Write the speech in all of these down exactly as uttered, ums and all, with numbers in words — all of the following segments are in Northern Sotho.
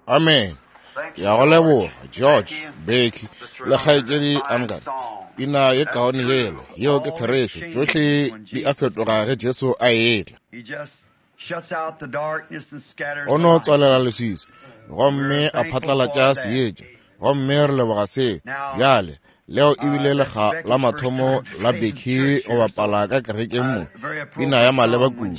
Amen. Ya go leboga George, Becky le kgaetšedi Amgad. Pina ye kaone yelo, yeo ke therešo. Tšohle di a fetoga ge Jesu a etla. O no tswalela leswiswi gomme a phatlalatša seetša, gomme re leboga seo. Bjale leo ebile lekga la mathomo la Becky go bapala ka kerekeng mo, pina ya maleba kudu,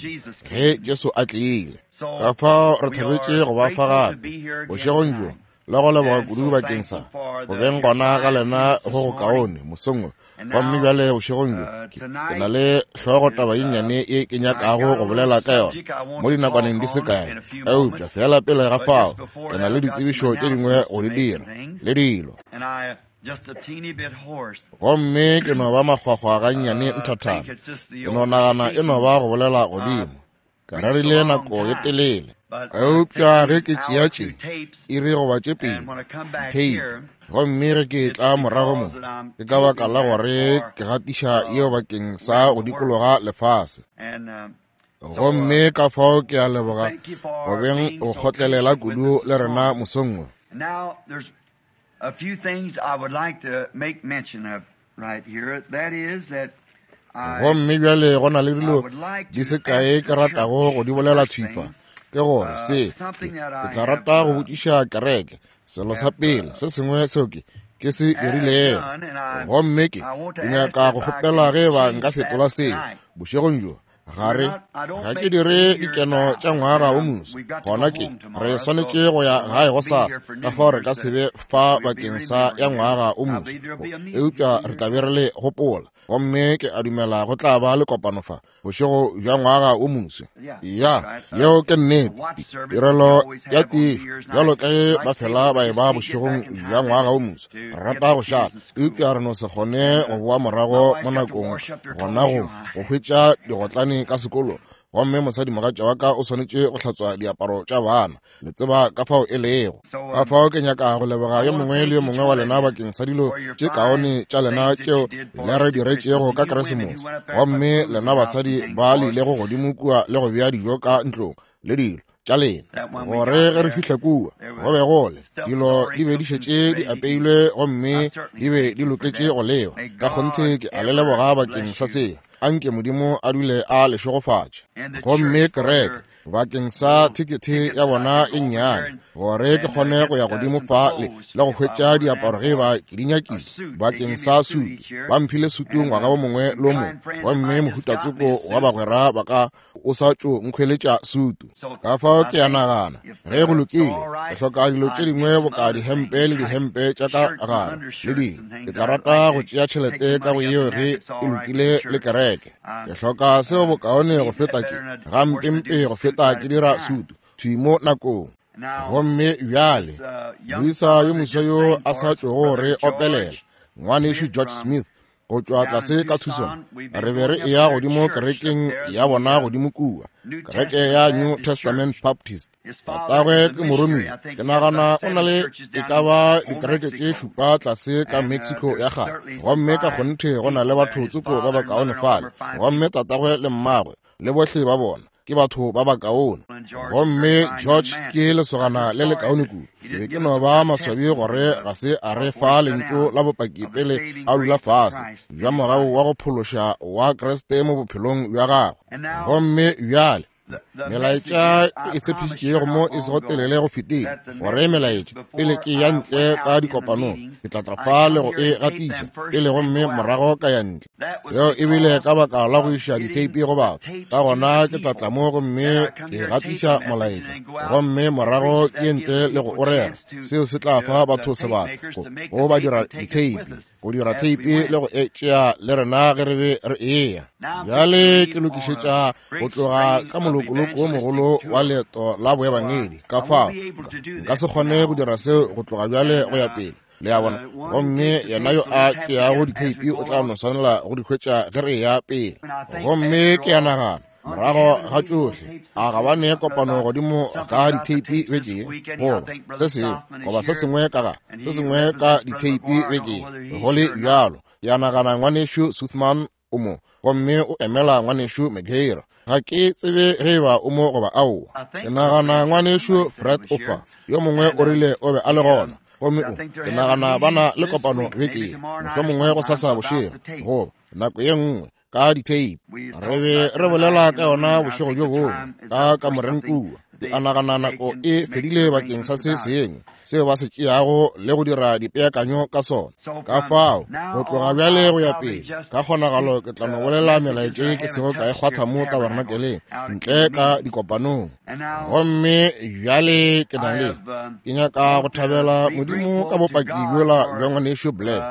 ge Jesu a tlile. Ka fao re thabetše go ba fa gape bošegong bjo, le go leboga kudu bakeng sa go beng gona ga lena go go kaone mosong wo. Gomme bjale bošegong bjo ke na le hlogo taba ye nnyane ye ke nyakago go bolela ka yona mo dinakwaneng di se kae, eupša fela pele ga fao ke na le ditsebišo tše dingwe go di dira le dilo. Gomme ke no ba makgwakgwa gannyane nthathana, ke no nagana e no ba go bolela godimo. Ka rerile nako ye telele, eupša ge ke tšea tše iri goba tše pedi tape, gomme ge ke tla morago mo, ke ka baka la gore ke gatiša yeo bakeng sa go dikologa lefase. Gomme ka fao ke a leboga go beng go kgotlelela kudu le rena mosong wo. A few things I would like to make mention of right here. That is that gomme bjale go na le dilo di se kae ke ratago go di bolela thwifa, ke gore se ke tla rata go botšiša kereke selo sa pele se sengwe seo ke ke se dirilego, gomme ke ke nyaka go kgopela ge ba nka fetola seo bošegong bjo. Gare ga ke dire dikeno tša ngwaga o moswa, gona ke re swanetše go ya gae go sasa, ka fao re ka se be fa bakeng sa ya ngwaga o moswa, eupša re tla be re le gopola. Gomme ke a dumela go tla ba le kopano fa bošego bja ngwaga o moswa. Ya, yeo ke nnete. Tirelo ya tišo bjalo ka ge ba fela ba e ba bošegong bja ngwaga o moswa, re rata go šala, eupša re no se kgone go boa morago mo nakong gona go go hwetša digotlane ka sekolo. Gomme mosadimogatša wa ka o swanetše go hlatswa diaparo tša bana, le tseba ka fao e lego. Ka fao ke nyaka go leboga yo mongwe le yo mongwe wa lena bakeng sa dilo tše kaone tša lena tšeo le re diretšego ka Keresemose. Gomme lena basadi ba le ilego godimo kua le go bea dijo ka ntlong le dilo tša lena, gore ge re fihla kua go be go le dilo di be di šetše di apeilwe gomme di be di loketše go lewa. Ka kgonthe ke a le leboga bakeng sa seo. Anke Modimo a dule a le šegofatše. Gomme kereke bakeng sa thekethe ya bona e nnyane, gore ke kgone go ya godimo fa le le go hwetša diaparo ge ba ke di nyakile bakeng sa sutu. Ba mphile sutu ngwaga wo mongwe le o mongwe, gomme mohutatsoko wa bagwera ba ka o sa tšo nkhweletša sutu. Ka fao ke a nagana ge go lokile, ke hloka dilo tše dingwe boka dihempe le dihempe tša ka gare le dilo. Ke tla rata go tšea tšhelete ka go yeo ge e lokile le kereke. Ke hloka seo bokaone go feta ke gampempe go feta ke dira sutu thwi mo nakong. Gomme bjale moisa yo moswa yo a sa tšogo re opelela, ngwanešu George Smith go tšwa tlase ka Tucson, re be re eya godimo kerekeng ya bona godimo kua, kereke ya New Testament Baptist. Tatagwe ke moromiwa, ke nagana o na le e ka ba dikereke tše šupa tlase ka Mexico ya kgale, gomme ka kgonthe go na le batho tsoko ba bakaone fale. Gomme tatagwe le mmagwe le bohle ba bona ke batho ba bakaone. Gomme George ke lesogana le le kaone kudu. Ke be ke no ba maswabi gore ga se a re fa lentšu la bopaki pele a dula fase bja mogau wa go phološa wa Kriste mo bophelong bja gagwe. Gomme bjale melaetša e tshepišitšego mo e sego telele go fetile, gore melaetša pele ke ya ntle ka dikopanong ke tla tla fa le go e gatiša pele, gomme morago ka ya ntle. Seo ebile ka baka la go iša ditheipi go batho. Ka gona ke tla tla mo gomme ke gatiša molaetša, gomme morago ke ye ntle le go o rera. Seo se tla fa batho sebaka go ba dira ditheipi, go dira theipi le go e tšea le rena ge re be re eya. Bjale ke lokišetša go tloga ka molokoloko wo mogolo wa leeto la boebangedi. Ka fao nka se kgone go dira seo go tloga bjale go ya pele, le a bona. Gomme yena yo a tšeago ditheipi o tla no swanela go di hwetša ge re eya pele. Gomme ke a nagana morago ga tšohle a ga ba ne kopano godimo ga ditheipi beke goba se sengwe goba se sengwe ka ga se sengwe ka ditheipi beke. Go le bjalo, ke a nagana ngwanešu Suthman o mo, gomme o emela ngwanešu McGair. Ga ke tsebe ge eba o mo goba aowa. Ke nagana ngwanešu Fred o fa. Yo mongwe o rile o be a le gona. Gomme o, ke nagana ba na le kopano beke ye, mohlomongwe gosasa bošego, goba nako ye nngwe, ka ditheipi. Re be re bolela ka yona bošego bjo bongwe, ka kamoreng kua. Ke a nagana nako e fedile bakeng sa se sengwe seo ba se tšeago le go dira dipeakanyo ka sona. Ka fao, go tloga bjale go ya pele, ka kgonagalo ke tla no bolela melaetša ye ke sego ka e kgwatha mo tabernakeleng, ntle ka dikopanong. Gomme bjale ke na le, ke nyaka go thabela Modimo ka bopaki bjola bja ngwanešu Blair.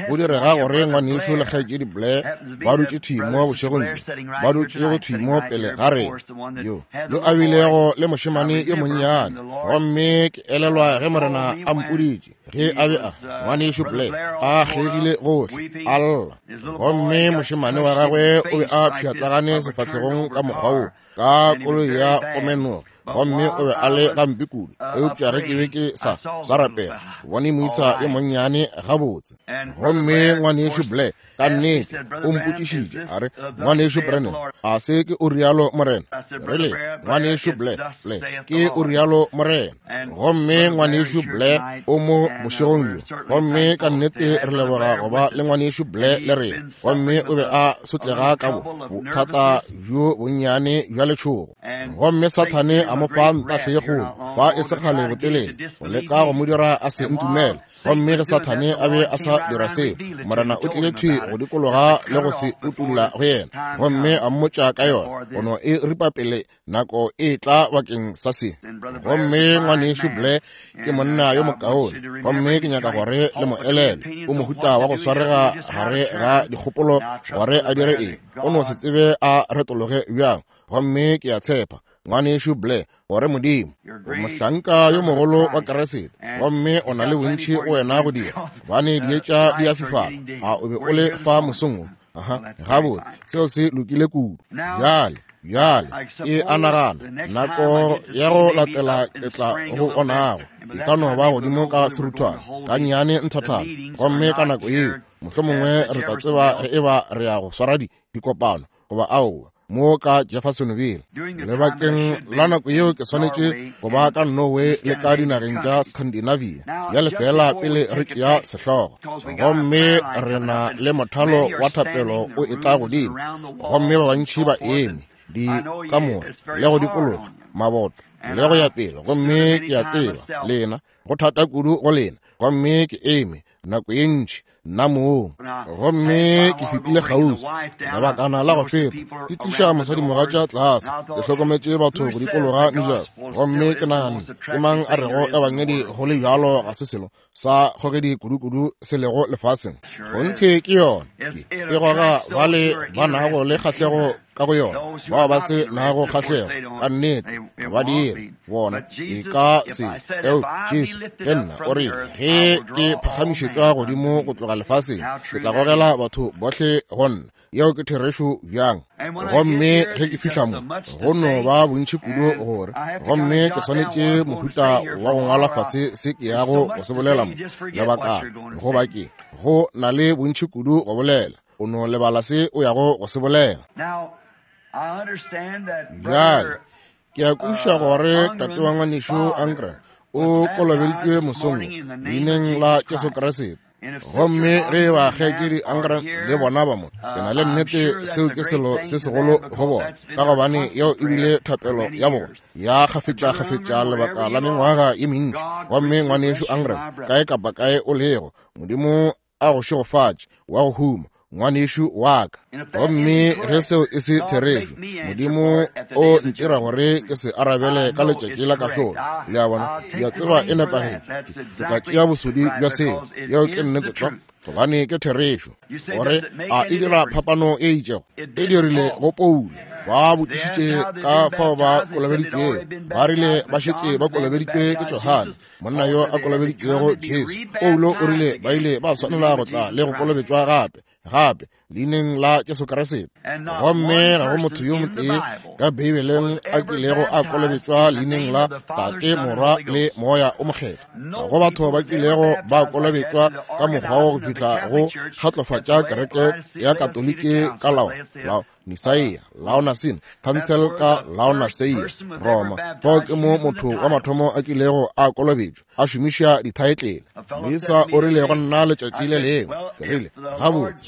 Go direga gore ngwanešu le kgaetšedi Blair ba dutše thwi mo bošegong bjo, ba dutše go thwi mo pele ga rena, yo yo a bilego le mošemane yo monnyane. Gomme ke elelwa ge Morena a mpoditše ge a be a ngwanešu Blair a kgegile gohle a lla, gomme mošemane wa gagwe o be a pšhatlagane sefahlegong ka mokgwa wo ka koloi ya go menoga, gomme o be a le gampe kudu. Eupša ge ke be ke sa sa rapela, ke bone moisa yo monnyane gabotse. Gomme ngwanešu Blair ka nnete o mpotšišitše a re, ngwanešu Branham, a se ke o rialo Morena? Re le, ngwanešu Blair, Blair, ke o rialo Morena. Gomme ngwanešu Blair o mo bošegong bjo, gomme ka nnete re leboga go ba le ngwanešu Blair le rena. Gomme o be a sotlega ka bo bothata bjo bonnyane bja letšhogo, gomme Sathane a mo fa ntahle ye kgolo fa e se kgale botelele, go leka go mo dira a se ntumele. Gomme ge Sathane a be a sa dira seo, Morena o tlile thwi go dikologa le go se utolla go yena, gomme a mmotša ka yona, go no e ripa pele nako e tla bakeng sa se. Gomme ngwanešu Blair ke monna yo mokaone, gomme ke nyaka gore le mo elele. O mohuta wa go swarega gare ga dikgopolo gore a dire eng, o no se tsebe a retologe bjang. Gomme ke a tshepa ngwanešu Blair gore Modimo o mohlanka yo mogolo wa Kriste, gomme o na le bontši go wena go dira, gobane dietša di a fifala. A o be o le fa mosong wo? Aha, gabotse, seo se lokile kudu. Bjale, bjale ke a nagana nako ya go latela ke tla go onago e ka no ba godimo ka seruthwane ka nnyane nthathana, gomme ka nako yeo mohlomongwe re tla tseba ge eba re ya go swara dikopano goba aowa mo ka Jeffersonville. Lebakeng la nako yeo ke swanetše go ba ka Norway le ka dinageng tša Scandinavia. Bjale fela pele re tšea sehlogo, gomme re na le mothalo wa thapelo o etla godimo, gomme ba bantši ba eme dikamore le go dikologa maboto le go ya pele, gomme ke a tseba lena go thata kudu go lena, gomme ke eme nako ye ntši nna mong. Gomme ke fetile kgauswi lebakana la go feta, ke tliša mosadimogatša tlase, ke hlokometše batho go dikologa mejako, gomme ke naganne, ke mang a rego ebangedi go le bjalo ga se selo sa kgogedi kudukudu se lego lefaseng? Kgonthe ke yona, ke e goga bale ba nago le kgahlego ka go yona, bao ba se nago kgahlego ka nnete ba dire bona e ka se. Eo Jesu ke nna o rile, ge ke phagamišetšwa godimo go tloga lefaseng, ke tla gogela batho bohle go nna. Yeo ke therešo bjang. Gomme ge ke fihla mo, go no ba bontši kudu gore, gomme ke swanetše mohuta wa go ngwala fase se ke yago go se bolela mo lebakana, goba ke go na le bontši kudu go bolela, o no lebala se o yago go se bolela. Bjale ke a kwešiša gore tate wa ngwanešu Angra o kolobeditšwe mosong leineng la Jesu Kriste. Gomme ge ba kgaetšedi Angra le bona ba mo, ke na le nnete seo ke selo se segolo go bona, ka gobane yeo e bile thapelo ya bona ya kgafetša-kgafetša lebaka la mengwaga ye mentši. Gomme ngwanešu Angra, kae kapa kae o lego, Modimo a go šegofatše wa go huma, ngwanešu wa ka. Gomme ge seo e se therešo, Modimo o ntira gore ke se arabele ka letšatši la kahlolo. Le a bona, ke a tseba e nepagetše. Ke tla tšea bosodi bja seo. Yeo ke nnete tlwa, gobane ke therešo. Gore a e dira phapano e itšego? E dirile go Paulo. Ba botšišitše ka fao ba kolobeditšwego, ba rile ba šetše ba kolobeditšwe ke Johane, monna yo a kolobeditšwego Jesu. Paulo o rile ba ile ba swanela go tla le go kolobetšwa gape. gape leineng la Jesu Kriste. Gomme ga go motho yo motee ka Beibeleng a kilego a kolobetšwa leineng la Tate, Morwa le Moya o Mokgethwa. Ga go batho ba kilego ba kolobetšwa ka mokgwa wo go fihla go kgatlofatša kereke ya Katoliki ka lao lao Nicaea, Laodicea, Council ka Laodicea, Roma. Fao ke mo motho wa mathomo a kilego a kolobetšwa a šomiša dithaetlele. Moisa o rile go nna letšatši le lengwe, ke rile, gabotse,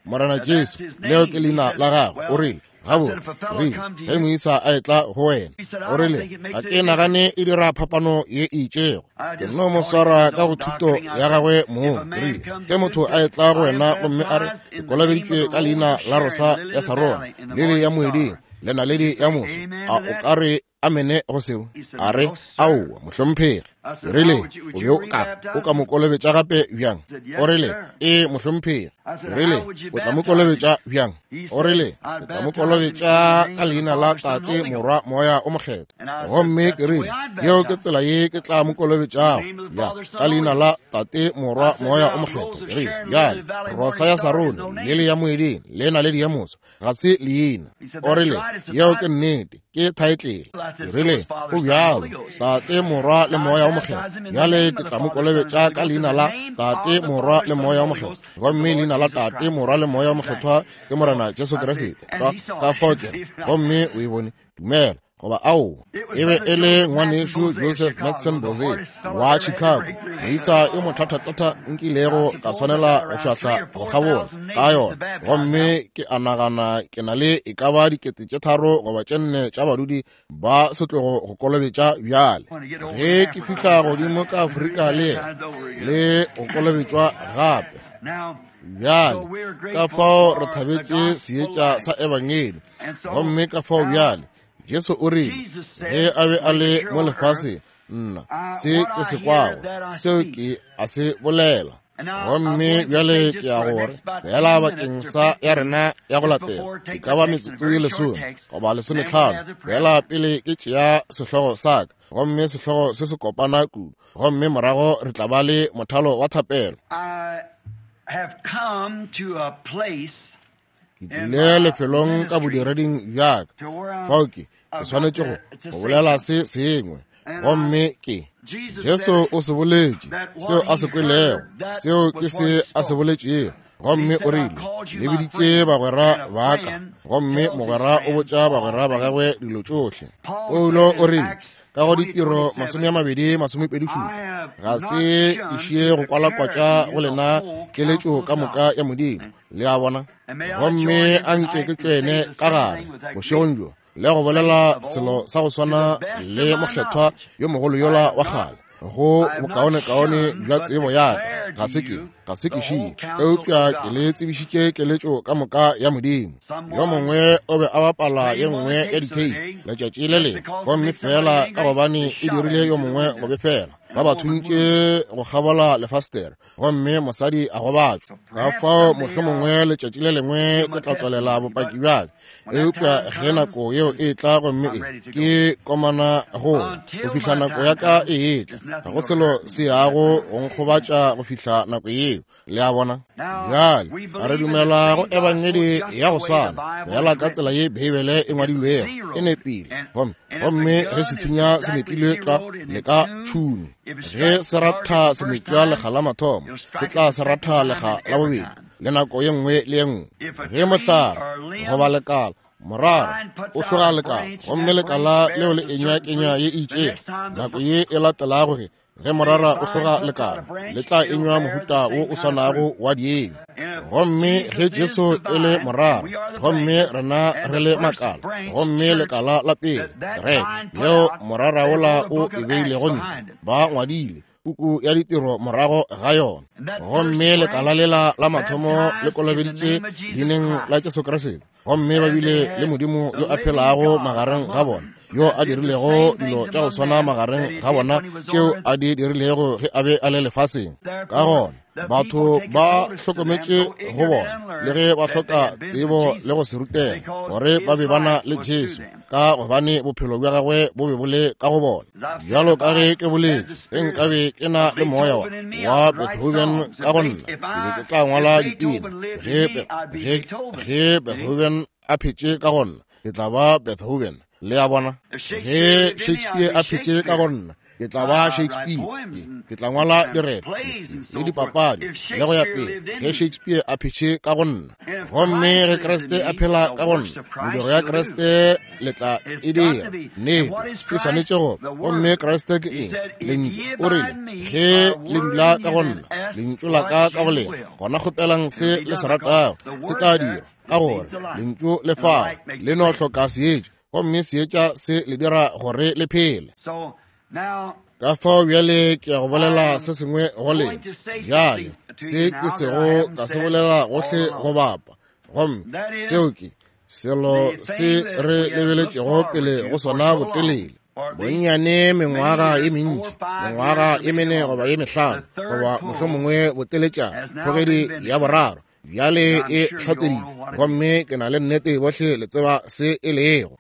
Morena Jesu, leo ke leina la gagwe. O rile, gabotse, ke rile, ge moisa a etla go wena, o rile, ga ke nagane e dira phapano ye e itšego. Ke nno mo swara ka go thuto ya gagwe mong. Ke rile, ge motho a etla go wena gomme a re, ke kolobeditšwe ka leina la Rosa ya Sarona, lele ya moeding, le naledi ya moso, a o ka re amene go seo? A re, aowa, mohlomphegi. Ke rile, o be o ka o ka mo kolobetša gape bjang? O rile, ee, mohlomphegi. Ke rile, o tla mo kolobetša bjang? O rile, o tla mo kolobetša ka leina la Tate, Morwa, Moya o Mokgethwa. Gomme ke rile, yeo ke tsela ye ke tla mo kolobetšago, ya ka leina la Tate, Morwa, Moya o Mokgethwa. Ke rile, bjale, Rosa ya Sarone, lele ya moeding, le naledi ya moso, ga se leina. O rile, yeo ke nnete, ke thaetlele. Ke rile, o bjalo, Tate, Morwa le Moya o Mokgethwa. Bjale ke tla mo kolobetša ka leina la Tate, Morwa le Moya o Mokgethwa. Gomme leina la Tate, Morwa le Moya o Mokgethwa ke Morena Jesu Kriste. Ka fao ke re, gomme o e bone, dumela goba aowa. E be e le ngwanešu Joseph Madsen Boze wa Chicago, moisa yo mothathathatha nkilego ka swanela go šwahla go kgabola ka yona. Gomme ke a nagana ke na le e ka ba dikete tše tharo goba tše nne tša badudi ba setlogo go kolobetša bjale. Ge ke fihla godimo ka Afrika le le go kolobetšwa gape. Bjale ka fao re thabetše seetša sa Ebangedi. Gomme ka fao bjale Jesu o rile, ge a be a le mo lefaseng, nna se ke se kwago, seo ke a se bolela. Gomme bjale ke ya gore fela bakeng sa ya rena ya go latela e ka ba metsotso ye lesome goba lesometlhano, fela pele ke tšea sehlogo sa ka, gomme sehlogo se se kopana kudu, gomme morago re tla ba le mothalo wa thapelo. Ke tlile lefelong ka bodireding bja ka fao ke ke swanetše go go bolela se sengwe. Gomme ke Jesu o se boletše seo a se kwelego, seo ke se a se boletšego. Gomme o rile, le biditše bagwera ba ka, gomme mogwera o botša bagwera ba gagwe dilo tšohle. Paulo o rile ka go ditiro masome a mabedi masomepedi šupa, ga se išie go kwalakwatša go lena keletšo ka moka ya Modimo. Le a bona? Gomme a nke ke tšwene ka gare bošegong bjo le go bolela selo sa go swana le mokgethwa yo mogolo yola wa kgale, go bokaonekaone bja tsebo ya ka. Ga se ke ga se ke šie, eupša ke le tsebišitše keletšo ka moka ya Modimo. Yo mongwe o be a bapala ye nngwe ya ditheipi letšatši le lengwe, gomme fela ka gobane e dirile yo mongwe go befela, ba ba thuntše go kgabola lefastere, gomme mosadi a gobatšwa. Ka fao mohlomongwe letšatši le lengwe ke tla tswalela bopaki bja ka, eupša ge nako yeo e tla, gomme e ke komana go go fihla nako ya ka e etla, ga go selo se yago go nkgobatša go fihla nako yeo. Le a bona? Bjale a re dumela go Ebangedi ya go swana fela ka tsela ye Beibele e ngwadilwego, e nepile. Gomme gomme ge sethunya se nepile tlwa le ka tšhune, ge se ratha se nepša lekga la mathomo, se tla se ratha lekga la bobedi le nako ye nngwe le ye nngwe. Ge mohlare goba lekala morara o hloga lekala, gomme lekala leo le enywa kenywa ye e itšego, nako ye e latelago ge ge morara o hloga lekala, le tla enywa mohuta wo o swanago wa dienywa. Gomme ge Jesu e le morara, gomme rena re le makala, gomme lekala la pele kereke leo morara wola o e beilego ntle, ba ngwadile puku ya ditiro morago ga yona. Gomme lekala lela la mathomo le kolobeditše leineng la Jesu Kriste, gomme ba bile le Modimo yo a phelago magareng ga bona. yo a dirilego dilo tša go swana magareng ga bona tšeo a di dirilego ge a be a le lefaseng. Ka gona batho ba hlokometše go bona, le ge ba hloka tsebo le go se rutega, gore ba be ba na le Jesu, ka gobane bophelo bja gagwe bo be bo le ka go bona. Bjalo ka ge ke boletše, ge nkabe ke na le moya wa wa Beethoven ka go nna, ke be ke tla ngwala dipina. Ge ge ge Beethoven a phetše ka go nna, ke tla ba Beethoven. Le a bona? Ge Shakespeare a phetše ka go nna, ke tla ba Shakespeare. Ke tla ngwala direto le dipapadi le go ya pele, ge Shakespeare a phetše ka go nna. Gomme ge Kriste a phela ka go nna, mediro ya Kriste le tla e dira. Nnete, e swanetše go. Gomme Kriste ke eng? Lentšu. O rile, ge le dula ka go nna, lentšu la ka ka go lena, gona kgopelang se le se ratago, se tla dirwa. Ka gore lentšu le fao, le no hloka seetša, gomme seetša se le dira gore le phele. Ka fao bjale ke ya go bolela se sengwe go lena. Bjale se ke sego ka se bolela gohle go bapa, gomme seo ke selo se re lebeletšego pele go sona botelele. Bonnyane mengwaga ye mentši, mengwaga ye mene goba ye mehlano, goba mohlomongwe boteletšana, kgogedi ya boraro bjale e hlatseditšwe, gomme ke na le nnete bohle le tseba se e lego.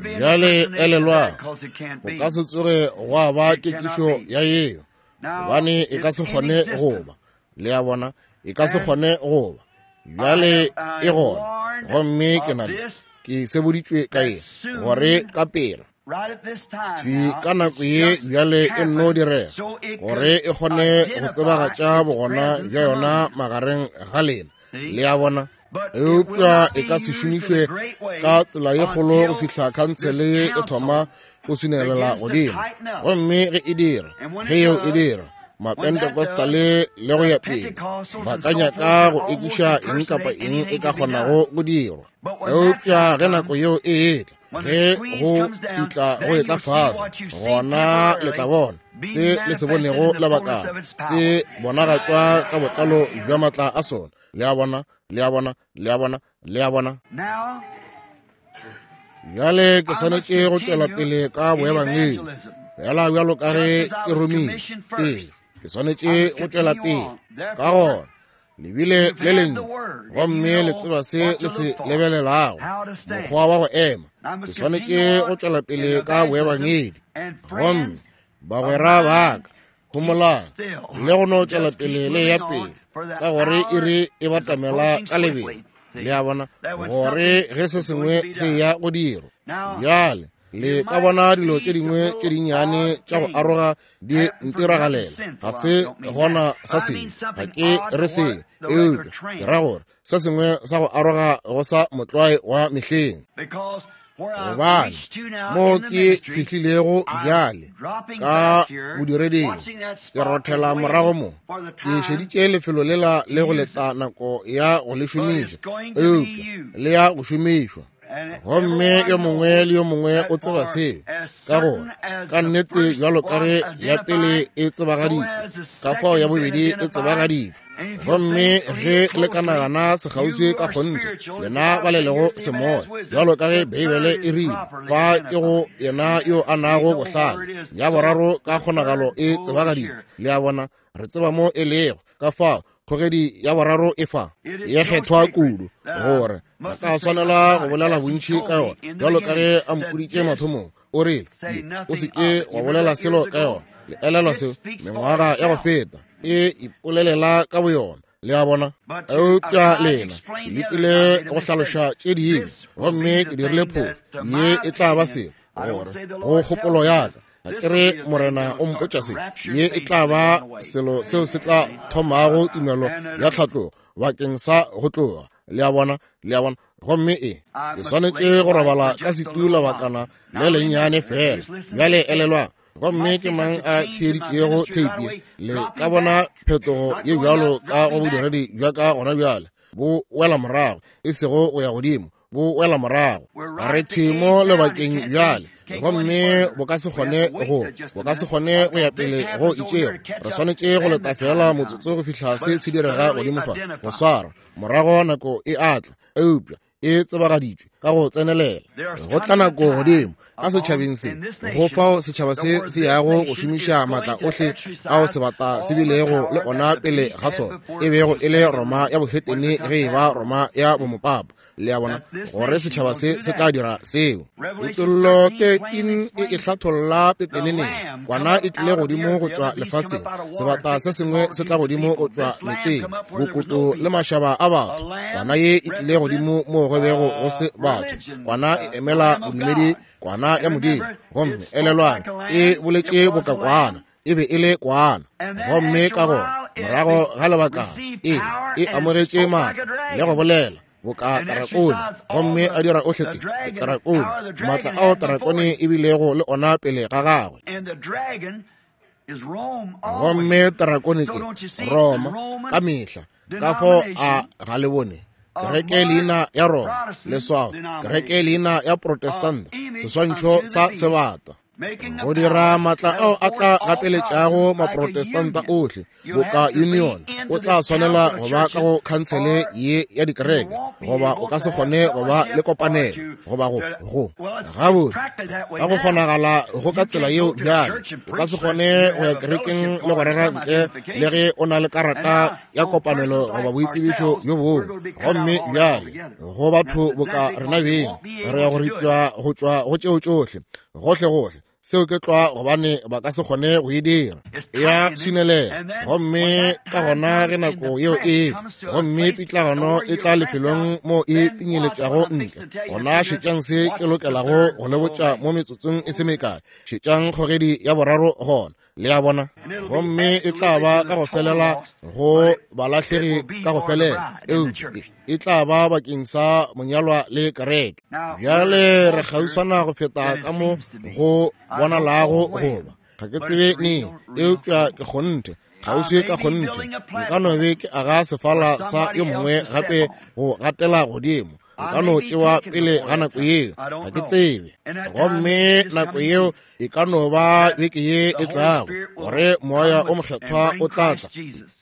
Bjale elelwang, go ka se tsoge gwa ba kekišo ya yeo, gobane e ka se kgone go ba. Le a bona, e ka se kgone go ba. Bjale e gona, gomme ke na le, ke seboditšwe ka ye, gore ka pela thwi ka nako ye bjale e nno direga, gore e kgone go tsebagatša bogona bja yona magareng ga lena. Le a bona? Eupša e ka se šomišwe ka tsela ye kgolo go fihla khansele ye e thoma go swinelela godimo. Gomme ge e dira, ge yeo e dira, Mapentecostale le go ya pele ba ka nyaka go ekiša eng kapa eng e ka kgonago go dirwa. Eupša ge nako yeo e etla, ge go itla go etla fase, gona le tla bona se le se bonego lebakana se bonagatšwa ka botlalo bja matla a sona. Le a bona? Le a bona? Le a bona? Le a bona? Bjale ke swanetše go tšwela pele ka boebangedi, fela bjalo ka ge ke romile pele, ke swanetše go tšwela pele. Ka gona lebile le lentšu, gomme le tseba se le se lebelelago, mokgwa wa go ema. Ke swanetše go tšwela pele ka boebangedi. Gomme bagwera ba ka, homolang le go no tšwela pele le ya pele, ka gore iri e batamela ka lebelo. Le a bona, gore ge se sengwe se ya go dirwa. Bjale le ka bona dilo tše dingwe tše dinnyane tša go aroga di ntiragalela. Ga se gona sa seng, ga ke re seng, eupša ke ra gore se sengwe sa go aroga go sa motlwae wa mehleng. Gobane mo ke fihlilego bjale ka bodireding, ke rothela morago mo, ke šeditše lefelo lela le go leta nako ya go le šomiša, eupša le ya go šomišwa. Gomme yo mongwe le yo mongwe o tseba seo, ka gore ka nnete bjalo ka ge ya pele e tsebagaditšwe, ka fao ya bobedi e tsebagaditšwe. Gomme ge le ka nagana sekgauswi ka kgonthe, lena ba le lego semoya, bjalo ka ge Beibele e rile, fa ke go yena yo a nago bohlale, ya boraro ka kgonagalo e tsebagaditšwe. Le a bona, re tseba mo e lego. Ka fao kgogedi ya boraro e fa ye kgethwa kudu, gore ba ka swanela go bolela bontši ka yona, bjalo ka ge a mpoditše mathomong. O rile, o se ke wa bolela selo ka yona. Le elelwa seo mengwaga ya go feta, e ipolelela ka boyona. Le a bona? Eupša lena ke lekile go hlaloša tše dingwe, gomme ke dirile phofu. Ye e tla ba selo gore go kgopolo ya ka, ga ke re Morena o mpotša se, ye e tla ba selo seo se tla thomago tumelo ya tlhatlogo bakeng sa go tloga. Le a bona? Le a bona? Gomme e ke swanetše go robala ka setu lebakana le lennyane fela. Bjale elelwang, gomme ke mang a theeditšego theipi? Le ka bona phetogo ye bjalo ka go bodiredi bja ka gona bjale, bo wela morago, e sego go ya godimo, bo wela morago. Re thwi mo lebakeng bjale, gomme bo ka se kgone go bo ka se kgone go ya pele go itšego. Re swanetše go leta fela motsotso go fihla se se direga godimo fa, go swara morago nako e atla, eupša e tsebagaditšwe. ka go tsenelela. Go tla nako godimo ka setšhabeng se, go fao setšhaba se se yago go šomiša maatla ohle ao sebata se bilego le ona pele ga sona, e bego e le Roma ya bohetene ge e ba Roma ya bomopapa. Le a bona gore setšhaba se se tla dira seo. Kutollo thirteen e e hlatholla pepeneneng. Kwana e tlile godimo go tšwa lefaseng, sebata se sengwe se tla godimo go tšwa metseng, bokoto le mašaba a batho. Kwana ye e tlile godimo mo go bego go se batho. Kwana e emela bodumedi, kwana ya Modimo. Gomme elelwang, e boletše boka kwana, e be e le kwana. Gomme ka gona morago ga lebaka e e amogetše maatla le go bolela boka tarakone, gomme a dira ohle te tarakone, maatla ao tarakone e bilego le ona pele ga gagwe. Gomme tarakone ke Roma ka mehla. Ka fao a ga le bone kereke leina ya Roma, leswao kereke leina ya Protestanta, seswantšho sa sebata, go dira maatla ao a tla gapeletšago maprotestanta ohle boka union. O tla swanela go ba ka go khansele ye ya dikereke, goba o ka se kgone go ba le kopanelo, goba go go gabotse ka go kgonagala go ka tsela yeo. Bjale o ka se kgone go ya kerekeng le go rera ntle le ge o na le karata ya kopanelo goba boitsebišo bjo bongwe. Gomme bjale go batho boka rena beng re ya go ripša go tšwa go tšeo tšohle gohle gohle. Seo ke tlwa gobane ba ka se kgone go e dira, ya swinelela. Gomme ka gona ge nako yeo e tla, gomme pitlagano e tla lefelong mo e pinyeletšago ntle, gona šetšang se ke lokelago go le botša mo metsotsong e se mekae. Šetšang kgogedi ya boraro gona, le a bona. Gomme e tla ba ka go felela go balahlegi ka go felela, eupša e tla ba bakeng sa monyalwa le kereke. Bjale re kgauswana go feta ka mo go bonalago goba ga ke tsebe neng, eupša ke kgonthe kgauswi ka kgonthe. Nka no be ke aga sefala sa yo mongwe gape go gatela godimo, nka no tšewa pele ga nako yeo, ga ke tsebe. Gomme nako yeo e ka no ba beke ye e tlago, gore Moya o Mokgethwa o tla tla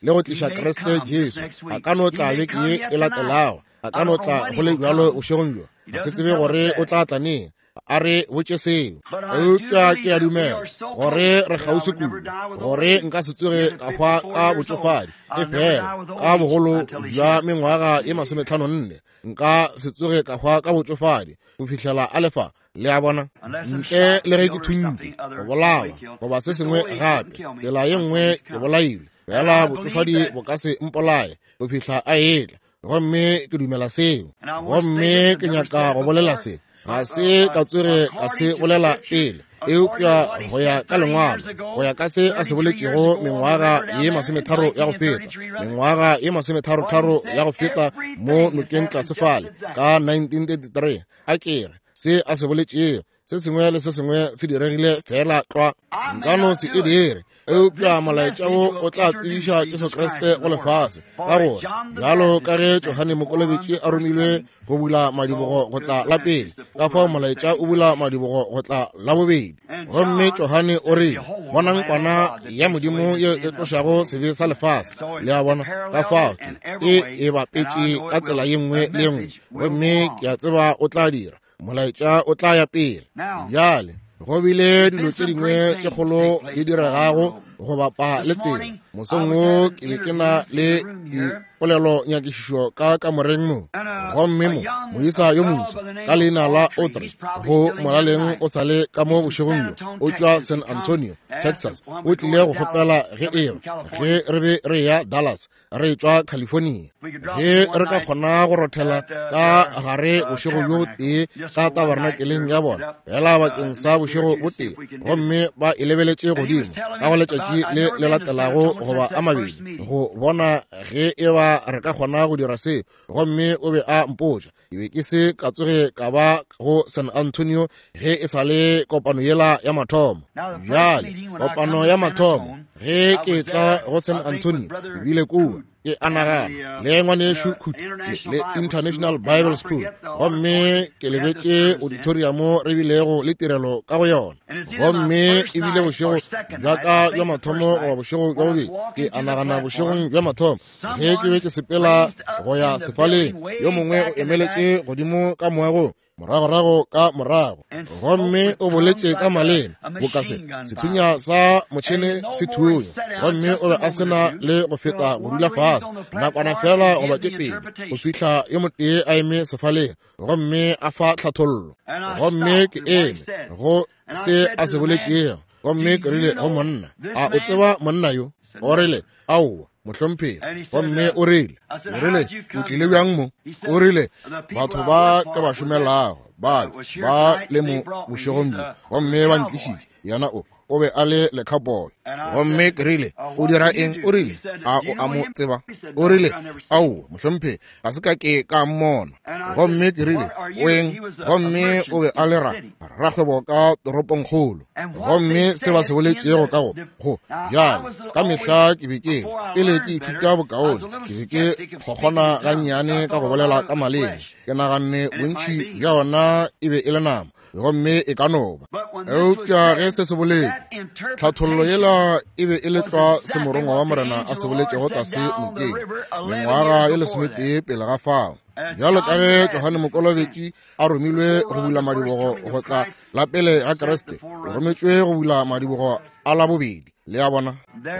le go tliša Kriste Jesu. A ka no tla beke ye e latelago, a ka no tla go le bjalo bošegong bjo, ga ke tsebe gore o tla tla neng. A re botše seo. Eupša ke a dumela gore re kgauswi kudu gore nka se tsoge ka hwa ka botšofadi, e fela ka bogolo bja mengwaga ye masometlhano nne nka se tsoge ka hwa ka botšofadi go fihlela a lefa. Le a bona, ntle le ge ke thuntšwe, go bolawa goba se sengwe gape, tsela ye nngwe ke bolailwe, fela botšofadi bo ka se mpolaye go fihla a etla. Gomme ke dumela seo. Gomme ke nyaka go bolela se, ga se ka tsoge ka se bolela pele, eupša go ya ka lengwalo, go ya ka se a se boletšego mengwaga ye masometharo ya go feta, mengwaga ye masometharotharo ya go feta mo nokeng tlase fale ka nineteen thirty-three, a ke re se a se boletšego se sengwe le se sengwe se diregile fela tlwa. Nka no se e dire, eupša molaetša wo o tla tsebiša Jesu Kriste go lefase, ka gore bjalo ka ge Johane Mokolobetši a romilwe go bula madibogo go tla la pele, ka fao molaetša o bula madibogo go tla la bobedi. Gomme Johane o rile, bonang kwana ya Modimo ye e tlošago sebe sa lefase. Le a bona, ka fao ke e e bapetše ka tsela ye nngwe le ye nngwe, gomme ke a tseba o tla dira. Molaetša o tla ya pele. Bjale go bile dilo tše dingwe tše kgolo di diregago go bapa le tsela. Mosong wo ke be ke na le dipolelo nyakišišo ka kamoreng mo, gomme mo moisa yo moswa ka leina la Audrey, go molaleng o sa le ka mo bošegong bjo, o tšwa San Antonio, Texas. O tlile go kgopela ge eba ge re be re ya Dallas, re tšwa California, ge re ka kgona go rothela ka gare bošego bjo tee ka tabernakeleng ya bona, fela bakeng sa bošego bo tee. Gomme ba e lebeletše godimo ka go letšatši le le latelago goba a mabedi go bona ge eba re ka kgona go dira se. Gomme o be a mpotša, ke be ke se ka tsoge ka ba go San Antonio ge e sa le kopano yela ya mathomo. Bjale kopano ya mathomo ge ke tla go San Antonio, ke bile kua ke a nagana le ngwanešu Khuti le International Bible School, gomme ke lebetše auditorium re bilego le tirelo ka go yona. Gomme e bile bošego bja ka bja mathomo goba bošego bja bobedi, ke a nagana bošegong bja mathomo ge ke be ke sepela go ya sefaleng, yo mongwe o emeletše godimo ka moagong moragorago ka morago, gomme o boletše ka maleme boka se sethunya sa motšhene se thunya, gomme o be a se na le go feta go dula fase nakwana fela goba tše pedi go fihla yo motee a eme sefaleng gomme a fa tlhathollo. Gomme ke eme go se a se boletšego, gomme ke rile go monna, a o tseba monna yo? O rile, aowa mohlomphegi. Gomme o rile, o rile, o tlile bjang mo? O rile, batho ba ke ba šomelago ba ba le mo bošegong bjo, gomme ba ntlišitše. Yena o o be a le le-cowboy. Gomme ke rile, o dira eng? O rile, a o a mo tseba? O rile, aowa mohlomphegi, ga se ka ke ka mmona. Gomme ke rile, o eng? Gomme o be a le ra rakgwebo ka toropongkgolo. Gomme se ba se boletšego ka go go bjale ka mehla ke be ke pele ke ithuta bokaone, ke be ke kgokgona gannyane ka go bolela ka maleme. Ke naganne bontši bja ona e be e le nama, gomme e ka no ba. Eupša ge se se boletše, tlhathollo yela e be e le tlwa se morongwa wa Morena a se boletšego tlase nokeng mengwaga e lesometee pele ga fao. Bjalo ka ge Johane Mokolobetši a romilwe go bula madibogo go tla la pele ga Kriste, o rometšwe go bula madibogo a la bobedi. Le a bona?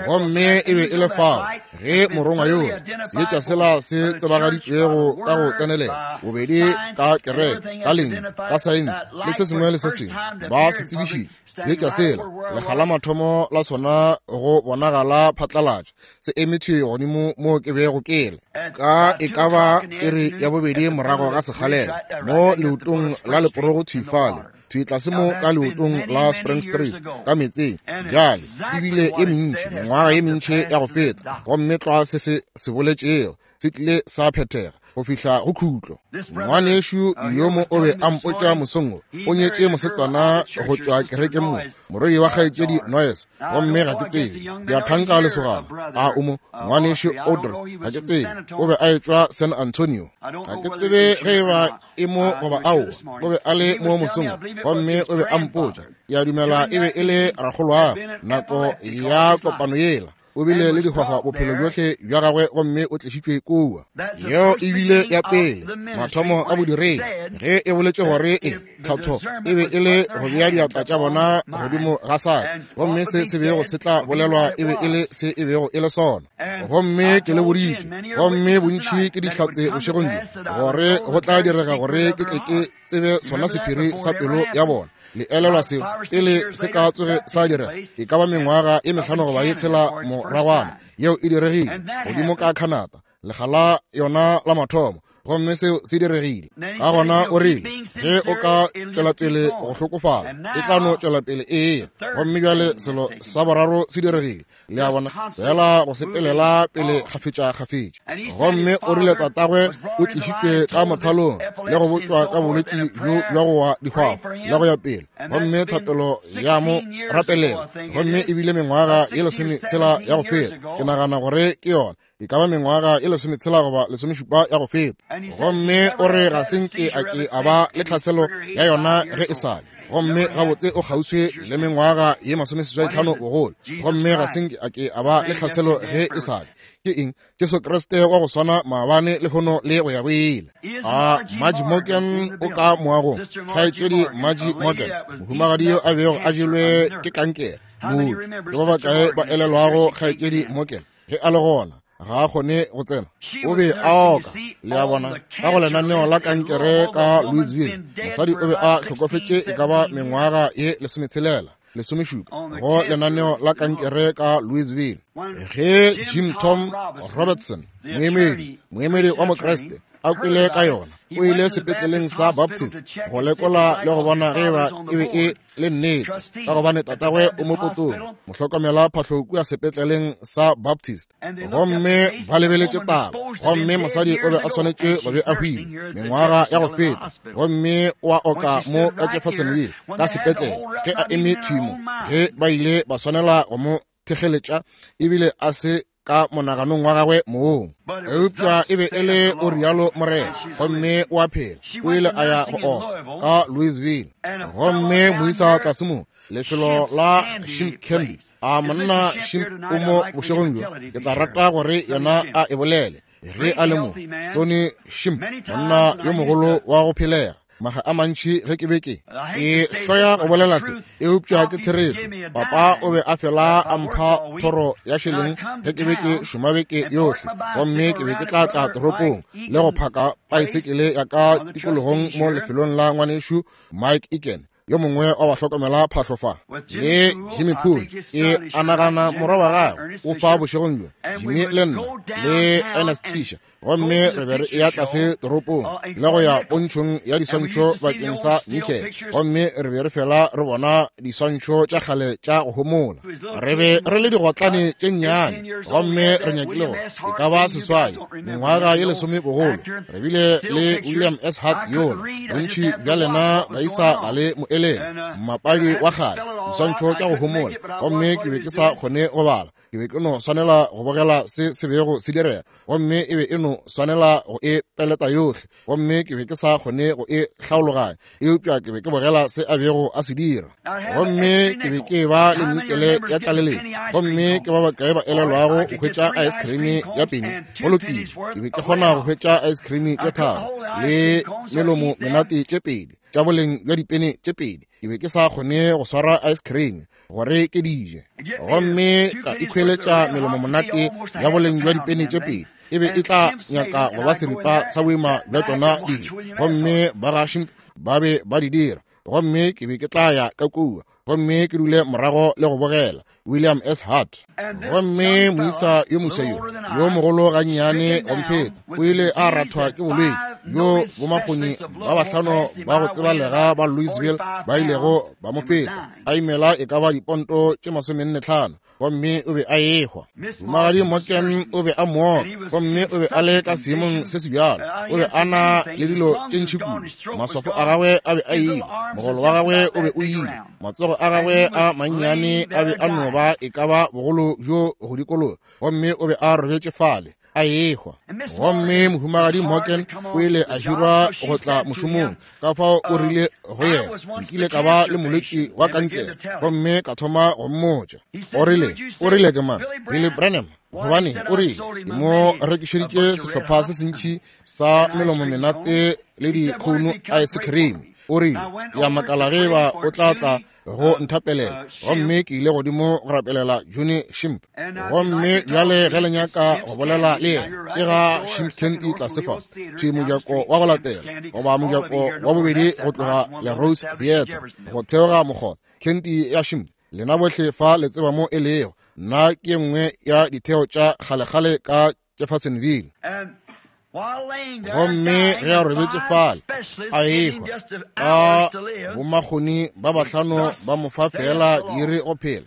Gomme e be e le fao ge morongwa yoo seetša sela se tsebagaditšwego ka go tsenelela bobedi ka kereke, ka lentšu, ka saense le se sengwe le se sengwe, ba se tsebišitše seetša sela lekga la mathomo la sona go bonagala phatlalatša, se eme thwi godimo mo ke bego ke le ka e ka ba iri ya bobedi morago ga sekgalela mo leotong la leporogo thwi fale, thwi tlase mo ka leotong la Spring Street ka metseng. Bjale ebile e mentši mengwaga ye mentši ya go feta, gomme tlwa se se se boletšego se tlile sa phethega go fihla go khutlo. Ngwanešu yo mo o be a mpotša mosong wo, o nyetše mosetsana go tšwa kerekeng mo, morwedi wa kgaetšedi Noyes, gomme ga ke tsebe, ke a thanka lesogana a o mo, ngwanešu Audrey, ga ke tsebe, o be a etšwa San Antonio, ga ke tsebe ge e ba e mo goba aowa, o be a le mo mosong, gomme o be a mpotša, ke a dumela e be e le rakgolwagwe nako ya kopano yela. O bile le dihwahwa bophelo bjohle bja gagwe, gomme o tlišitšwe kua. Yeo e bile ya pele mathomo a bodiredi, ge e boletše gore e tlhatho e be e le go bea diatla tša bona godimo ga saka, gomme se se bego se tla bolelwa e be e le se e bego e le sona. Gomme ke le boditše, gomme bontši ke dihlatse bošegong bjo, gore go tla direga gore ke tle ke tsebe sona sephiri sa pelo ya bona. Le elelwa seo pele se ka tsoge sa direga, e ka ba mengwaga e mehlano goba ye tshela moragwana, yeo e diregile godimo ka Canada lekga la yona la mathomo, gomme seo se diregile. Ka gona o rile, ge o ka tšwela pele go hlokofala, e tla no tšwela pele eya. Gomme bjale selo sa boraro se diregile, le a bona, fela go sepelela pele kgafetša-kgafetša. Gomme o rile tatagwe o tlišitšwe ka mothalong le go botšwa ka bolwetši bjo bja go wa dihwahwa le go ya pele, gomme thapelo ya mo rapelela, gomme e bile mengwaga ye lesometshela ya go feta. Ke nagana gore ke yona e ka ba mengwaga e lesometshela goba lesomešupa ya go feta. Gomme o re ga se nke a ke a ba le tlhaselo ya yona ge e sale, gomme gabotse o kgauswi le mengwaga ye masomeseswai tlhano bogolo, gomme ga se nke a ke a ba le tlhaselo ge e sale. Ke eng? Jesu Kriste wa go swana maabane lehono le go ya go ile. A Margie Morgan o ka moagong, kgaetšedi Margie Morgan, mohumagadi yo a bego a jelwe ke kankere, mooki. Ke ba bakae ba elelwago kgaetšedi Morgan? Ge a le gona, ga a kgone go tsena, o be a oka, le a bona, ka go lenaneo la kankere ka Louisville. Mosadi o be a hlokofetše e ka ba mengwaga ye lesometshelela lesomešupa go lenaneo la kankere ka Louisville. Ge Jim Tom Robertson, moemedi moemedi wa Mokriste, a kwele ka yona, o ile sepetleleng sa Baptist go lekola le go bona ge ba e be e le nnete, ka gobane tatagwe o mo potong, mohlokomela phahlo kua sepetleleng sa Baptist. Gomme ba lebeletše taba, gomme mosadi o be a swanetše go be a hwile mengwaga ya go feta, gomme o a oka mo ka Jeffersonville ka sepetlele ge a eme thwi mo, ge ba ile ba swanela go mo thekgeletša, ebile a se ka monaganong wa gagwe mong. Eupša e be e le o rialo Morena, gomme o a phela. O ile a ya go oka ka Louisville, gomme moisa tlase mo lefelo la Shimp Candy. A monna Shimp o mo bošegong bjo, ke tla rata gore yena a e bolele ge a le mo. Sonny Shimp, monna yo mogolo wa go phelega, Maga a mantši ge ke be ke ke hloya go bolela se, eupša ke therešo. Papa o be a fela a mpha thoro ya šeleng ge ke be ke šoma beke yohle, gomme ke be ke tla tla toropong le go phaka paesekele ya ka tikologong mo lefelong la ngwanešu Mike Egan, yo mongwe wa ba hlokomela phahlo fa, le Jimmy Poole. Ke a nagana morwa wa gagwe o fa bošegong bjo, Jimmy le nna le Ernest Fisher, gomme re be re eya tlase toropong le go ya pontšhong ya diswantšho bakeng sa nickel, gomme re be re fela re bona diswantšho tša kgale tša go homola. Re be re le digotlane tše nnyane, gomme re nyakile go e ka ba seswai mengwaga ye lesome bogolo. Re bile le William S. Hart yola, bontši bja lena baisa ga le mo elele, mmapadi wa kgale, diswantšho tša go homola, gomme ke be ke sa kgone go bala. Ke be ke no swanela go bogela se se bego se direga, gomme e be e no swanela go e peleta yohle, gomme ke be ke sa kgone go e hlaologanya, eupša ke be ke bogela se a bego a se dira. Gomme ke be ke ba le nikele ya tlaleletšo, gomme ke ba bakae ba elelwago go hwetša ice cream ya peni? Go lokile, ke be ke kgona go hwetša ice cream tše tharo le melomo menate tše pedi tša boleng bja dipene tše pedi. Ke be ke sa kgone go swara ice cream gore ke di je, gomme ka ikhweletša melomo monate ya boleng bja dipene tše pedi. E be e tla nyaka go ba seripa sa boima bja tšona dijo, gomme ba ga ba be ba di dira, gomme ke be ke tla ya ka kua gomme ke dule morago le go bogela William S. Hart. Gomme moisa yo moswa yo yo mogolo gannyane go mpheta o ile a rathwa ke bolwetši bjo bomakgoni ba bahlano ba go tsebalega ba Louisville ba ilego ba mo feta, a imela e ka ba diponto tše masomenne tlhano, gomme o be a ehwa. Mohumagadi Morgan o be a mooka, gomme o be a le ka seemong se se bjalo. O be a na le dilo tše ntši kudu, maswafo a gagwe a be a ile, mogolo wa gagwe o be o ile, matsogo a gagwe a mannyane a be a no ba e ka ba bogolo bjo go dikologa, gomme o be a robetše fale a ehwa. Gomme mohumagadi Morgan o ile a hirwa go tla mošomong, ka fao o rile go yena, nkile ka ba le molwetši wa kankere, gomme ka thoma go mmotša. O rile, o rile ke mang? Billy Branham. Gobane o rile, ke mo rekišeditše sehlopha se sentši sa melomo menate le dikhouno ice cream. O rile, ya makala ge ba o tla tla go nthapelela. Gomme ke ile godimo go rapelela Juni Shimp. Gomme bjale ge le nyaka go bolela le yena, ke ga Shimp Candy tlase fa, thwi mojako wa go latela, goba mojako wa bobedi go tloga Le Rose Theatre go theoga mokgotha, Candy ya Shimp. Lena bohle fa le tseba mo e lego. Nna ke nngwe ya ditheo tša kgalekgale ka Jeffersonville. Gomme ge a robetše fale a ehwa, ka bomakgoni ba bahlano ba mo fa fela diiri go phela,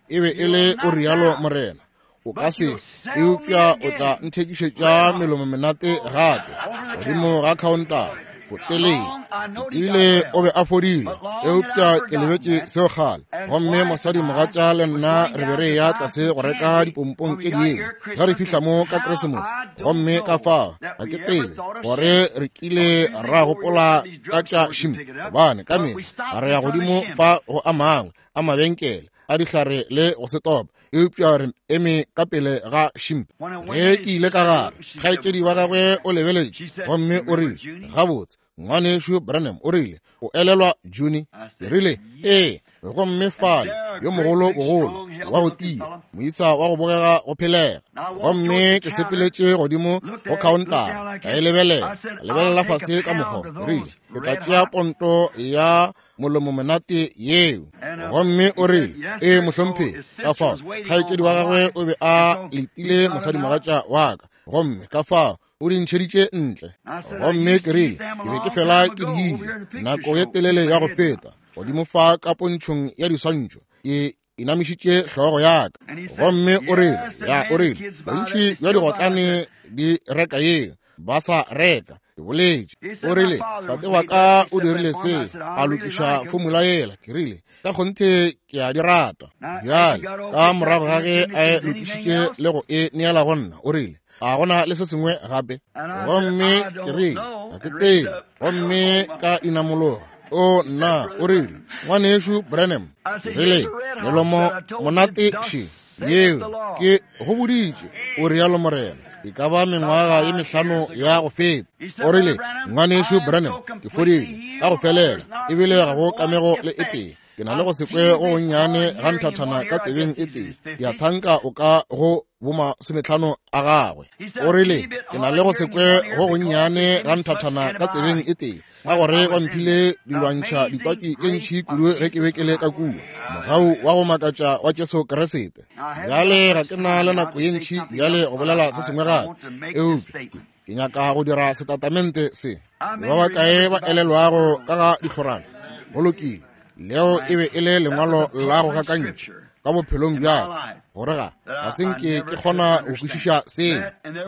e be e le o rialo Morena, o ka se, eupša o tla nthekišetša melomo menate gape godimo ga khaontara botelele. Ke tsebile o be a fodile, eupša ke lebetše seo kgale. Gomme mosadi mogatša le nna re be re ya tlase go reka dipompong tše dingwe ge re fihla mo ka Keresemose, gomme ka fao ga ke tsebe gore re kile ra gopola ka tša Shimp, gobane ka mehla re ya godimo fa go a mangwe a mabenkele a dihlare le go setopa, eupša re eme ka pele ga Shimp. Ge ke ile ka gare, kgaetšedi wa gagwe o lebeletše gomme o rile, gabotse ngwanešu Branham, o rile, o elelwa Juni? Ke rile, ee. Gomme fale yo mogolo bogolo wa go tia, moisa wa go bogega go phelega. Gomme ke sepeletše godimo go khaontara, ka e lebelela, ka lebelela fase ka mokgwa. Ke rile, ke tla tšea ponto ya molomo monate yeo. Gomme o rile, ee mohlomphegi. Ka fao kgaetšedi wa gagwe o be a letile mosadimogatša wa ka, gomme ka fao o di ntšheditše ntle. Gomme ke rile, ke be ke fela ke di ile nako ye telele ya go feta godimo fa ka pontšhong ya diswantšho, ke inamišitše hlogo ya ka. Gomme o rile, ya, o rile, bontši bja digotlane di reka yeo, ba sa reka. Ke boletše. O rile, tate wa ka o dirile se, a lokiša fomula yela. Ke rile, ka kgonthe ke a di rata. Bjale ka morago ga ge a e lokišitše le go e neela go nna, o rile, a gona le se sengwe gape? Gomme ke rile, ga ke tsebe. Gomme ka inamologa. O nna, o rile, ngwanešu Branham, ke rile, melomo monate še yeo ke go boditše, o rialo Morena. E ka ba mengwaga ye mehlano ya go feta. O rile, Ngwanešu Branham, ke fodile ka go felela, ebile ga go kamego le e tee. Ke na le go se kwe go gonnyane ga nthathana ka tsebeng e tee. Ke a thanka o ka go bomasometlhano a gagwe. O rile, ke na le go se kwe go gonnyane ga nthathana ka tsebeng e tee, ka gore ba mphile dilwantšha ditwatši tše ntši kudu ge ke be ke le ka kua. Mogau wa go makatša wa Jesu Kriste. Bjale ga ke na le nako ye ntši bjale go bolela se sengwe gape, eupša ke nyaka go dira setatamente se. Ba bakae ba elelwago ka ga dihlorana? Go lokile. Leo e be e le lengwalo la go gakantšha ka bophelong bja ka, gore ga ga se nke ke kgona go kwešiša seo.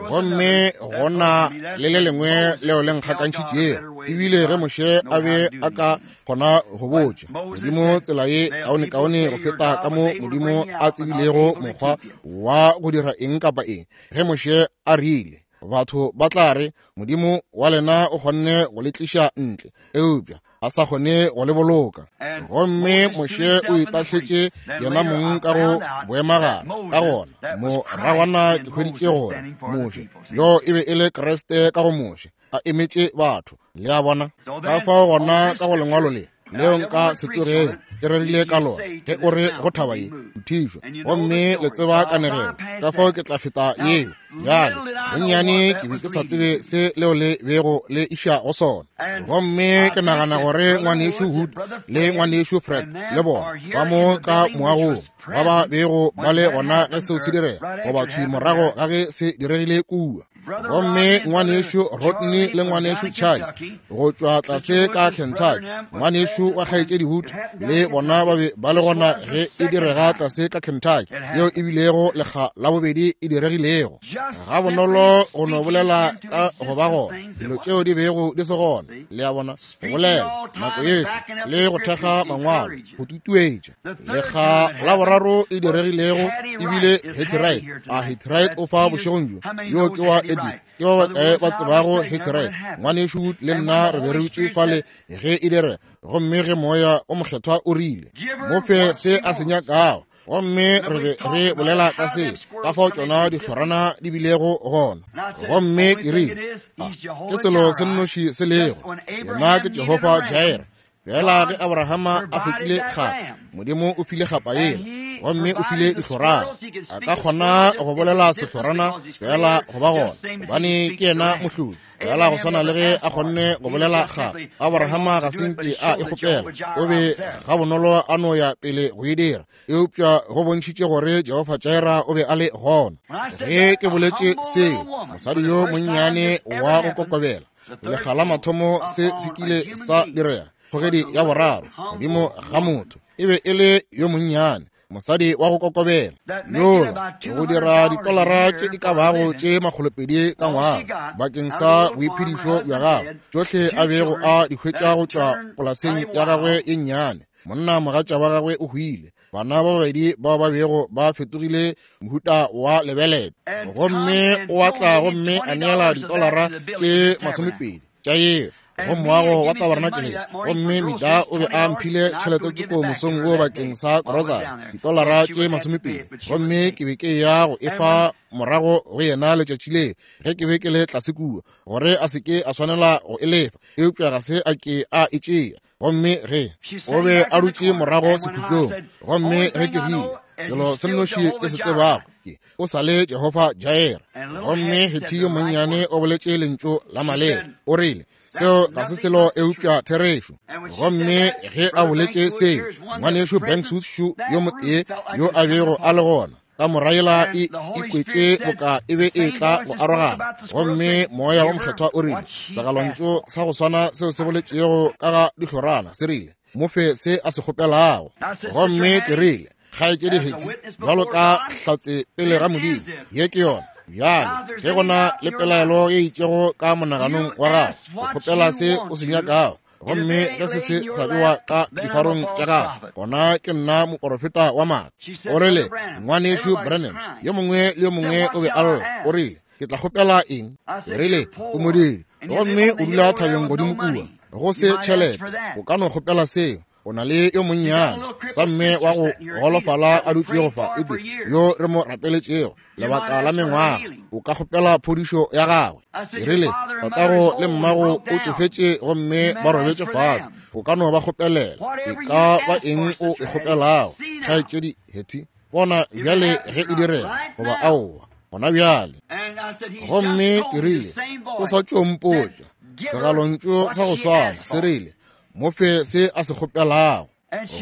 Gomme gona le le lengwe leo le nkgakantšhitšego, ebile ge Moshe a be a ka kgona go botša Modimo tsela ye kaonekaone go feta ka mo Modimo a tsebilego mokgwa wa go dira eng kapa eng, ge Moshe a rile, batho ba tla re Modimo wa lena o kgonne go le tliša ntle, eupša a sa kgone go le boloka. Gomme Moshe o itahletše yena mong ka go boemagare. Ka gona moragwana ke hweditše gore Moshe yo e be e le Kriste ka go Moshe, a emetše batho. Le a bona? Ka fao gona ka go lengwalo le leo nka se tsogego ke rerile ka lona, ge o re go thaba ye thišwa, gomme le tseba kanegelo, ka fao ke tla feta yeo. Bjale bonnyane ke be ke sa tsebe se leo le bego le iša go sona. Gomme ke nagana gore ngwanešu Hood le ngwanešu Fred le bona ba mo ka moagong ba ba bego ba le gona ge seo se direga, goba thwi morago ga ge se diregile kua. Gomme ngwanešu Rodney le ngwanešu Charlie go tšwa tlase ka Kentucky, ngwanešu wa kgaetšedi Hood le bona ba be ba le gona ge e direga tlase ka Kentucky, yeo e bilego lekga la bobedi e diregilego. Ga bonolo go no bolela ka go ba gona dilo tšeo di bego di se gona, le a bona, go bolela nako yohle le go thekga mangwalo, go tutuetša. Lekga la boraro e diregilego ebile Hattie Wright. A Hattie Wright o fa bošegong bjo, yo ke wa Edith. Ke ba bakae ba tsebago Hattie Wright? Ngwanešu le nna re be re dutše fale ge e direga, gomme ge moya o mokgethwa o rile, mo fe se a se nyakago. Gomme re be re bolela ka se, ka fao tšona dihlorana di bilego gona. Gomme ke rile, ke selo se nnoši se lego, yena ke Jehofa Jireh. Fela ge Abrahama a hlokile kgapa, Modimo o file kgapa yela, gomme o file dihlorana. A ka kgona go bolela sehlorana fela go ba gona, gobane ke yena mohlodi. Fela go swana le ge a kgonne go bolela kgapa, Abrahama ga se nke a e kgopela, o be gabonolo a no ya pele go e dira, eupša go bontšhitše gore Jehofa Jireh o be a le gona. Ge ke boletše seo, mosadi yo monnyane wa go kokobela, lekga la mathomo se se kile sa direga, kgogedi ya boraro godimo ga motho, e be e le yo monnyane, mosadi wa go kokobela yola, go dira ditolara tše di ka bago tše makgolopedi ka ngwaga bakeng sa boiphedišo bja gagwe, tšohle a bego a di hwetša go tšwa polaseng ya gagwe ye nnyane. Monna mogatša wa gagwe o hwile, bana ba babedi bao ba bego ba fetogile mohuta wa lebelete, gomme o atla gomme a neela ditolara tše masomepedi tša yeo go moago wa tabernakeleng. Gomme Mida o be a mphile tšhelete tsoko mosong wo bakeng sa grocery, ditolara tše masomepedi, gomme ke be ke ya go efa morago go yena letšatši leo ge ke be ke le tlase kua, gore a se ke a swanela go e lefa, eupša ga se a ke a e tšea. Gomme ge o be a dutše morago sekhutlong, gomme ge ke rile, selo se nnoši ke se tsebago ke o sa le Jehofa Jireh. Gomme Hattie yo monnyane o boletše lentšu la maleba, o rile, seo ga se selo eupša therešo. Gomme ge a boletše seo, ngwanešu Banks yo motee yo a bego a le gona ka moraela e ikwetše boka e be e tla go arogana. Gomme moya wa mokgethwa o rile, segalontšu sa go swana seo se boletšego ka ga dihlorana se rile, mo fe se a se kgopelago. Gomme ke rile, kgaetšedi Hattie, bjalo ka hlatse pele ga Modimo, ye ke yona. Bjale ge go na le pelaelo ye itšego ka monaganong wa gago, o kgopela se o se nyakago, gomme ge se se sa bewa ka difarong tša gago, gona ke nna moporofeta wa maaka. O rile, ngwanešu Branham, yo mongwe le yo mongwe o be a lla. O rile, ke tla kgopela eng? O rile, o modiri, gomme o dula thabeng godimo kua, go se tšhelete, o ka no kgopela seo. O na le yo monnyane sa mme wa go golofala a dutšego fa, Edith, yo re mo rapeletšego lebaka la mengwaga. O ka kgopela phodišo ya gagwe. Ke rile, tatago le mmago o tšofetše gomme ba robetše fase. O ka no ba kgopelela. E ka ba eng o e kgopelago, kgaetšedi Hetty? Bona bjale ge e direga goba aowa, gona bjale. Gomme ke rile, o sa tšo mpotša segalontšu sa go swana se rile, mo fe se a se kgopelago.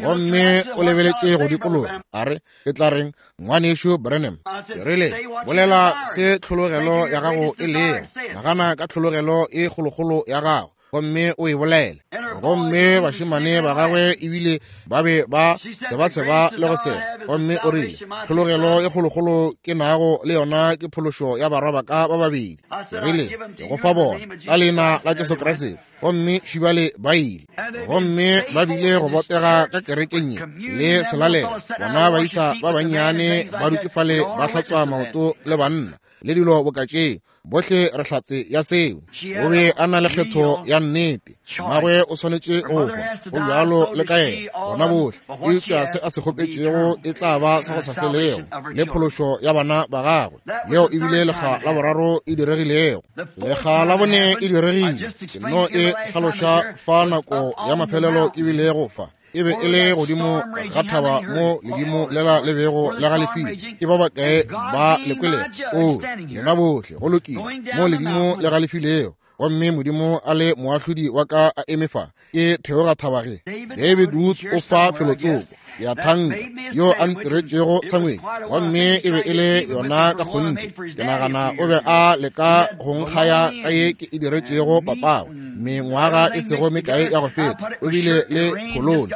Gomme o lebeletše go dikologa, a re, ke tla reng, ngwanešu Branham? Ke rile, bolela se tlhologelo ya gago e lego. Nagana ka tlhologelo e kgolokgolo ya gago, gomme o e bolele. Gomme bašemane ba gagwe ebile ba be ba sebaseba le go seba. Gomme o rile, tlhologelo e kgolokgolo ke nago le yona ke phološo ya barwa ba ka ba babedi. Ke rile, ke go fa bona ka leina la Jesu Kriste. Gomme šibale ba ile. Gomme ba bile go botega ka kerekeng ye le selalelo. Bona baisa ba bannyane ba dutše fale ba hlatswa maoto le banna le dilo boka tšeo. Bohle re hlatse ya seo. O be a na le kgetho ya nnete. Mmagwe o swanetše go hwa, go bjalo le ka yena, bona bohle. Eupša se a se kgopetšego e tla ba sa go sa felego, le phološo ya bana ba gagwe. Yeo e bile lekga la boraro e diregilego. Lekga la bone e diregile. Ke no e hlaloša fa nako ya mafelelo e bilego fa. E be e le godimo ga thaba mo ledimo lela le bego le galefile. Ke ba bakae ba le kwelego? O, lena bohle, go lokile. Mo ledimo le galefilego, gomme Modimo a le moahlodi wa ka a eme fa, ke theoga thaba ge. David Wood o fa felotsoko, ke a thanka, yo a ntiretšego sangwedi, gomme e be e le yona ka kgonthe. Ke nagana o be a leka go nkgaya ka ye ke e diretšego papago mengwaga e sego mekae ya go feta. O bile le phololo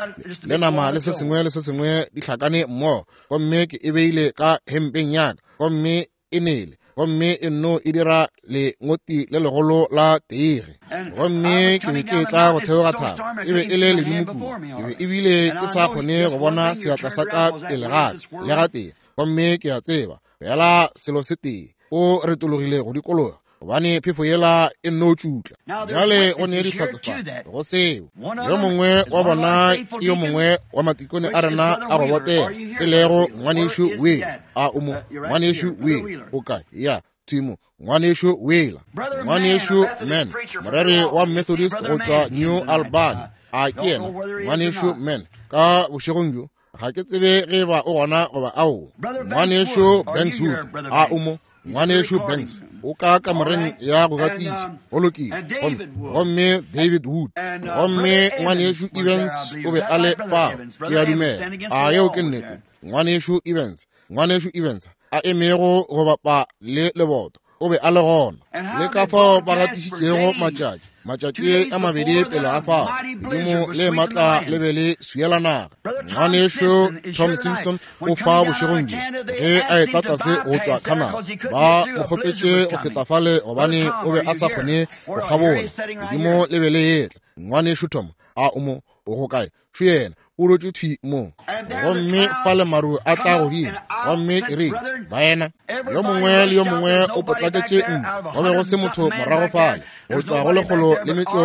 le nama le se sengwe le se sengwe di hlakane mmogo, gomme ke e beile ka hempeng ya ka, gomme e nele, gomme e nno e dira lengoti le legolo la teige. Gomme ke be ke tla go theoga thaba, e be e le ledimo kudu, ke be ebile ke sa kgone go bona seatla sa ka pele ga ka le gatee. Gomme ke a tseba fela selo se tee, o retologile go dikologa, gobane phefo yela e nno tšutla. Bjale go ne dihlatse fa go seo. Yo mongwe wa bona ke yo mongwe wa matikone a rena a go botega, e lego ngwanešu Wheeler. A o mo? Ngwanešu Wheeler o kae? Ya, thimo, ngwanešu Wheeler. Ngwanešu Mann, moreri wa Methodist go tšwa New Albany. A ke yena ngwanešu Mann ka bošegong bjo? Ga ke tsebe ge ba o gona goba aowa. Ngwanešu Banks Wood, a o mo? Ngwanešu Banks o ka kamoreng ya go gatiša. Go lokile. Gomme David Wood, gomme ngwanešu Evans o be a le fao, ke a dumela. A yeo ke nnete? Ngwanešu Evans, ngwanešu Evans a emego go bapa le leboto, o be a le gona. Le ka fao ba gatišitšego matšatši, matšatši a mabedi pele ga fao, ledimo le matla le be le swiela naga. Ngwanešu Tom Simpson o fa bošegong bjo ge a etla tlase go tšwa Canada. Ba mo kgopetše go feta fale gobane o be a sa kgone go kgabola, ledimo le be le etla. Ngwanešu Tom, a o mo? O go kae? Šo yena, o rotše thwi mo. Gomme fa le maru a tla godimo. Gomme ke rile, baena, yo mongwe le yo mongwe o potlaketše ntle. Go be go se motho morago fale, go tšwa go lekgolo le metšo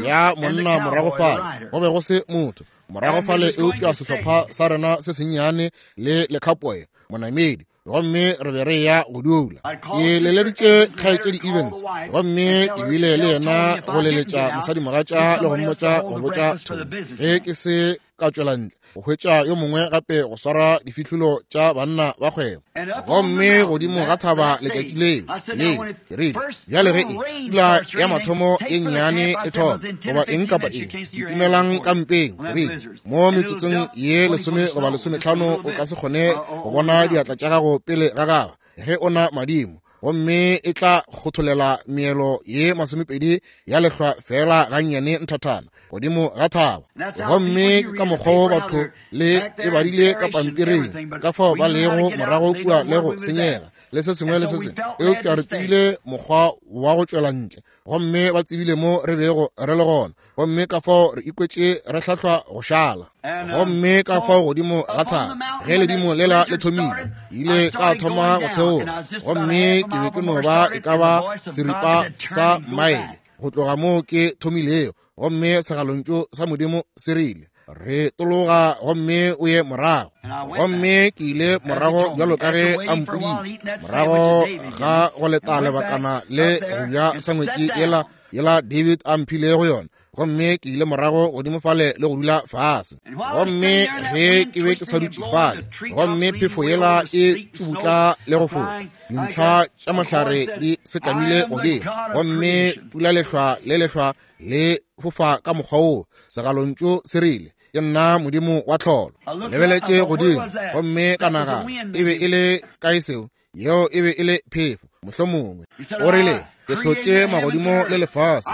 ya monna morago fale. Go be go se motho morago fale eupša sehlopha sa rena se sennyane le lekhapoe monamedi. Gomme re be re ya go dula. Ke leleditše kgaetšedi Evans, gomme ke bile le yena go leletša mosadimogatša le go mmotša go botša Tony ge ke se ka tšwela ntle go hwetša yo mongwe gape go swara difihlolo tša banna ba kgwebo. Gomme godimo ga thaba letšatši leo leo ke rile, bjale ge e pula ya mathomo e nnyane e thoma goba eng kapa eng, kitimelang ka mpeng. Ke rile, mo metsotsong ye lesome goba lesometlhano o ka se kgone go bona diatla tša gago pele ga gago ge o na madimo, gomme e tla kgotholela meelo ye masomepedi ya lehlwa fela gannyane nthathana godimo ga thaba. Gomme ke ka mokgwa wo batho le e badile ka pampiring, ka fao ba lego morago kua le go senyega le se sengwe le se sengwe. Eupša re tsebile mokgwa wa go tšwela ntle, gomme ba tsebile mo re bego re le gona, gomme ka fao re ikwetše re hlahlwa go šala. Gomme ka fao godimo ga thaba ge ledimo lela le thomile, ile ka thoma go theoga, gomme ke be ke no ba e ka ba seripa sa maele go tloga moo ke thomilego. Gomme segalontšu sa Modimo se rile, Re tologa gomme o ye morago. Gomme ke ile morago bjalo ka ge a mpoditše, morago ga go leta lebakana le go ja sangwetši yela yela David a mphilego yona. Gomme ke ile morago godimo fale le go dula fase. Gomme ge ke be ke sa dutše fale, gomme phefo yela e tšubutla le go foka, dintlha tša mahlare di sekamile godimo, gomme pula lehlwa le lehlwa le fofa ka mokgwa woo. Segalontšu se rile, ke nna Modimo wa tlholo. Lebeletše godimo, gomme ka nagana, e be e le kae seo? Yeo e be e le phefo, mohlomongwe. O rile, ke hlotše magodimo le lefase,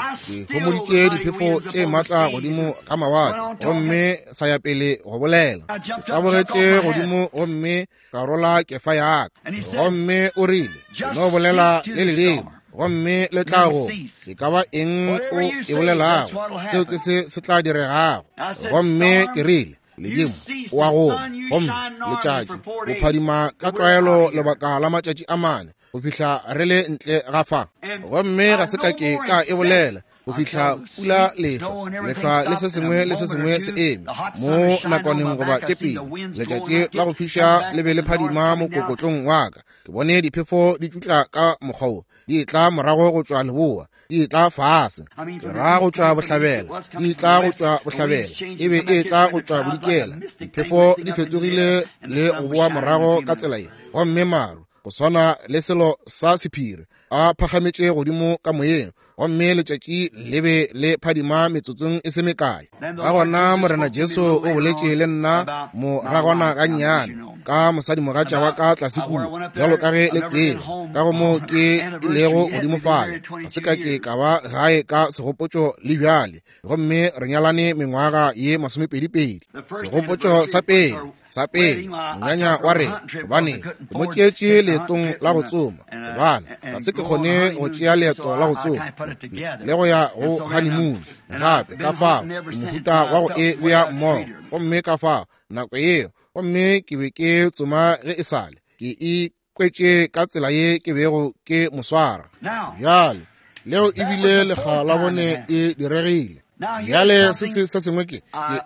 ke homoditše diphefo tše matla godimo ga mawatle, gomme sa ya pele go bolela. Ke tabogetše godimo gomme ka rola kefa ya ka. Gomme o rile, no bolela le ledimo, gomme le tla go, e ka ba eng o e bolelago, seo ke se se tla diregago. Gomme ke rile, ledimo o a goma, gomme letšatši o phadima ka tlwaelo lebaka la matšatši a mane go fihla re le ntle ga fa. Gomme ga se ka ke ka e bolela go fihla pula lehlwa, lehlwa le se sengwe le se sengwe se eme mo nakwaneng goba tše pedi. Letšatši la go fiša le be le phadima mokokotlong wa ka. Ke bone diphefo di tšutla ka mokgwa wo, di tla morago go tšwa leboa, di tla fase, ke ra go tšwa bohlabela, di tla go tšwa bohlabela, e be e tla go tšwa bodikela. Diphefo di fetogile le go boa morago ka tsela ye, gomme maru go swana le selo sa sephiri a phagametše godimo ka moyeng, gomme letšatši le be le phadima metsotsong e se mekae. Ka gona Morena Jesu o boletše le nna moragwana gannyane ka mosadimogatša wa ka tlase kua, bjalo ka ge le tseba, ka go moo ke ilego godimo fale. Ga se ka ke ka ba gae ka segopotšo le bjale, gomme re nyalane mengwaga ye masomepedipedi. Segopotšo sa pele, sa pele, monyanya wa rena, gobane ke mo tšeetše leetong la go tsoma, gobane ga se ke kgone go tšea leeto la go tsoma le go ya go honeymoon gape. Ka fao mohuta wa go e bea mmogo, gomme ka fao nako yeo, gomme ke be ke tsoma ge e sale ke ikwetše ka tsela ye ke bego ke mo swara. Bjale leo ebile lekga la bone e diregile. Bjale se se se sengwe ke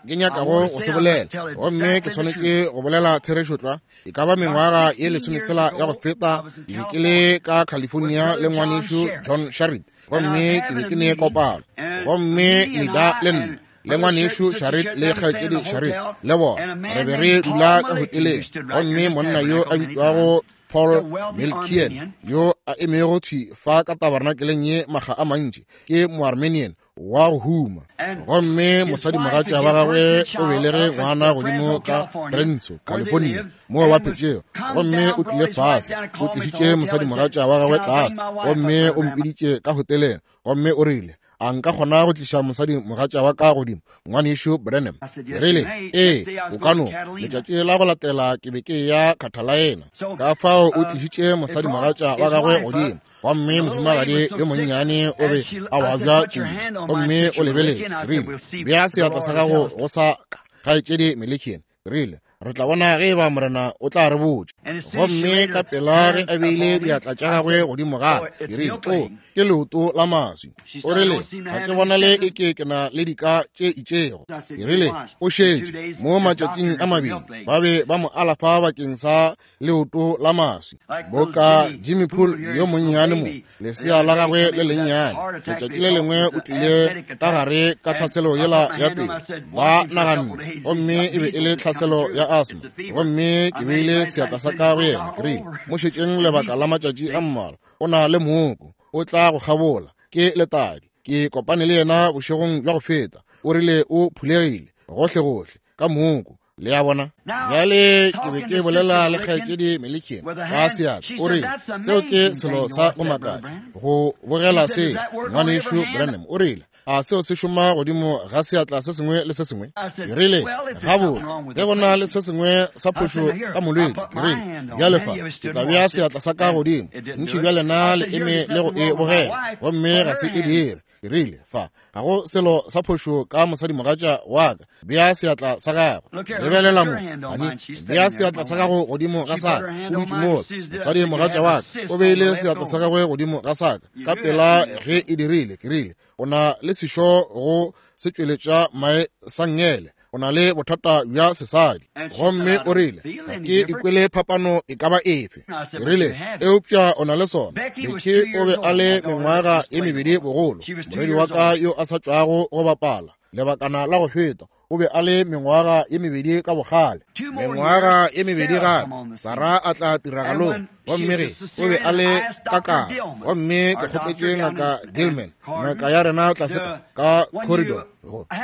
ke nyakago go se bolela, gomme ke swanetše go bolela therešo tlwa. E ka ba mengwaga ye lesometshela ya go feta, ke be ke le ka California le ngwanešu John Sharrit, gomme ke be ke ne kopano, gomme Nida le nna le ngwanešu Sharrit le kgaetšedi Sharrit le bona re be re dula ka hoteleng, gomme monna yo a bitšwago Paul Melkian yo a emego thwi fa ka tabernakeleng ye makga a mantši, ke Moarmenian wa go huma, gomme mosadimogatša wa gagwe o belege ngwana godimo ka Renzo, California, moo ba phetšego, gomme o tlile fase, o tlišitše mosadimogatša wa gagwe tlase, gomme o mpiditše ka hoteleng, gomme o rile, a nka kgona go tliša mosadimogatša wa ka godimo, ngwanešu Branham? Ke rile, ee, o ka no. Letšatši la go latela ke be ke ya Catalina. Ka fao o tlišitše mosadimogatša wa gagwe godimo, gomme mohumagadi yo monnyane o be a babja kudu, gomme o lebeletše. Ke rile, bea seatla sa gago go sa ka, kgaetšedi Melikian. Ke rile, re tla bona ge eba Morena o tla re botša. Gomme ka pela ge a beile diatla tša gagwe godimo ga ka, ke rile, o, ke leoto la maswi. O rile, ga ke bonale e ke ke na le dika tše itšego. Ke rile, o šetše mo matšatšing a mabedi ba be ba mo alafa bakeng sa leoto la maswi, boka Jimmy Poole yo monnyane mo, lesea la gagwe le lennyane. Letšatši le lengwe o tlile ka gare ka tlhaselo yela ya pele, ba naganne, gomme e be e le tlhaselo ya asthma, gomme ke beile seatla sa ka go yena. Ke rile, mo šetšeng lebaka la matšatši a mmalwa, o na le mooko, o tla go kgabola, ke letadi. Ke kopane le yena bošegong bja go feta, o rile o phulegile gohlegohle ka mooko. Le a bona? Bjale ke be ke bolela le kgaetšedi Melikian ka seatla, o rile, seo ke selo sa go makatša go bogela se, ngwanešu Branham. O rile, a seo se šoma godimo ga seatla se sengwe le se sengwe? Ke rile, gabotse, ge go na le se sengwe sa phošo ka molwetši, ke rile, bjale fa ke tla bea seatla sa ka godimo, ntši bja lena le eme le go e bogela, gomme ga se e dire. Ke rile, fa ga go selo sa phošo ka mosadimogatša wa ka, bea seatla sa gago. Lebelela mo, honey, bea seatla sa gago godimo ga sa ka. O dutše mola, mosadimogatša wa ka o beile seatla sa gagwe godimo ga sa ka ka pela ge e dirile. Ke rile, o na le sešo go se tšweletša mae sa nngele, o na le bothata bja sesadi. Gomme o rile, ga ke ikwele phapano e ka ba efe. Ke rile, eupša o na le sona. Becky o be a le mengwaga e mebedi bogolo, morwedi wa ka yo a sa tšwago go bapala lebakana la go feta, o be a le mengwaga ye mebedi ka bogale. Mengwaga ye mebedi gape Sarah a tla tiragalong, gomme ge o be a le kakana. Gomme ke kgopetše ngaka Gilman, ngaka ya rena tlase ka corridor,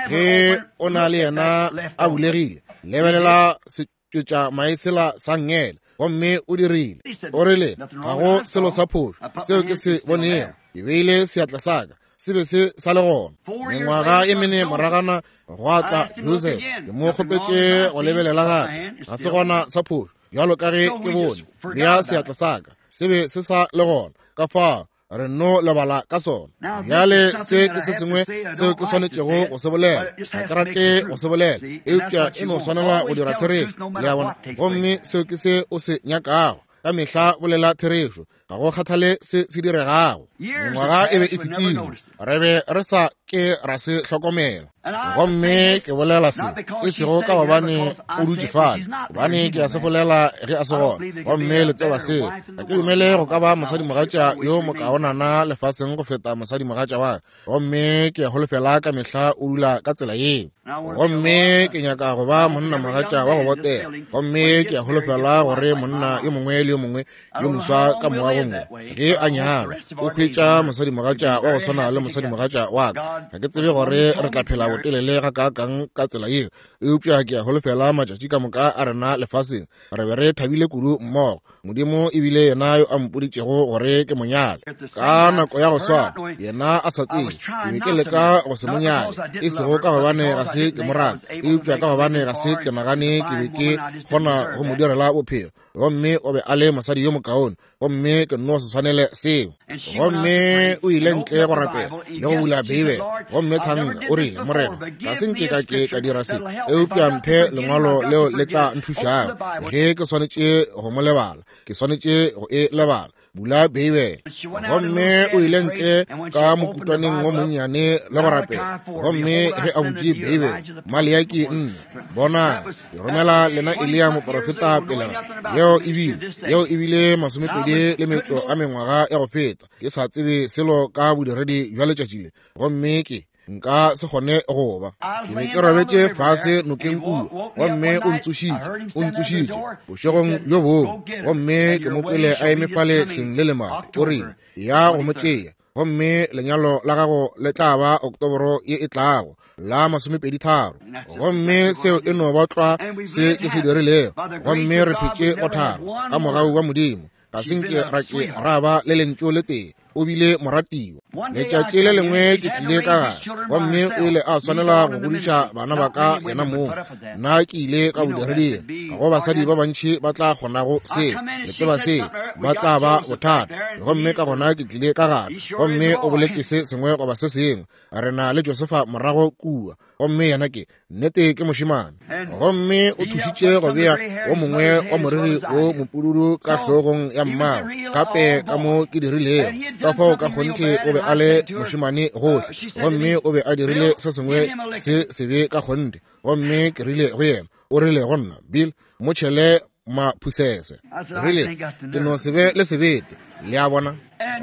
ge o na le yena a bulegile, lebelela setšwetša maesela sa ngele. Gomme o dirile, o rile, ga go selo sa phošo seo ke se bonego. Ke beile seatla sa ka, se be se sa le gona. Mengwaga e mene moragana gwa tla Joseph, ke mo kgopetše go lebelela gape, ga se gona sa phošo bjalo ka ge ke bone. Bea seatla sa ka, se be se sa le gona. Ka fao re no lebala ka sona. Bjale se ke se sengwe seo ke swanetšego go se bolela. Ga ke rate go se bolela, eupša e no swanela go dira therešo, le a bona. Gomme seo ke se o se nyakago. Ka mehla bolela therešo, ga go kgathale se se diregago. Mengwaga e be e fetile, re be re sa ke ra se hlokomela. Gomme ke bolela se e sego ka gobane o dutše fale, gobane ke a se bolela ge a se gona. Gomme le tseba seo. Ga ke dumele go ka ba mosadimogatša yo mokaonana lefaseng go feta mosadimogatša wa ka. Gomme ke a holofela ka mehla o dula ka tsela yeo. Gomme ke nyaka go ba monnamogatša wa go botega. Gomme ke a holofela gore monna yo mongwe le yo mongwe yo moswa ka moagong wo, ge a nyalwa, o hwetša mosadimogatša wa go swana le mosadimogatša wa ka. Ga ke tsebe gore re tla phela botelele gakaakang ka tsela yeo, eupša ke a holofela matšatši ka moka a rena lefaseng re be re thabile kudu mmogo. Modimo ebile yena yo a mpoditšego gore ke monyale. Ka nako ya go swana, yena a sa tsebe, ke be ke leka go se monyale, e sego ka gobane ga se ke mo rata, eupša ka gobane ga se ke nagane ke be ke kgona go mo direla bophelo. Gomme o be a le mosadi yo mokaone, gomme ke no se swanele seo. Gomme o ile ntle go rapela le go bula Beibele. Gomme thanka o rile, Morena, ga se nke ka ke ka dira se, eupša mphe lengwalo leo le tla nthušago. Ge ke swanetše go mo lebala, ke swanetše go e lebala. Bula Beibele. Gomme o ile ntle ka mokutwaneng wo monnyane le go rapela. Gomme ge a butše Beibele, Maleaki nne, bona, ke romela lena Eliya moprofeta pele ga yeo ebile yeo ebile masomepedi le metšo a mengwaga ya go feta. Ke sa tsebe selo ka bodiredi bja letšatši le, gomme ke nka se kgone go ba. Ke be ke robetše fase nokeng kua, gomme o ntsošitše, o ntsošitše bošegong bjo bongwe. Gomme ke mo kwele a eme fale hleng le lemati, o rile, ya go mo tšea, gomme lenyalo la gago le tla ba Oktoboro ye e tlago la masomepedi tharo. Gomme seo e no ba tlwa se ke se dirilego. Gomme re phetše go thaba ka mogau wa Modimo. Ga se nke ra ke ra ba le lentšu le tee. O bile moratiwa. Letšatši le lengwe ke tlile ka gare, gomme o ile a swanela go godiša bana ba ka yena mong. Nna ke ile ka bodireding. Ga go basadi ba bantši ba tla kgonago seo, le tseba seo, ba tla ba bothata. Gomme ka gona ke tlile ka gare, gomme o boletše se sengwe goba se sengwe. Re na le Josefa morago kua, gomme yena ke nnete ke mošemane. Gomme o thušitše go bea wo mongwe wa moriri wo mopududu ka hlogong ya mmagwe, gape ka mo ke dirilego. Ka fao ka kgonthe o be a le mošemane gohle, gomme o be a dirile se sengwe se sebe ka kgonthe. Gomme ke rile go yena, o rile go nna, Bill, mo tšhele maphusese. Rile, ke no se be le sebete, le a bona.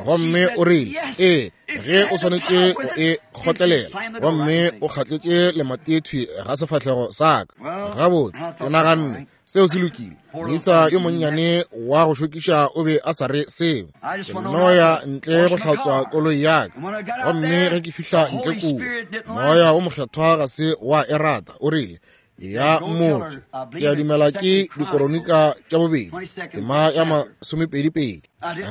Gomme o rile, ee, ge o swanetše go e kgotlelela. Gomme o kgatletše lemati ga sefahlego sa ka. Gabotse, ke naganne seo se lokile. Moisa yo monnyane wa go šokiša o be a sa re seo. Ke nno ya ntle go hlatswa koloi ya ka. Gomme ge ke fihla ntle kua, moya wo mokgethwa ga se wa e rata. O rile, ya mmotše, ke a dumela ke dikoronika tša bobedi, tema ya masomepedi-pedi.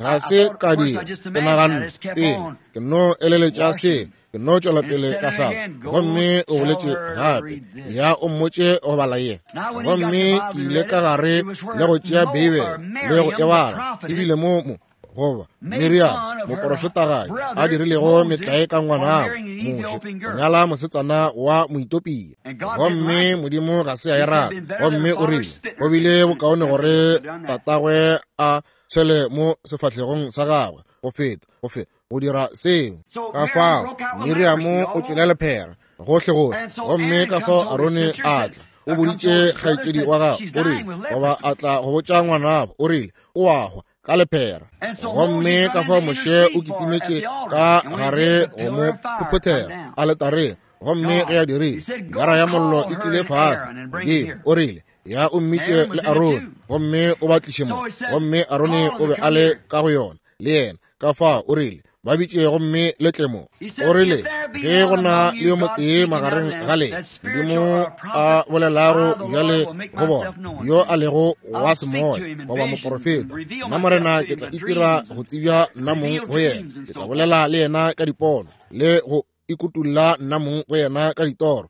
Ga se ka dira, ke naganne pele, ke no eleletša se, ke no tšwela pele ka hlatswa. Gomme o boletše gape, ya o mmotše go bala ye. Gomme ke ile ka gare le go tšea Beibele le go e bala, ebile mo mo goba Miriam moprofetagae a dirilego metlae ka ngwanabo Moshe go nyala mosetsana wa Moetopia. Gomme Modimo ga se a e rata. Gomme o rile go bile bokaone gore tatagwe a tshwele mo sefahlegong sa gagwe go feta go feta go dira seo. Ka fao Miriam o tšwele lephera. Gohlegohle. Gomme ka fao Arone a tla, o boditše kgaetšedi wa gagwe, o rile, goba a tla go botša ngwanabo, o rile, o a hwa ka lephera. Gomme ka fao Moshe o kitimetše ka gare go mo phophothela aletareng. Gomme ge a dirile, gara ya mollo e tlile fase godimo. O rile, ya o mmitše le Arone, gomme o ba tliše mo. Gomme Arone o be a le ka go yona le yena. Ka fao o rile, ba bitše gomme le tle mo. O rile, ge go na le yo motee magareng ga lena, Modimo a bolelago bjale go bona, yo a lego wa semoya goba moporofeta, nna Morena ke tla itira go tsebja nna mong go yena. Ke tla bolela le yena ka dipono, le go ikutulla nna mong go yena ka ditoro,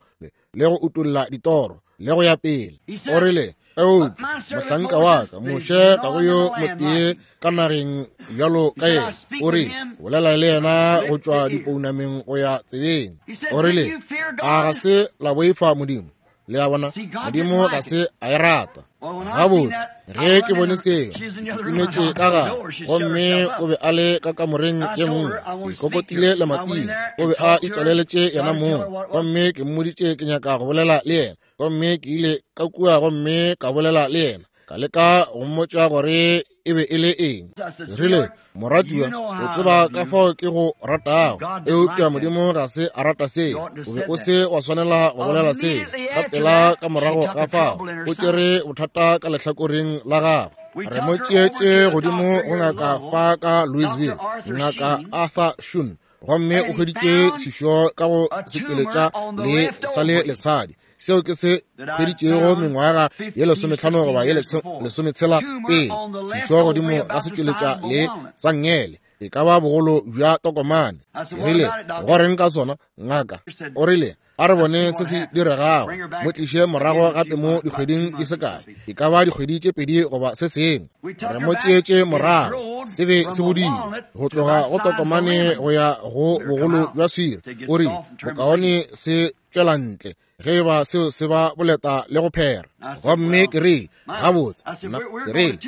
le go utulla ditoro, le go ya pele. O rile, eupša mohlanka wa ka Moshe ga go yo motee ka nageng bjalo ka yena. O rile, bolela le yena go tšwa dipounameng go ya tsebeng. O rile, a ga se la boifa Modimo? Le a bona, Modimo ga se a e rata. Gabotse, ge ke bone seo, ke timetše ka gare. Gomme o be a le ka kamoreng ye nngwe, ke kokotile lemating. O be a itswaleletše yena mong. Gomme ke mmoditše ke nyaka go bolela le yena. Gomme ke ile ka kua gomme ka bolela le yena, ka leka go mmotša gore e be e le eng. Ke rile, moratiwa, o tseba ka fao ke go ratago, eupša Modimo ga se a rata seo. O be o se wa swanela go bolela seo. Ka pela ka morago ga fao, o tšere bothata ka lehlakoreng la gagwe. Re mo tšeetše godimo go ngaka fa ka Louisville, Ngaka Arthur Shun, gomme o hweditše sešo ka go setšweletša le sa le letshadi. Seo ke se hweditšego mengwaga ye lesometlhano goba ye lesometshela pele, sešo godimo ga setšweletša le sa nngele, e ka ba bogolo bja tokomane. Ke rile, go reng ka sona, ngaka? O rile, a re bone se se diregago, mo tliše morago gape mo dikgweding di se kae, e ka ba dikgwedi tše pedi goba se sengwe. Re mo tšeetše morago, se be se bodile go tloga go tokomane go ya go bogolo bja swiri. O rile, bokaone se tšwela ntle ge e ba seo se ba boleta le go phera. Gomme ke rile, gabotse, ke rile,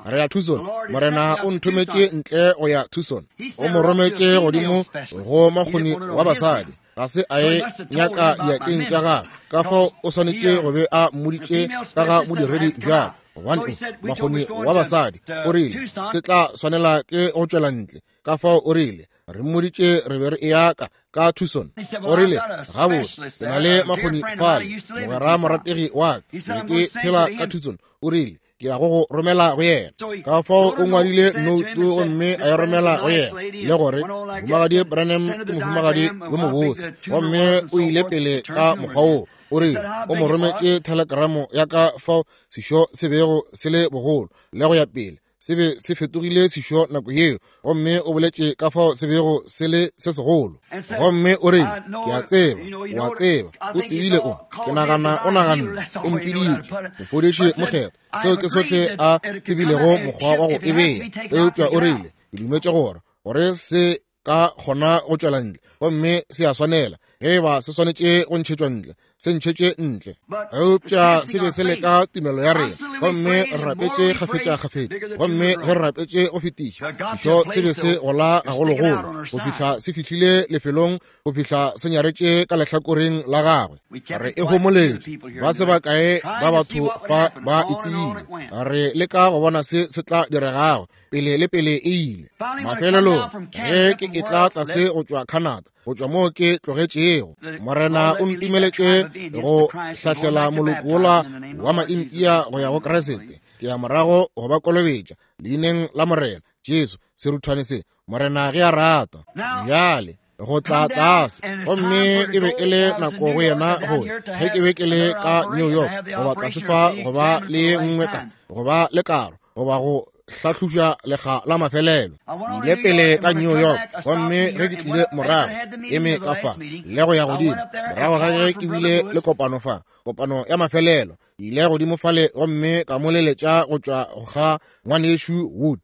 re ya Tucson. Morena o nthometše ntle go ya Tucson. O mo rometše godimo go makgoni wa basadi. Ga se a e nyaka diatleng tša gagwe, ka fao o swanetše go be a mmoditše ka ga bodiredi bja gobane makgoni wa basadi. O rile, se tla swanela ke go tšwela ntle. Ka fao o rile, re mmoditše re be re eya ka ka Tucson. O rile, gabotse, ke na le makgoni fale, mogwera morategi wa ka, ke phela ka Tucson. O rile, ke ya go go romela go yena. Ka fao o ngwadile noutu gomme a e romela go yena, le gore mohumagadi Branham ke mohumagadi yo mobose. Gomme o ile pele ka mokgwa woo. O rile, o mo rometše thelekramo ya ka fao sešo se bego se le bogolo, le go ya pele. Se be se fetogile sešo nako yeo, gomme o boletše ka fao se bego se le se segolo. Gomme o rile, ke a tseba, o a tseba, o tsebile o, ke nagana o naganne, o mpiditše mofodiši mokgethwa. Seo ke sohle a tsebilego mokgwa wa go e bea. Eupša o rile, ke dumetše gore gore se ka kgona go tšwela ntle, gomme se a swanela. Ge e ba se swanetše go ntšhetšwa ntle, se ntšhetše ntle. Eupša se be se leka tumelo ya rena, gomme re rapetše kgafetša-kgafetša, gomme ge re rapetše go fetiša, sešo se be se gola gagologolo go fihla se fihlile lefelong, go fihla se nyaretše ka lehlakoreng la gagwe. Re e homoletše, ba se bakae ba batho fa ba e tsebile. Re leka go bona se se tla diregago pele le pele e ile. Mafelelong, ge ke e tla tlase go tšwa Canada, go tšwa moo ke tlogetšego, Morena o ntumeletše go hlahlela moloko wola wa Maintia go ya go Kriste. Ke ya morago go ba kolobetša leineng la Morena Jesu, seruthwane se, Morena ge a rata. Bjale go tla tlase, gomme e be e le nako go yena go ge ke be ke le ka New York, goba tlase fa go ba le ye nngwe ka, go ba le karo, goba go hlahloša lekga la mafelelo. Ke ile pele ka New York, gomme ge ke tlile morago, eme ka fa le go ya godimo, morago ga ge ke bile le kopano fa, kopano ya mafelelo. Ke ile godimo fale gomme ka mo leletša go tšwa ga ngwanešu Wood.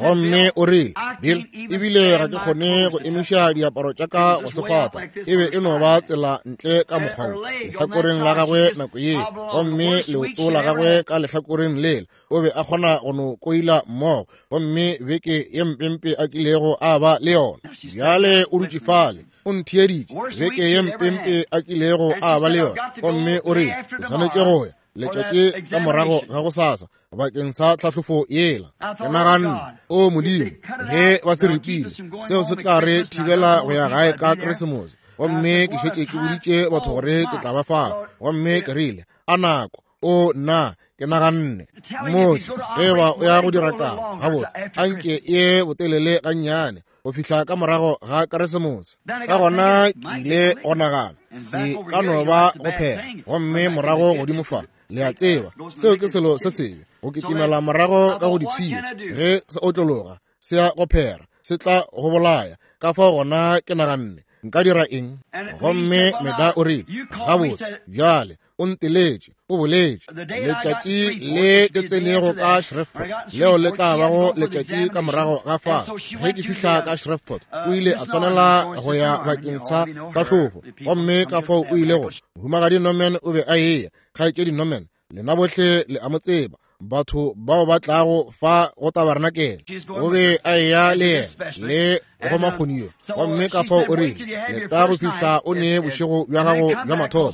Gomme o rile, Bill, ebile ga ke kgone go emiša diaparo tša ka go se kgwatha. E be e no ba tsela ntle ka mokgwa wo, lehlakoreng la gagwe nako ye, gomme leoto la gagwe ka lehlakoreng lela. O be a kgona go no koila mmogo, gomme beke ye mpempe a kilego a ba le yona. Bjale o dutše fale, o ntheeditše, beke ye mpempe a kilego a ba le yona. Gomme o rile, ke swanetše go ya letšatši ka morago ga gosasa bakeng sa tlhahlofo yela. Ke naganne, o Modimo, ge ba se ripile, seo se tla re thibela go ya gae ka Keresemose. Gomme ke šetše ke boditše batho gore ke tla ba fao. Gomme ke rile, a nako, o nna, ke naganne, motho, ge ba o ya go dira taba, gabotse, anke ye botelele gannyane, go fihla ka morago ga Keresemose. Ka gona ke ile go nagana, se ka no ba go phela, gomme morago godimo fa, le a tseba, seo ke selo se sebe, go kitimela morago ka go dipshio, ge se otlologa, se ya go phera, se tla go bolaya. Ka fao gona ke naganne, nka dira eng? Gomme Meda o rile, gabotse, bjale, o nteletše, o boletše, letšatši le ke tsenego ka Shreveport, leo le tla bago letšatši ka morago ga fa. Ge ke fihla ka Shreveport, o ile a swanela go ya bakeng sa tlhahlofo. Gomme ka fao o ile go Mohumagadi Norman o be a eya, kgaetšedi Norman, lena bohle le a mo tseba, batho bao ba tlago fa go tabarenakele. O be a eya le yena le go makgonio. Gomme ka fao o rile, leta go fihla o ne bošego bja gago bja mathomo,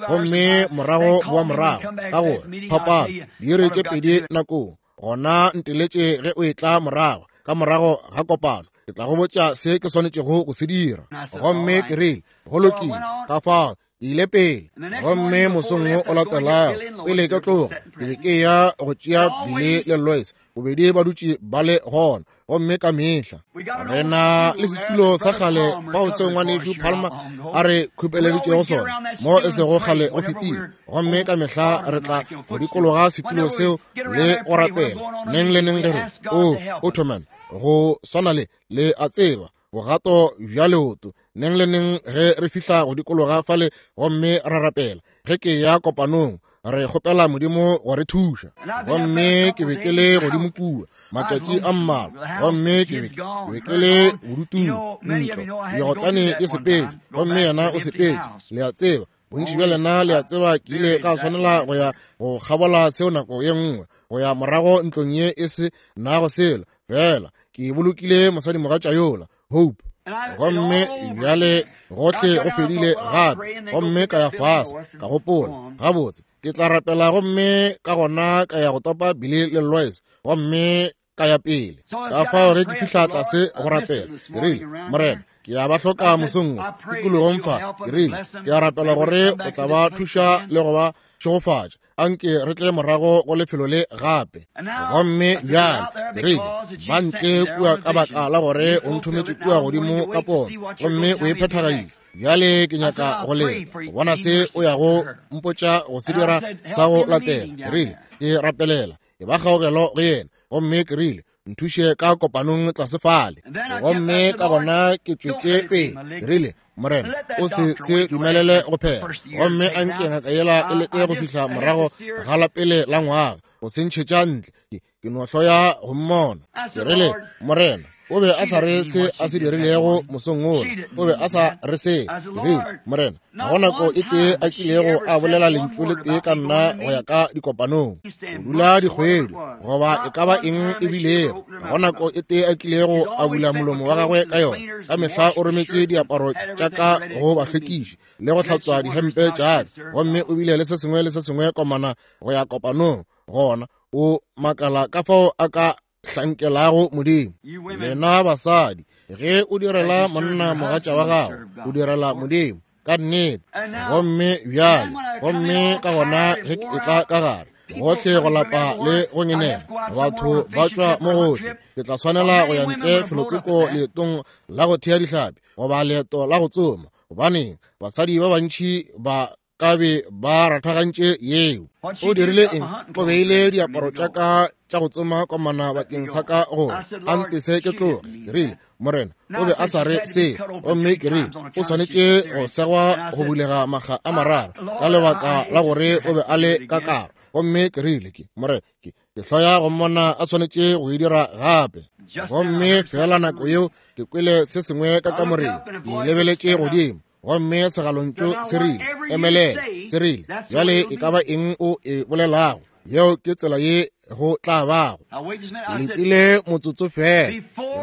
gomme morago boa morago, ka gore phapano diiri tše pedi nakong. Gona nteletše ge o etla morago ka morago ga kopano, ke tla go botša se ke swanetšego go se dira. Gomme ke rile, go lokile. Ka fao ke ile pele. Gomme mosong wo o latelago, pele ke tloga, ke be ke ya go tšea Billy le Lois, bobedi ba dutše ba le gona. Gomme ka mehla re na le setulo sa kgale fao seo ngwanešu Palmer a re khupeleditšego sona, mo e sego kgale go fetile. Gomme ka mehla re tla go dikologa setulo seo le go rapela neng le neng ge re, o Ottoman, go swana le le a tseba, bogato bja leoto, neng le neng ge re fihla go dikologa fale gomme ra rapela. Ge ke ya kopanong, re kgopela Modimo go re thuša. Gomme ke be ke le godimo kua matšatši a mmalwa, gomme ke be ke be ke le bodutung, ntlo digotlane di sepetše, gomme yena o sepetše. Le a tseba, bontši bja lena le a tseba, ke ile ka swanela go ya go kgabola seo nako ye nngwe, go ya morago ntlong ye e se nago selo, fela ke bolokile mosadimogatša yola, Hope. Gomme bjale gohle go fedile gape. Gomme ka ya fase, ka gopola, gabotse, ke tla rapela. Gomme ka gona ka ya go topa Billy le Lois, gomme ka ya pele. Ka fao ge ke fihla tlase go rapela, ke rile, Morena, ke ya ba hloka mosong wo tikologong fa. Ke rile, ke a rapela gore o tla ba thuša le go ba šegofatša. Anke re tle morago go lefelo le gape. Gomme bjale ke rile, ba ntle kua ka baka la gore o nthometše kua godimo ka pono, gomme o e phethagaditše. Bjale ke nyaka go leta go bona se o yago mpotša go se dira sa go latela. Ke rile, ke rapelela e ba kgaogelo go yena. Gomme ke rile, nthuše ka kopanong tlase fale. Gomme ka gona ke tšwetše pele. Ke rile, Morena, o se se dumelele go phela. Gomme anke ngaka yela e lete go fihla morago ga la pele la ngwaga go se ntšhetša ntle. Ke no hloya go mmona. Ke rile, Morena, o be a sa re se a se dirilego mosong wola, o be a sa re se. Ke rile, Morena, ga go nako e tee a kilego a bolela lentšu le tee ka nna go ya ka dikopanong, go dula dikgwedi goba e ka ba eng e bilego. Ga go nako e tee a kilego a bula molomo wa gagwe ka yona. Ka mehla o rometše diaparo tša ka go bahlwekiši le go hlatswa dihempe tša ka, gomme o bile le se sengwe le se sengwe komana go ya kopanong. Gona o makala ka fao a ka hlankelago Modimo. Lena basadi, ge o direla monna mogatša wa gago, o direla Modimo ka nnete. Gomme bjale, gomme ka gona ge ke etla ka gare, gohle go lapa le go ngenela, batho ba tšwa mo gohle. Ke tla swanela go ya ntle felotsoko leetong la go thea dihlapi goba leeto la go tsoma, gobaneng basadi ba bantši ba ka be ba rathagantše yeo. O dirile eng? O beile diaparo tša ka tša go tsoma komana bakeng sa ka gore a ntese ke tloge. Ke rile, Morena, o be a sa re se. Gomme ke rile, o swanetše go segwa go bulega makga a mararo ka lebaka la gore o be a le ka karo. Gomme ke rile, ke Morena, ke ke hloya go mmona a swanetše go e dira gape. Gomme fela nako yeo ke kwele se sengwe ka kamoreng, ke lebeletše godimo, gomme segalontšu se rile, emelela. Se rile, bjale e ka ba eng o e bolelago, yeo ke tsela ye go tla bago. Letile motsotso fela.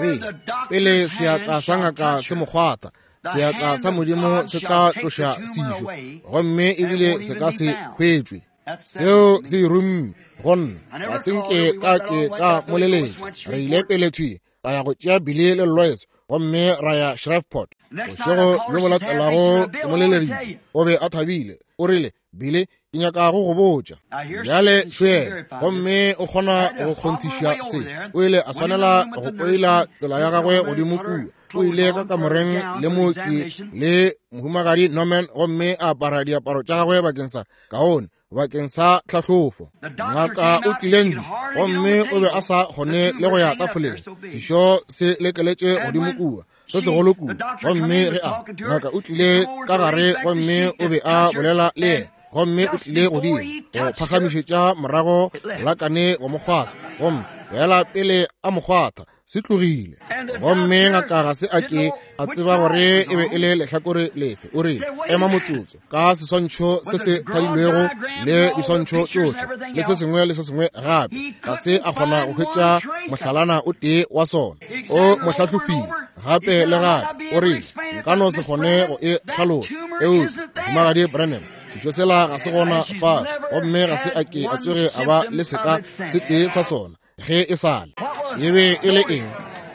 Rile, pele seatla sa ngaka se mo kgwatha, seatla sa Modimo se tla tloša sešo, gomme ebile se ka se hwetšwe. Seo se rumme go nna, ga se nke ka ke ka moleletša. Re ile pele thwi, ka ya go tšea Billy le Lois, gomme ra ya Shreveport. Bošego bjo bo latelago ke mo leleditše, o be a thabile. O rile, Billy, ke nyaka go go botša. Bjale šwele, gomme o kgona go kgonthiša se. O ile a swanela go koila tsela ya gagwe godimo kua. O ile ka kamoreng le mooki le mohumagadi Norman, gomme a apara diaparo tša gagwe bakeng sa kaone, bakeng sa tlhahlofo. Ngaka o tlile ntle, gomme o be a sa kgone le go ya tafoleng. Sešo se lekeletše godimo kua, se segolo kudu. Gomme ge a ngaka o tlile ka gare, gomme o be a bolela le yena, gomme o tlile godimo go phagamišetša morago lakane go mo kgwatha, gomme fela pele a mo kgwatha se tlogile. Gomme ngaka ga se a ke a tseba gore e be e le lehlakore lefe. O rile, ema motsotso, ka seswantšho se se thadilwego le diswantšho tšohle le se sengwe le se sengwe gape, ga se a kgona go hwetša mohlalana o tee wa sona. O mo hlahlofile gape le gape. O rile, nka no se kgone go e hlalosa, eupša mohumagadi Branham, sešo sela ga se gona fa, gomme ga se a ke a tsoge a ba le seka se tee sa sona ge e sale. E be e le eng?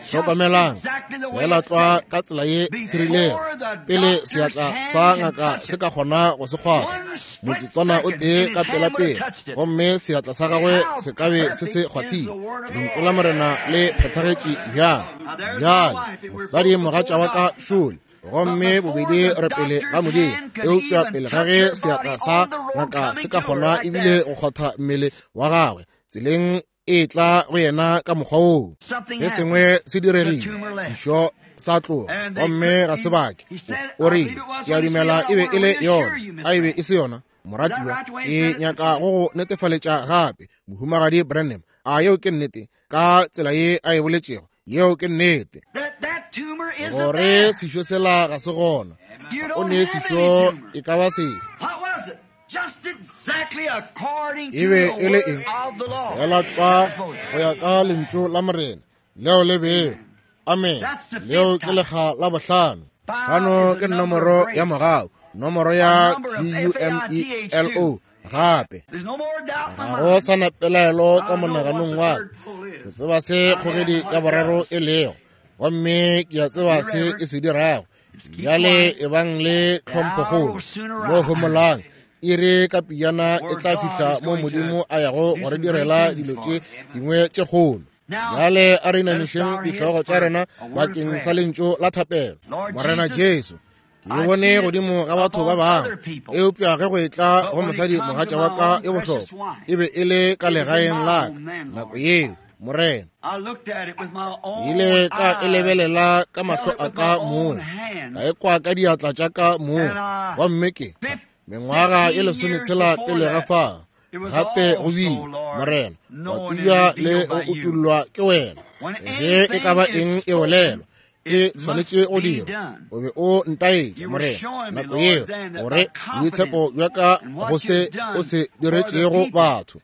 Hlokomelang, fela tlwa ka tsela ye se rilego, pele seatla sa ngaka se ka kgona go se kgwatha, motsotswana o tee ka pelapele, gomme seatla sa gagwe se ka be se se kgwathile. Lentšu la Morena le phethagetše bjang. Bjale mosadi mogatša wa ka šole, gomme bobedi re pele ga Modimo, eupša pele ga ge seatla sa ngaka se ka kgona ebile go kgwatha mmele wa gagwe tseleng e tla go yena ka mokgwa woo, se sengwe se diregile, sešo sa tloga, gomme ga se bake. O rile, ke a dumela e be e le yona. A e be e se yona, moratiwa? Ke nyaka go go netefaletša gape, mohumagadi Branham. A yeo ke nnete? Ka tsela ye a e boletšego, yeo ke nnete, gore sešo sela ga se gona. O ne sešo e ka ba sefe? E be e le eng? Fela tlwa go ya ka lentšu la Morena leo le beo. Amen. Leo ke lekga la bohlano. Hlano ke nomoro ya mogau, nomoro ya T U M E L O gape. Ga go sa na pelaelo ka monaganong wa ka. Ke tseba se kgogedi ya boraro e lego, gomme ke a tseba se e se dirago. Bjale e bang le tlhomphokgolo mo homolang, iri ka pejana e tla fihla mo Modimo a yago go re direla dilo tše dingwe tše kgolo. Bjale a re inamišeng dihlogo tša rena bakeng sa lentšu la thapelo. Morena Jesu, ke bone godimo ga batho ba bangwe, eupša ge go etla go mosadi mogatša wa ka e bohlokwa, e be e le ka legaeng la ka nako yeo. Morena, ile ka e lebelela ka mahlo a ka mong, ka e kwa ka diatla tša ka mong, gomme ke mengwaga e lesometshela pele ga fa gape go bile, Morena, wa tsebja le go utollwa ke wena. Ge e ka ba eng e bolelwa, e swanetše go dirwa. O be o ntaetša, Morena, nako yeo, gore boitshepo bja ka go se o se diretšego batho,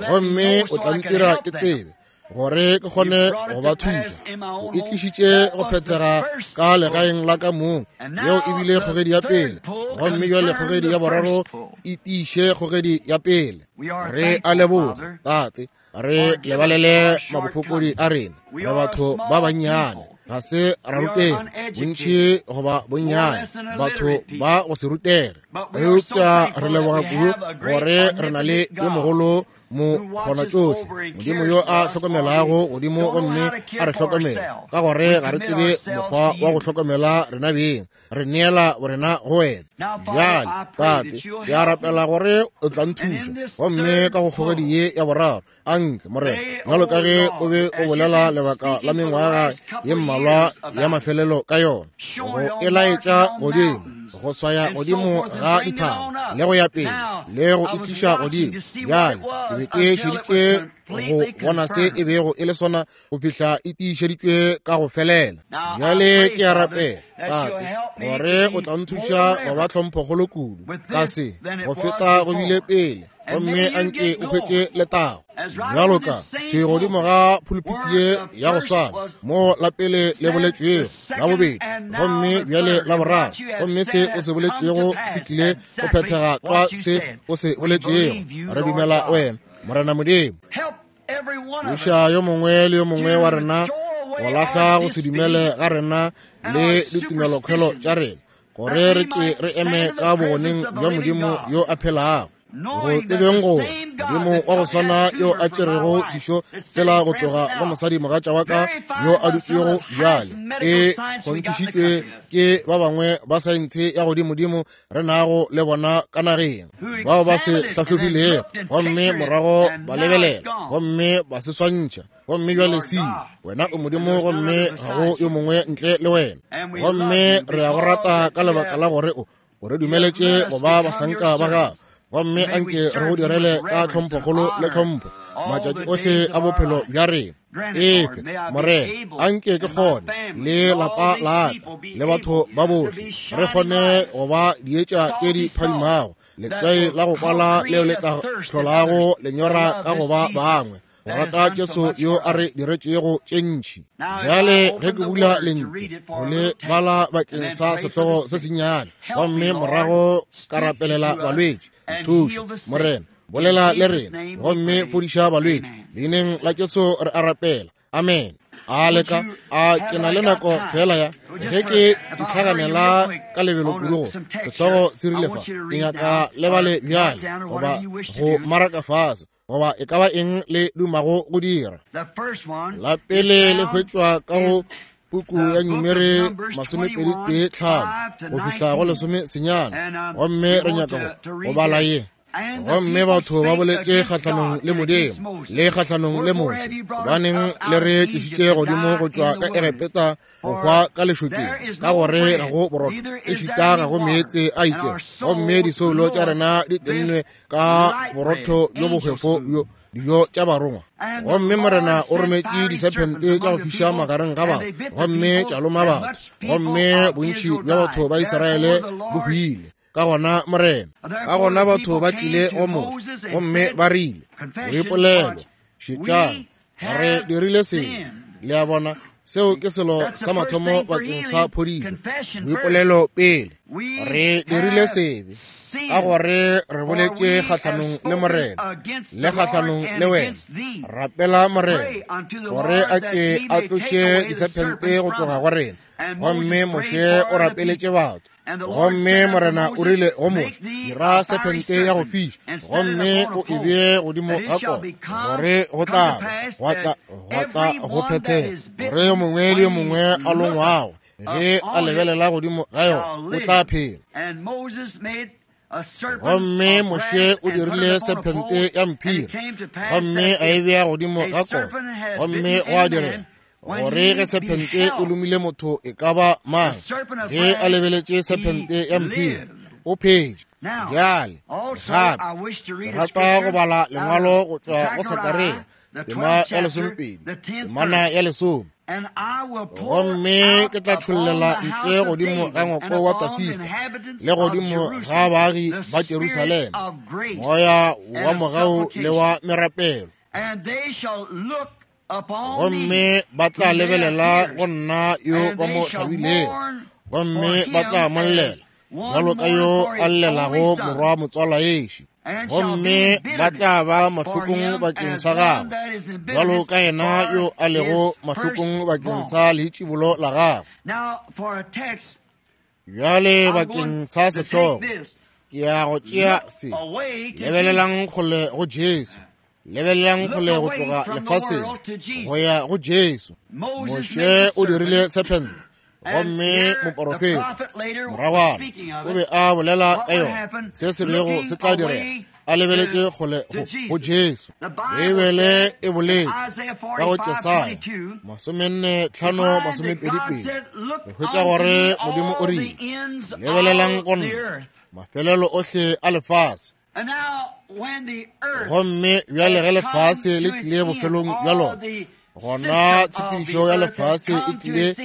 gomme o tla ntira ke tsebe gore ke kgone go ba thuša. O e tlišitše go phethega ka legaeng la ka mong. Yeo e bile kgogedi ya pele, gomme bjale kgogedi ya boraro e tiiše kgogedi ya pele. Re a leboga, Tate, re lebalele mabofokodi a rena. Re batho ba bannyane, Ga se ra rutega bontši goba bonnyane, batho ba go se rutege, eupša re leboga kudu gore re na le yo mogolo mokgonatšohle, Modimo yo a hlokomelago godimo gomme a re hlokomela, ka gore ga re tsebe mokgwa wa go hlokomela rena beng, re neela borena go wena. Bjale Tate, ke a rapela gore o tla nthuša, gomme ka go kgogedi ye ya boraro, anke Morena, bjalo ka ge o be o bolela lebaka la mengwaga ye mmalwa ya mafelelo ka yona, go e laetša godimo, go swaya godimo ga dithaba le go ya pele le go itliša godimo. Bjale ke be ke šeditše go bona se e bego e le sona go fihla e tiišeditšwe ka go felela. Bjale ke a rapela Tate gore o tla nthuša go ba tlhomphokgolo kudu ka se go feta go bile pele, gomme anke o hwetše letago bjalo ka thwi godimo ga pulpiti ye ya go swana mo la pele le boletšwego, la bobedi, gomme bjale la boraro, gomme se o se boletšego se tlile go phethega tlwa se o se boletšego. Re dumela wena, Morena Modimo. Thuša yo mongwe le yo mongwe wa rena go lahla go se dumele ga rena le ditumelokhwelo tša rena, gore re ke re eme ka bogoneng bja Modimo yo a phelago, go tsebeng gore Modimo wa go swana yo a tšerego sešo sela go tloga go mosadi mogatša wa ka yo a dutšego bjale e kgonthišitšwe ke ba bangwe ba saense ya godimodimo re nago le bona ka nageng, bao ba se hlahlobilego gomme morago ba lebelela gomme ba se swantšha, gomme bjale se wena o Modimo gomme ga go yo mongwe ntle le wena, gomme re a go rata ka lebaka la gore o o re dumeletše go ba bahlanka ba gago, gomme anke re go direle ka tlhomphokgolo le tlhompho matšatši ohle a bophelo bja rena. Efe Morena, anke ke kgone le lapa la ka le batho ba bohle re kgone go ba dietša tše di phadimago, letswai la go kwala leo le tla hlolago lenyora ka go ba bangwe go rata Jesu yo a re diretšego tše ntši. Bjale ge ke bula lentšu go le bala bakeng sa sehlogo se sennyane, gomme morago ka rapelela balwetši, thuša Morena, bolela le rena gomme fodiša balwetši, leineng la Jesu re a rapela, amen. A leka a ke na le nako fela ya ge ke itlhaganela ka lebelo kudu go sehlogo se rile fa, ke nyaka le bale bjale goba go maraka fase goba e ka ba eng le dumago go dira. La pele le hwetšwa ka go puku ya Numeri masomepedi tee tlhano go fihla go lesome senyane, gomme re nyaka go bala ye. Gomme batho ba boletše kgahlanong le Modimo le kgahlanong le Moshe, gobaneng le re tlišitše godimo go tšwa ka Egepeta go hwa ka lešokeng, ka gore ga go borotho ešita ga go meetse a itšego, gomme disoulo tša rena di tennwe ka borotho bjo bohwefo bjo dijo tša barongwa. Gomme Morena o rometše disephente tša go fiša magareng ga batho, gomme tša loma batho, gomme bontši bja batho ba Israele bo hwile. Ka gona Morena, ka gona batho ba tlile go Moshe gomme ba rile, boipolelo, šetšang, re dirile sebe. Le a bona, seo ke selo sa mathomo bakeng sa phodišo, boipolelo pele. Re dirile sebe ka gore re boletše kgahlanong le Morena le kgahlanong le wena. Rapela Morena gore a ke a tloše disephente go tloga go rena. Gomme Moshe o rapeletše batho, gomme Morena o rile go Moshe, dira sephente ya go fiša gomme o e bee godimo ga kota, gore go tla gwa tla gwa tla go phethega gore yo mongwe le yo mongwe a longwago ge a lebelela godimo ga yona o tla phela. Gomme Moshe o dirile sephente ya mphiri gomme a e bea godimo ga kota, gomme gwa direga gore ge sephente e lomile motho e ka ba mang, ge a lebeletše sephente ya mphiri o phetše. Bjale gape ke rata go bala lengwalo go tšwa go Sakaria tema ya lesomepedi temana ya lesome. Gomme ke tla tšhollela ntle godimo ga ngwako wa Dafida le godimo ga baagi ba Jerusalema moya wa mogau le wa merapelo, gomme ba tla lebelela go nna yo ba mo hlabilego, gomme ba tla mo llela bjalo ka yo a llelago morwa motswala ešo. Gomme ba tla ba mahlokong bakeng sa gagwe, bjalo ka yena yo a lego mahlokong bakeng sa leitšibolo la gagwe. Bjale bakeng sa sehlogo, ke ya go tšea se. Lebelelang kgole go Jesu. Lebelelang kgole go tloga lefaseng go ya go Jesu. Moshe o dirile sephente, gomme moporofeta moragwana o be a bolela ka yona, se se bego se tla direga, a lebeletše kgole go Jesu. Beibele e boletše ka go Jesaya masomenne tlhano masomepedi pedi, re hwetša gore Modimo o rile, lebelelang go nna mafelelo ohle a lefase. Gomme bjale ge lefase le tlile bofelong bja lona, gona tshepedišo ya lefase e tlile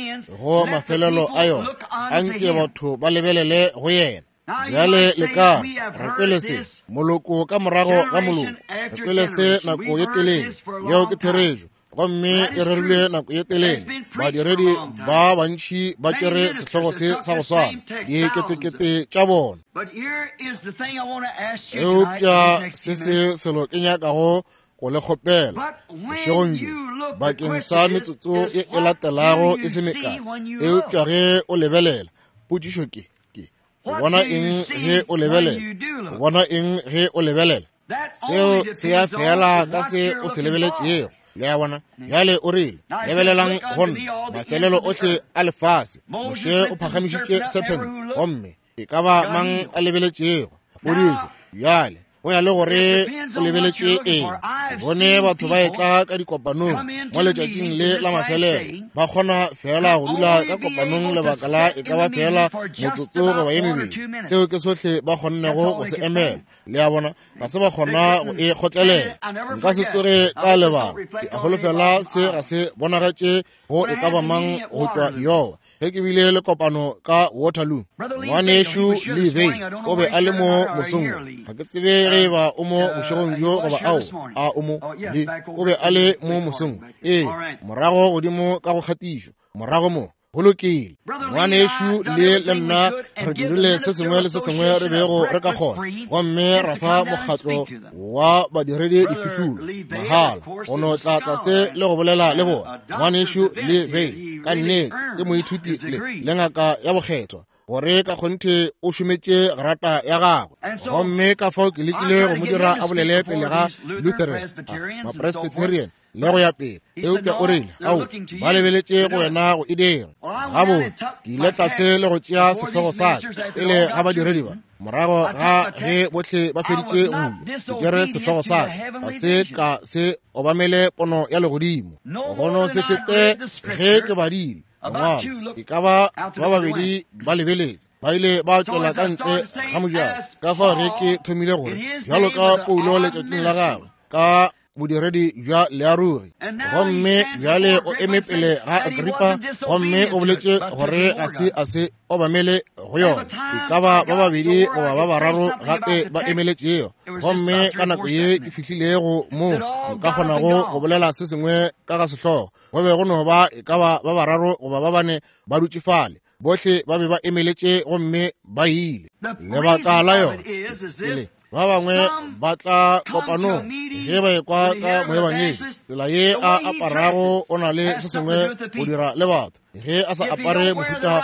go mafelelo a yona, anke batho ba lebelele go yena. Bjale le ka re kwele se moloko ka morago ga moloko, re kwele se nako ye telele. Yeo ke therešo, gomme e rerilwe nako ye telele. Badiredi ba bantši ba tšere sehlogo se sa go swana, diketekete tša bona. Eupša se se selo ke nyakago go le kgopela bošegong bjo bakeng sa metsotso ye e latelago e se mekae. Eupša ge o lebelela, potšišo ke ke o bona eng ge o lebelela? O bona eng ge o lebelela? Seo se ya fela ka se o se lebeletšego. Le a bona? Bjale o rile, lebelelang go nna mafelelo ohle a lefase. Moshe o phagamišitše sephente, gomme e ka ba mang a lebeletšego fodišo. Bjale go ya le gore o lebeletše eng. Bone batho ba etla ka dikopanong mo letšatšing le la mafelelo, ba kgona fela go dula ka kopanong lebaka la e ka ba fela motsotso goba ye mebedi. Seo ke sohle ba kgonnego go se emela. Le a bona, ga se ba kgona go e kgotlelela. Nka se tsoge ka lebala. Ke a holofela se ga se bonagatše go e ka ba mang go tšwa Iowa. Ge ke bile le kopano ka Waterloo, ngwanešu Lee Vayle o be a le mo mosong. Ga ke tsebe ge eba o mo bošegong bjo goba ao a o mo. Lee o be a le mo mosong. Ee, morago godimo ka go kgatišo, morago mo. Go lokile. Ngwanešu le le nna re dirile se sengwe le se sengwe re bego re ka kgona, gomme ra fa mokgatlo wa badiredi difihlolo mahala go no tla tlase le go bolela le bona. Ngwanešu Lee Vayle ka nnete ke moithuti le le ngaka ya bokgethwa, gore ka kgonthe o šometše grata ya gagwe. Gomme ka fao ke lekile go mo dira a bolele pele ga Lutheran, Mapresbyterian le go ya pele, eupša o rile, ao, ba lebeletše go wena go e dira. Gabotse, ke ile tlase le go tšea sehlogo sa ka pele ga badiredi ba. Morago ga ge bohle ba feditše go ke tšere sehlogo sa ka, ga se ka se obamele pono ya legodimo. Go no se fete ge ke badile lengwalo, e ka ba ba babedi ba lebeletše, ba ile ba tšwela ka ntle ga mojako. Ka fao ge ke thomile gore bjalo ka Paulo letšatšing la gagwe ka bodiredi bja learogi, gomme bjale o eme pele ga Agripa, gomme o boletše gore ga se a se obamele go yona. E ka ba ba babedi goba ba bararo gape ba emeletšego, gomme ka nako ye ke fihlilego mo nka kgonago go bolela se sengwe ka ga sehlogo, go be go no ba e ka ba ba bararo goba ba bane ba dutše fale. Bohle ba be ba emeletše gomme ba ile. Lebaka la yona ke ba bangwe ba tla kopanong ge ba ekwa ka moebangedi, tsela ye a aparago o na le se sengwe go dira le batho. Ge a sa apare mohuta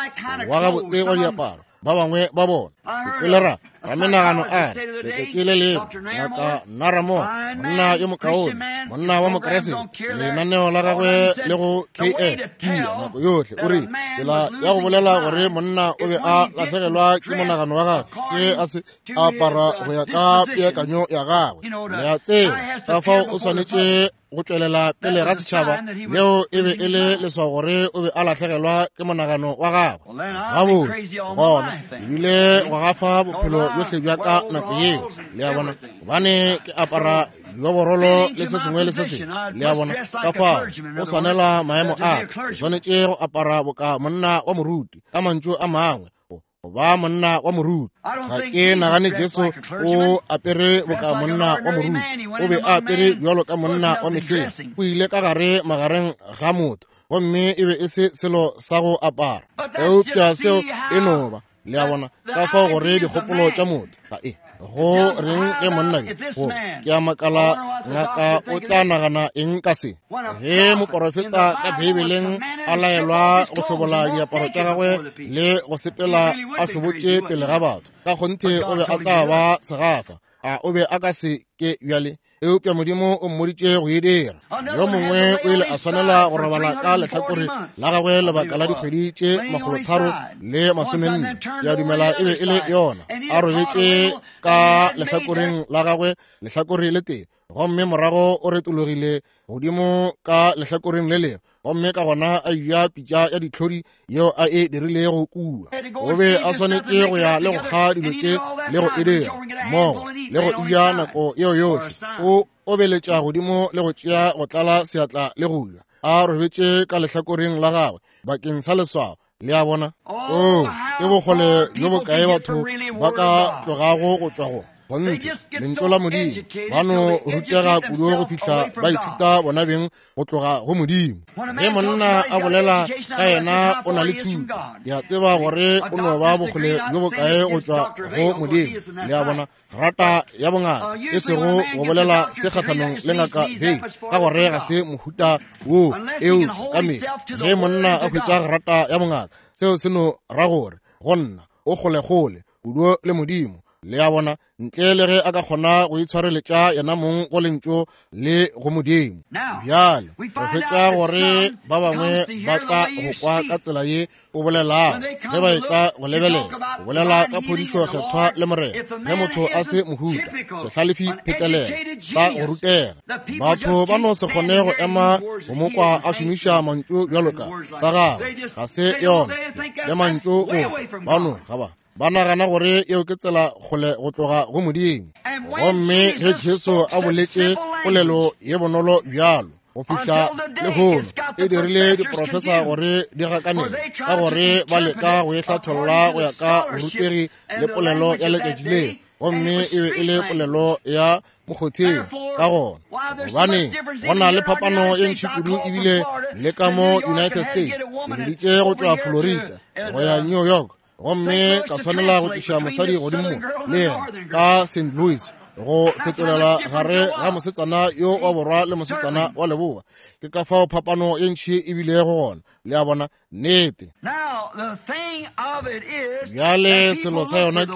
wa gabotse wa diaparo, ba bangwe ba bona. Ke kwele ra ramenagano a re letšatši le lengwe Ngaka Naramo, monna yo mokaone, monna wa Mokeresete, lenaneo la gagwe le go K N nako yohle, o rile tsela ya go bolela gore monna o be a lahlegelwa ke monagano wa gagwe ke a se apara go ya ka peakanyo ya gagwe. Le a tseba, ka fao o swanetše go tšwelela pele ga setšhaba, leo e be e le leswao gore o be a lahlegelwa ke monagano wa gagwe. Gabotse, gona ebile go gafa bophelo bjohle bja ka nako yeo. Le a bona, gobane ke apara dioborolo le se sengwe le se sengwe. Le a bona, ka fao go swanela maemo a ka, ke swanetše go apara boka monna wa moruti, ka mantšu a mangwe, go ba monna wa moruti. Ga ke nagane Jesu o apere boka monna wa moruti, o be a apere bjalo ka monna wa mehleng. O ile ka gare magareng ga motho, gomme e be e se selo sa go apara, eupša seo e no ba. Le a bona, ka fao gore dikgopolo tša motho ga e Go reng ge monna yo, ke a makala ngaka o tla nagana eng ka se? Ge moporofeta ka Beibeleng a laelwa go hlobola diaparo tša gagwe le go sepela a hlobotše pele ga batho, ka kgonthe o be a tla ba segafa. A o be a ka se ke bjale? Eupša Modimo o mmoditše go e dira. Yo mongwe o ile a swanela go robala ka lehlakore la gagwe lebaka la dikgwedi tše makgolotharo le masomenne. Ke a dumela e be e le yona. A robetše ka lehlakoreng la gagwe lehlakore le tee, gomme morago o retologile godimo ka lehlakoreng le lengwe, gomme ka gona a ja pitša ya ditlhodi yeo a e dirilego kua. O be a swanetše go ya le go kga dilo tše le go e dira mmogo le go ja nako yeo yohle. O obeletša godimo le go tšea go tlala seatla le go ja, a robetše ka lehlakoreng la gagwe bakeng sa leswao. Le a bona? Oo, ke bokgole bjo bokae batho ba ka tlogago go tšwa go kgonthe lentšu la Modimo. Ba no rutega kudu go fihla ba ithuta bona beng go tloga go Modimo. Ge monna a bolela ka yena o na le thuto, ke a tseba gore o no ba bokgole bjo bokae go tšwa go Modimo. Le a bona? Rata ya bongaka, e sego go bolela se kgahlanong le ngaka Vein, ka gore ga se mohuta wo. Eupša ka mehla ge monna a hwetša grata ya bongaka, seo se no ra gore go nna o kgolekgole kudu le Modimo. Le a bona? Ntle le ge a ka kgona go itshwareletša yena mong go lentšu le go Modimo. Bjale re hwetša gore ba bangwe ba tla go kwa ka tsela ye o bolelago ge ba etla go lebelela, go bolela ka phodišo kgethwa le Morena. Ge motho a se mohuta sehlalefi phetelela sa go rutega, batho ba no se kgone go ema go mo kwa a šomiša mantšu bjalo ka sa gagwe ga se yona le mantšu o ba no ga ba ba nagana gore eo ke tsela kgole go tloga go Modimo. Gomme ge Jesu a boletše polelo ye bonolo bjalo go fihla lehono, e dirile diprofesa gore di gakanele, ka gore ba leka go e hlatholla go ya ka borutegi le polelo ya letšatši leo, gomme e be e le polelo ya mokgotheng. Ka gona gobane go na le phapano ye ntši kudu ebile le ka mo United States. Ke biditše go tšwa Florida go ya New York, gomme ka swanela go tliša mosadi godimo le yena ka Saint Louis go fetolela gare ga mosetsana yo wa borwa le mosetsana wa leboa. Ke ka fao phapano ye ntši e bilego gona. Le a bona? Nnete. Bjale selo sa yona ke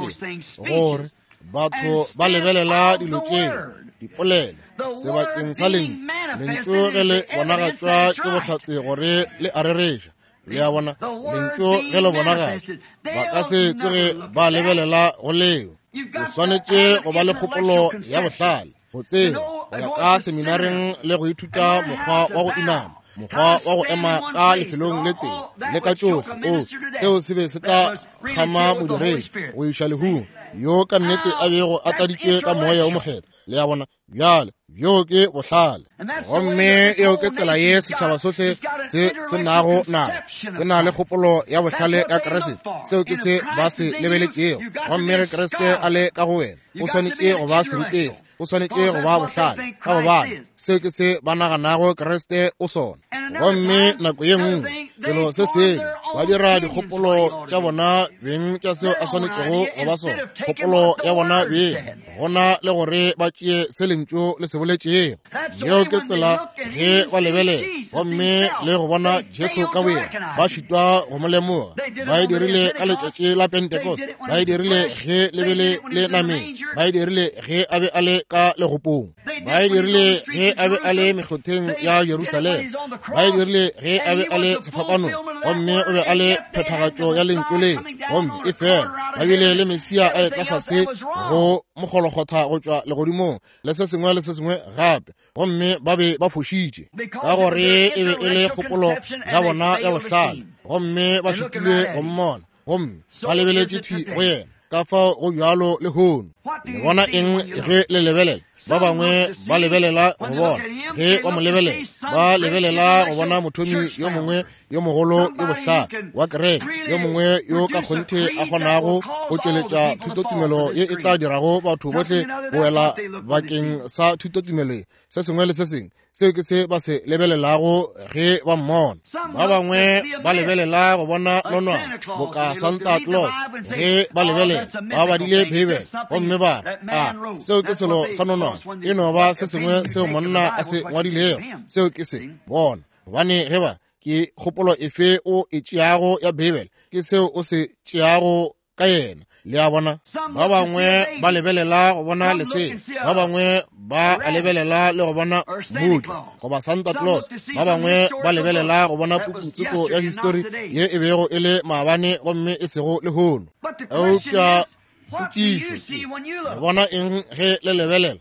gore batho ba lebelela dilo tšeo dipolelo sebakeng sa lentšu. Lentšu ge le bonagatšwa ke bohlatse gore le a rereša. Le a bona? Lentšu ge le bonagatšwa, ba ka se tsoge ba lebelela go leo. O swanetše go ba le kgopolo ya bohlale, go tseba go ya ka seminareng le go ithuta mokgwa wa go inama, mokgwa wa go ema ka lefelong le tee le ka tšohle. O seo se be se tla kgama modiredi go iša lehung, yo ka nnete a bego a tladitšwe ka moya o mokgethwa. Le a bona? Bjale bjo ke bohlale. Gomme eo ke tsela ye setšhaba sohle se se nago nayo, se na le kgopolo ya bohlale ya Kriste. Seo ke se ba se lebeletšego. Gomme ge Kriste a le ka go wena, o swanetše go ba serutegi, o swanetše go ba bohlale, ka gobane seo ke se ba naganago Kriste o sona. Gomme nako ye nngwe selo se sengwe ba dira dikgopolo tša bona beng tša seo a swanetšego go ba sona, kgopolo ya bona beng, gona le gore ba tšee se lentšu le se boletšego. Yeo ke tsela ge ba lebelela gomme le go bona Jesu ka boyena, ba šitwa go mo lemoga. Ba e dirile ka letšatši la Pentecost, ba e dirile ge le be le le nameng, ba e dirile ge a be a le ka legopong, ba e dirile ge a be a le mekgotheng ya Jerusalema, ba e dirile ge a be a le sefapanong, gomme o be a le phethagatšo ya lentšu leo. Gomme e fela ba bile le Mesia a etla fase go mokgolokgotha go tšwa legodimong le se sengwe le se sengwe gape, gomme ba be ba fošitše ka gore e be e le kgopolo ya bona ya bohlale, gomme ba šitile go mmona, gomme ba lebeletše thwi go yena. Ka fao go bjalo lehono. Le bona eng ge le lebelela? Ba bangwe ba lebelela go bona, ge ba mo lebelela, ba lebelela go bona mothomi yo mongwe yo mogolo yo bohlale wa kereke, yo mongwe yo ka kgonthe a kgonago go tšweletša thutotumelo ye e tla dirago batho bohle go wela bakeng sa thutotumelo ye. Se sengwe le se sengwe seo ke se ba se lebelelago ge ba mmona. Ba bangwe ba lebelela go bona nonwane boka Santa Claus ge ba lebelela, ba badile Beibele gomme ba re, a seo ke selo sa nonwane, e no ba se sengwe seo monna a se ngwadilego. Seo ke se bona, gobane ge ba ke kgopolo efe o e tšeago ya Beibele, ke seo o se tšeago ka yena. Le a bona? Ba bangwe ba lebelela go bona lesea, ba bangwe ba a lebelela le go bona mmutla goba Santa Claus, ba bangwe ba lebelela go bona pukutsoko ya histori ye e bego e le maabane gomme e sego lehono. Eupša potšišo ke, le bona eng ge le lebelela?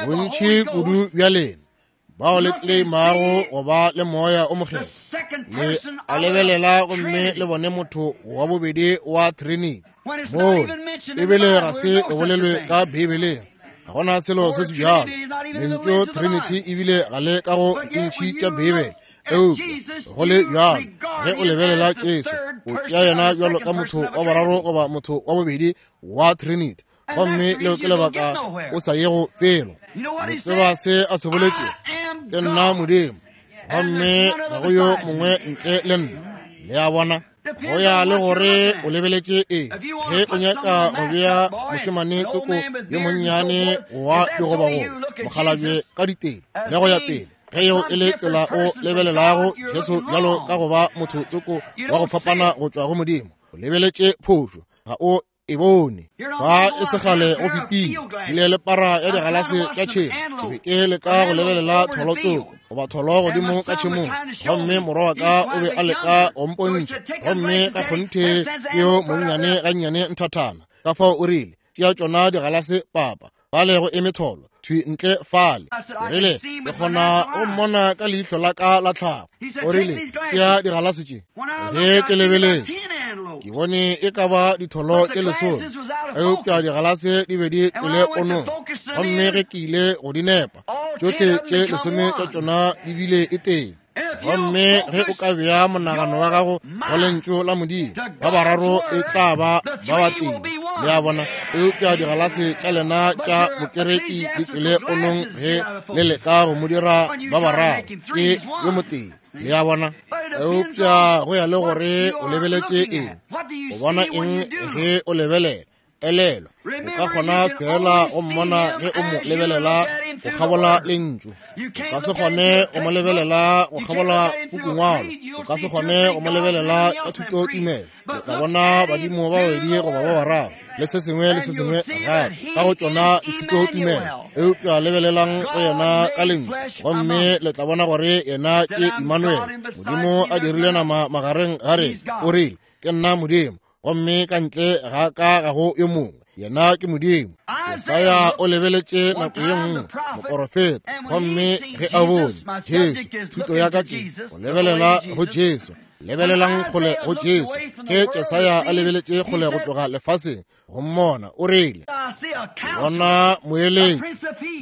Bontši kudu bja lena bao le tleimago go ba le moya o mokgethwa, le a lebelela gomme le bone motho wa bobedi wa Trinity. Moo ebile ga se e bolelwe ka Beibeleng, ga gona selo se se bjalo. Lentšu Trinity ebile ga le ka go dintši tša Beibele. Eupša go le bjalo, ge o lebelela Jesu, o tšea yena bjalo ka motho wa boraro goba motho wa bobedi wa Trinity, gomme leo ke lebaka o sa yego felo. Le tseba se a se boletšego? Ke nna Modimo, gomme ga go yo mongwe ntle le nna. Le a bona? Go ya le gore o lebeletše eng. Ge o nyaka go bea mošemane tsoko yo monnyane wa digobagoba, mokgalabje ka ditelo le go ya pele, ge yeo e le tsela o lebelelago Jesu bjalo ka go ba motho tsoko wa go fapana go tšwa go Modimo, o lebeletše phošo, ga o e bone. Fa e segale go fetile, ile le para ya digalase tša tšhemo, ke be ke leka go lebelela tholo tsoko goba tholo godimo ka tšhemong, gomme morwa wa ka o be a leka go mpontšha, gomme ka kgonthe ke yo monnyane gannyane nthathana. Ka fao o rile, tšea tšona digalase papa, fale go eme tholo thwi ntle fale. Ke rile, ke kgona go mmona ka leihlo la ka la tlhago. O rile, tšea digalase tše. Ge ke lebeletše, ke bone e ka ba ditholo tše lesome, eupša digalase di be di tšwele ponong, gomme ge ke ile go di nepa, tšohle tše lesome tša tšona di bile e tee. Gomme ge o ka bea monagano wa gago go lentšu la Modimo, ba bararo e tla ba ba batee. Le a bona? Eupša digalase tša lena tša bokereki di tšwele ponong ge le leka go mo dira ba bararo, ke yo motee. Le a bona? Eupša go ya le gore o lebeletše eng, o bona eng ge o lebelela. Elelwa, o ka kgona fela go mmona ge o mo lebelela go kgabola lentšu. O ka se kgone go mo lebelela go kgabola pukungwalo. O ka se kgone go mo lebelela ka thutotumelo. Le tla bona badimo ba babedi goba ba bararo le se sengwe le se sengwe gape ka go tšona dithutotumelo. Eupša lebelelang go yena ka lentšu, gomme le tla bona gore yena ke Emmanuel, Modimo a dirile nama magareng ga rena. O rile, ke nna Modimo, gomme ka ntle ga ka ga go yo mongwe. Yena ke Modimo. Jesaya o lebeletše nako ye nngwe moporofeta, gomme ge a bone Jesu, thuto ya ka ke go lebelela go Jesu. Lebelelang kgole go Jesu. Ge Jesaya a lebeletše kgole go tloga lefaseng go mmona, o rile, bona moeletši,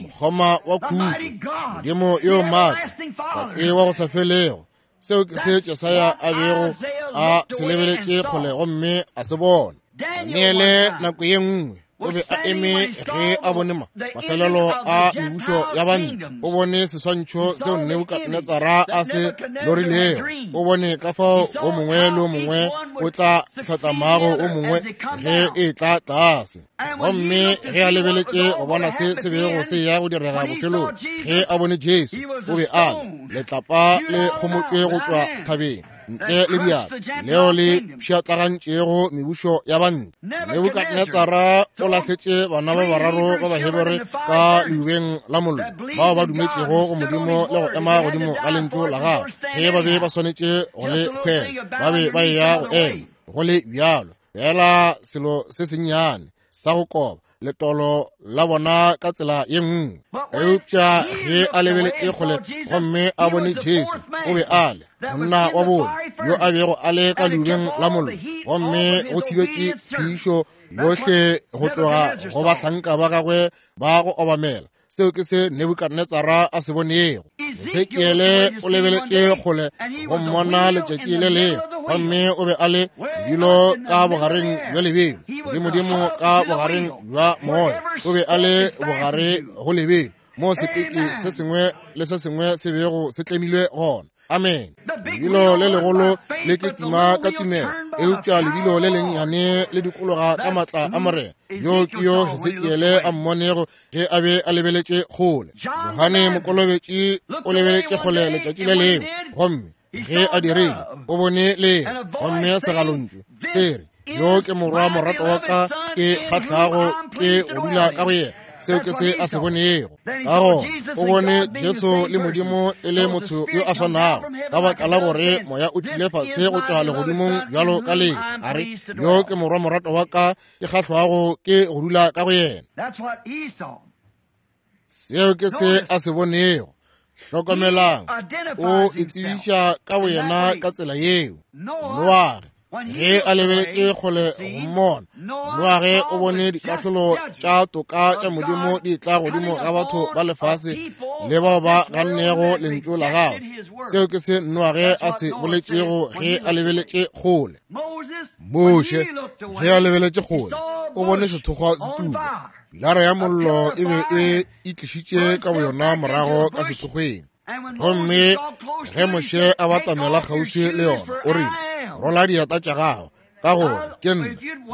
mokgoma wa khutšo, Modimo yo maatla, Tate wa go sa felego. Seo ke se Jesaya a bego a se lebeletše kgole gomme a se bona. Daniele nako ye nngwe o be a eme ge a bone ma mafelelo a mebušo ya banna. O bone seswantšho seo Nebukadnetsara a se lorilego. O bone ka fao o mongwe le o mongwe o tla hlatlamago o mongwe ge e tla tlase. Gomme ge a lebeletše go bona se se bego se ya go direga bophelong, ge a bone Jesu, o be a le letlapa le kgomotšwe go tšwa thabeng ntle le diatla, leo le pšhatlagantšego mebušo ya banna. Nebukadnetsara o lahletše bana ba bararo ba Bahebere ka leubeng la mollo, bao ba dumetšego go Modimo le go ema godimo ga lentšu la gagwe. Ge ba be ba swanetše go le hwela, ba be ba eya go ema go le bjalo. Fela selo se sennyane sa go koba letolo la bona ka tsela ye nngwe. Eupša ge a lebeletše kgole gomme a bone Jesu, o be a le monna wa bone yo a bego a le ka leubeng la mollo, gomme go thibetše phišo yohle go tloga go bahlanka ba gagwe ba go obamela. Seo ke se Nebukadnetsara a se bonego. Hesekiele o lebeletše kgole go mmona letšatši le lengwe, gomme o be a le lebilo ka bogareng bja lebelo, godimodimo ka bogareng bja moya. O be a le bogare go lebelo, mo sepeke se sengwe le se sengwe se bego se tlemilwe gona. Amen. Lebilo le legolo le ketima ka tumelo, eupša lebilo le lennyane le dikologa ka matla a Morena. Yo ke yo Hesekiele a mmonego ge a be a lebeletše kgole. Johane Mokolobetši o lebeletše kgole letšatši le lengwe, gomme ge a dirile o bone le gomme segalontšu se re, yo ke morwa morato wa ka ke kgahlago ke go dula ka go yena. Seo ke se a se bonego. Ka gona o bone Jesu le Modimo e le motho yo a swanago, ka baka la gore moya o tlile fase go tšwa legodimong bjalo ka le a re, yo ke morwa morato wa ka ke kgahlwago ke go dula ka go yena. Seo ke se a se bonego. Hlokomelang, o itsebiša ka boyena ka tsela yeo. Noage ge a lebeletše kgole go mmona, Noage o bone dikahlolo tša toka tša Modimo di tla godimo ga batho ba lefase le bao ba gannego lentšu la gagwe. Seo ke se Noage a se boletšego ge a lebeletše kgole. Moshe ge a lebeletše kgole o bone sethokgwa se tuka. Pilara ya mollo e be e itlišitše ka boyona morago ka sethokgweng. Gomme ge Moshe a batamela kgauswi le yona, o rile, rola dieta tša gago, ka gore ke nna.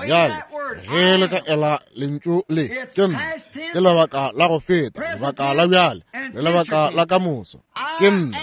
Bjale ge le ka ela lentšu le, ke nna, ke lebaka la go feta, lebaka la bjale le lebaka la ka moso. Ke nna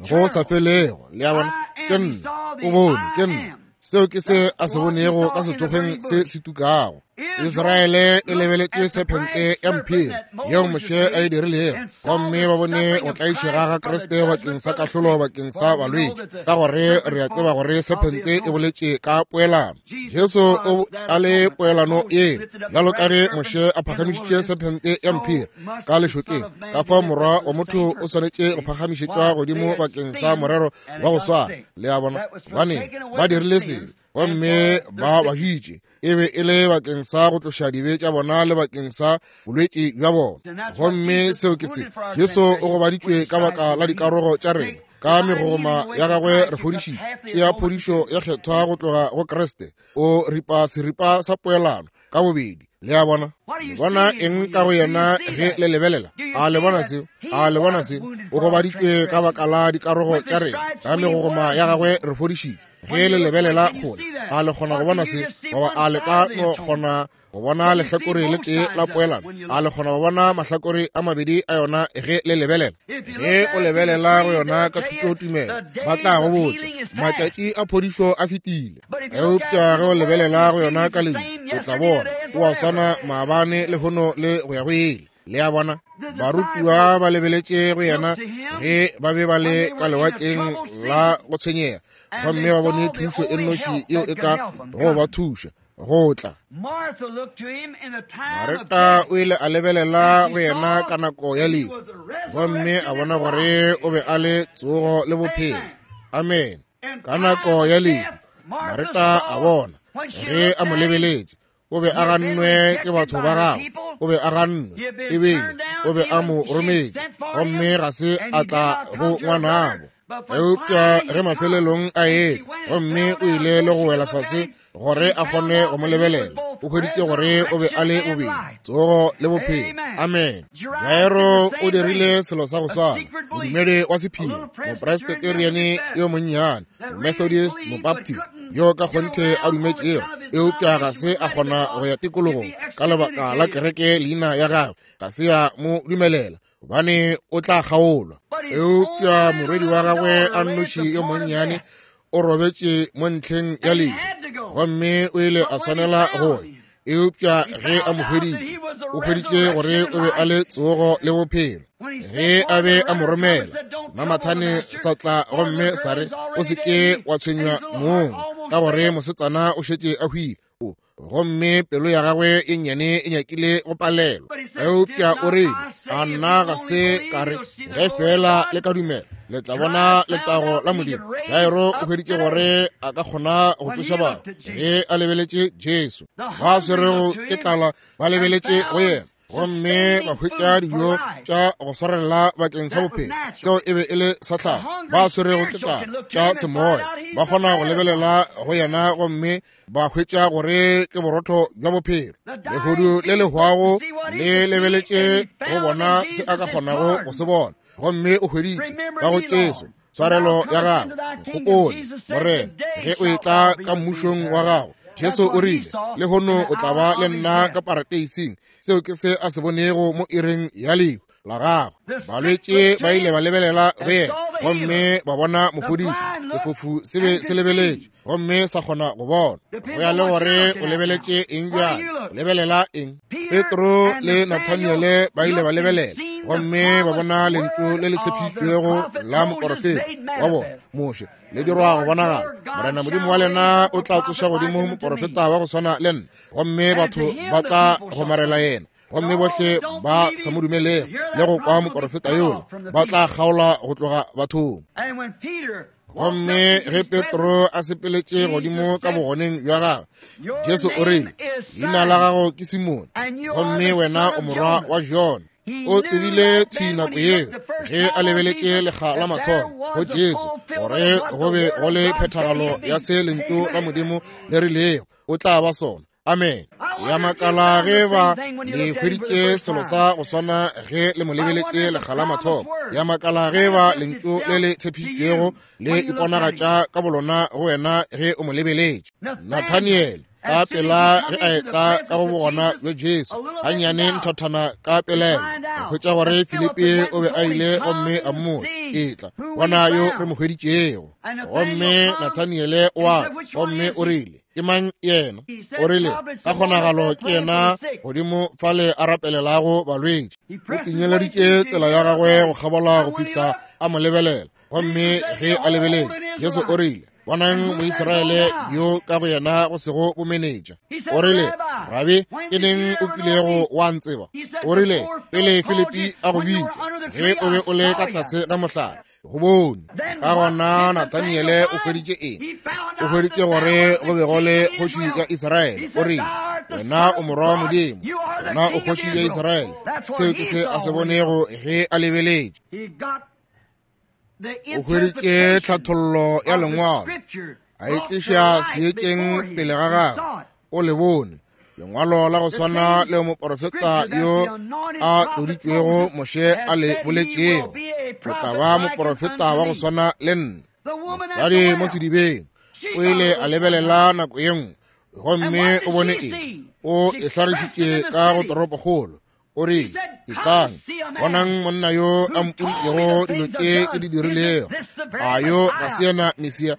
go sa felego. Le a bona, ke nna. O bone, ke nna. Seo ke se a se bonego ka sethokgweng se se tukago. Israele e lebeletše sephente ya mphiri yeo Moshe a e dirilego, gomme ba bone go tlaišega ga Kriste bakeng sa kahlolo bakeng sa balwetši, ka gore re a tseba gore sephente e boletše ka poelano. Jesu o a le poelano yeo, bjalo ka ge Moshe a phagamišitše sephente ya mphiri ka lešokeng, ka fao morwa wa motho o swanetše go phagamišetšwa godimo bakeng sa morero wa go swana. Le a bona, gobane ba dirile sebe gomme ba bajitše, e be e le bakeng sa go tloša dibe tša bona le bakeng sa bolwetši bja bona. Gomme seo ke se Jesu o gobaditšwe ka baka la dikarogo tša rena, ka megogoma ya gagwe re fodišitšwe. Tšea phodišo ya kgethwa go tloga go Kriste, o ripa seripa sa poelano ka bobedi. Le a bona, le bona eng ka go yena ge le lebelela? A le bona seo? A le bona seo? O gobaditšwe ka baka la dikarogo tša rena, ka megogoma ya gagwe re fodišitšwe. Ge le lebelela kgole, a le kgona go bona se? Goba a le ka no kgona go bona lehlakore le tee la poelano? A le kgona go bona mahlakore a mabedi a yona ge le lebelela? Ge o lebelela go yona ka thutotumelo, ba tla go botša matšatši a phodišo a fetile. Eupša ge o lebelela go yona ka lentšu, o tla bona o a swana maabane, lehono le go ya go ile. Le a bona, barutiwa ba lebeletše go yena ge ba be ba le ka lewatleng la go tshwenyega, gomme ba bone thušo e nnoši yeo e ka go ba thuša go tla. Mareta o ile a lebelela go yena ka nako ya lehu, gomme a bona gore o be a le tsogo le bophelo. Amen. Ka nako ya lehu Mareta a bona ge a mo lebeletše, o be a gannwe ke batho ba gagwe, o be a gannwe ebile o be a mo rometše, gomme ga se a tla go ngwanabo. Eupša ge mafelelong a etla, gomme o ile le go wela fase gore a kgone go mo lebelela, o hweditše gore o be a le bobedi tsogo le bophelo. Amen. Jairo o dirile selo sa go swana, modumedi wa sephiri, mopresbyterian yo monnyane, Methodist, Mobaptist, yo ka kgonthe a dumetšego, eupša ga se a kgona go ya tikologong ka lebaka la kereke leina ya gagwe ga se ya mo dumelela, gobane o tla kgaolwa. Eupša morwedi wa gagwe a nnoši yo monnyane o robetše mo ntlheng ya lehu, gomme o ile a swanela go ya. Eupša ge a mo hweditše, o hweditše gore o be a le tsogo le bophelo. Ge a be a mo romela, semamathane sa tla gomme sa re, o se ke wa tshwenywa mong, ka gore mosetsana o šetše a hwile. Gomme pelo ya gagwe e nnyane e nyakile go palelwa. Eupša o rile, a nna ga se ka re, ge fela le ka dumela, Le tla bona letago la Modimo. Jairo o hweditše gore a ka kgona go tsoša batho ge a lebeletše Jesu. Ba swerego ke tlala ba lebeletše go yena, gomme ba hwetša dijo tša go swarelela bakeng sa bophelo. Seo e be e le sa tlhago. Ba swerego ke tlala tša semoya ba kgona go lebelela go yena gomme ba hwetša gore ke borotho bja bophelo. Lehodu le le hwago le lebeletše go bona se a ka kgonago go se bona, gomme o hweditše ka go Jesu tshwarelo ya gagwe. Gopola, Morena, ge o etla ka mmušong wa gago. Jesu o rile, lehono o tla ba le nna ka parateising. Seo ke se a se bonego mo iring ya lehu la gagwe. Balwetše ba ile ba lebelela go yena gomme ba bona mofodiši. Sefofu se be se lebeletše gomme sa kgona go bona. Go ya le gore o lebeletše eng bjale, o lebelela eng? Petro le Nathaniele ba ile ba lebelela gomme ba bona lentšu le le tshepišitšwego la moporofeta wa bona Moshe le dirwa go bonagala. Morena Modimo wa lena o tla tsoša godimo moporofeta wa go swana le nna, gomme batho ba tla gomarela yena. Gomme bohle ba sa mo dumelego le go kwa moporofeta yola ba tla kgaolwa go tloga bathong. Gomme ge Petro a sepeletše godimo ka bogoneng bja gagwe, Jesu o rile, leina la gago ke Simone, gomme wena o morwa wa Jona. O tsebile thwi nako yeo ge a lebeletše lekga la mathomo go Jesu gore go be go le phethagalo ya se lentšu la Modimo le rilego o tla ba sona. Amen. Ya makala ge ba le hweditše selo sa go swana ge le mo lebeletše lekga la mathomo. Ya makala ge ba lentšu le le tshepišitšwego le iponagatša ka bolona go wena ge o mo lebeletše. Nathaniel ka pela ge a etla ka go bogona bja Jesu, gannyane nthathana ka pelelo, go hwetša gore Filipi o be a ile gomme a mmotša, etla bona yo re mo hweditšego. Gomme Nathaniele o a tla gomme o rile, ke mang yena? O rile, ka kgonagalo ke yena godimo fale a rapelelago balwetši. O pinyeleditše tsela ya gagwe go kgabola go fihla a mo lebelela. Gomme ge a lebeletše, Jesu o rile, bonang Moisraele yo ka go yena go sego bomenetša. O rile, Rabi, ke neng o kilego wa ntseba? O rile, pele Filipi a go bitša, ge o be o le ka tlase ga mohlare, go bone. Ka gona Nathaniele o hweditše eng? O hweditše gore go be go le kgoši ya Israele. O rile, wena o morwa wa Modimo, wena o kgoši ya Israele. Seo ke se a se bonego ge a lebeletše. O hweditše tlhathollo ya lengwalo, a e tliša seetšeng pele ga gagwe. O le bone lengwalo la go swana le moporofeta yo a tloditšwego Moshe a le boletšego, o tla ba moporofeta wa go swana le nna. Mosadi mo sedibeng o ile a lebelela nako ye nngwe gomme o bone eng? O e hlagišitše ka go toropokgolo. O rile, etlang, bonang monna yo a mpoditšego dilo tše ke di dirilego. A yo ga se yena Mesia?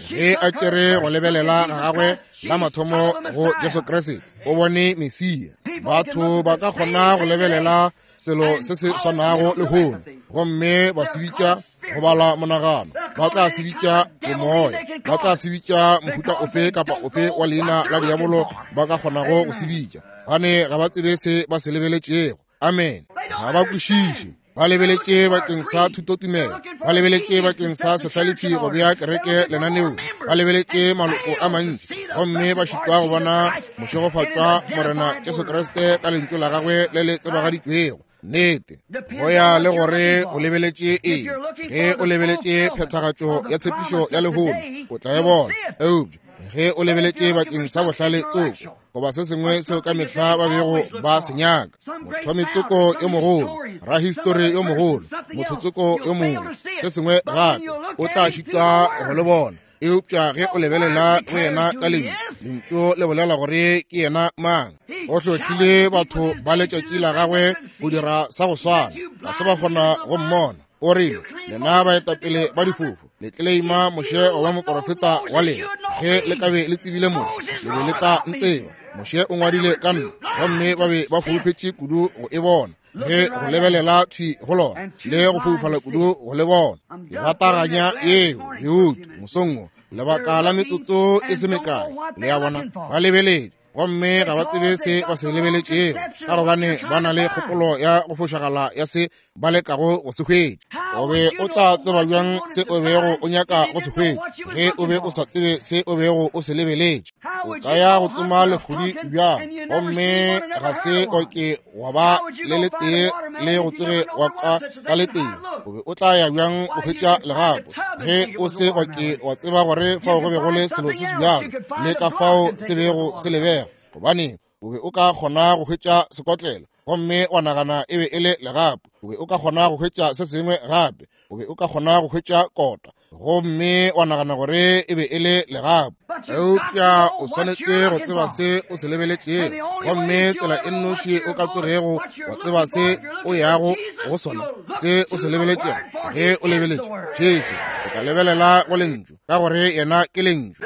Ge a tšere go lebelela ga gagwe la mathomo go Jesu Kriste, o bone Mesia. Batho ba ka kgona go lebelela selo se se swanago lehono gomme ba se bitša go bala monagano, ba tla se bitša bomoya, ba tla se bitša mohuta ofe kapa ofe wa leina la diabolo ba ka kgonago go se bitša, gane ga ba tsebe se ba se lebeletšego. Amen. Ga ba kwešiše. Ba lebeletše bakeng sa thutotumelo, ba lebeletše bakeng sa sehlalefi go bea kereke lenaneong, ba lebeletše maloko a mantši, gomme ba šitwa go bona mošegofatšwa Morena Jesu Kriste ka lentšu la gagwe le le tsebagaditšwego. Nnete. Go ya le gore o lebeletše eng. Ge o lebeletše phethagatšo ya tshepišo ya lehono, o tla e bona. Eupša ge o lebeletše bakeng sa bohlale tsoko goba se sengwe seo ka mehla ba bego ba se nyaka, mothomi-tsoko yo mogolo, rahistori yo mogolo, motho-tsoko yo mongwe, se sengwe gape, o tla šitwa go le bona. Eupša ge o lebelela go yena ka lentšu, lentšu le bolela gore ke yena mang. O hlohlile batho ba letšatši la gagwe go dira sa go swana, ga se ba kgona go mmona. O rile, lena baetapele ba difofu, le tleleima Moshe goba moporofeta wa lena. Ge le ka be le tsebile Moshe, le be le tla ntseba. Moshe o ngwadile ka nna, gomme ba be ba foufetše kudu go e bona. Ge go lebelela thwi go lona, le go foufala kudu go le bona. Ke bataganya yeo leutu mosong wo, lebaka la metsotso e se mekae. Le a bona, ba lebeletše gomme ga ba tsebe se ba se lebeletšego, ka gobane ba na le kgopolo ya go fošagala ya se ba lekago go se hwetša. O be o tla tseba bjang se o bego o nyaka go se hwetša ge o be o sa tsebe se o bego o se lebeletše? O ka ya go tsoma lehudi bjang gomme ga se o ke wa ba le letee le go tsoge wa ka ka letee? O be o tla ya bjang go hwetša legapo ge o se wa ke wa tseba gore fao go be go le selo se se bjalo le ka fao se bego se lebega? Gobane o be o ka kgona go hwetša sekotlelo gomme wa nagana e be e le legapo. O be o ka kgona go hwetša se sengwe gape. O be o ka kgona go hwetša kota gomme wa nagana gore e be e le legapo. Eupša o swanetše go tseba se o se lebeletšego, gomme tsela e nnoši o ka tsogego wa tseba se o yago go sona, se o se lebeletšego, ge o lebeletše Jesu, o tla lebelela go lentšu, ka gore yena ke lentšu.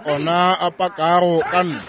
Ke ona a pakago ka nna.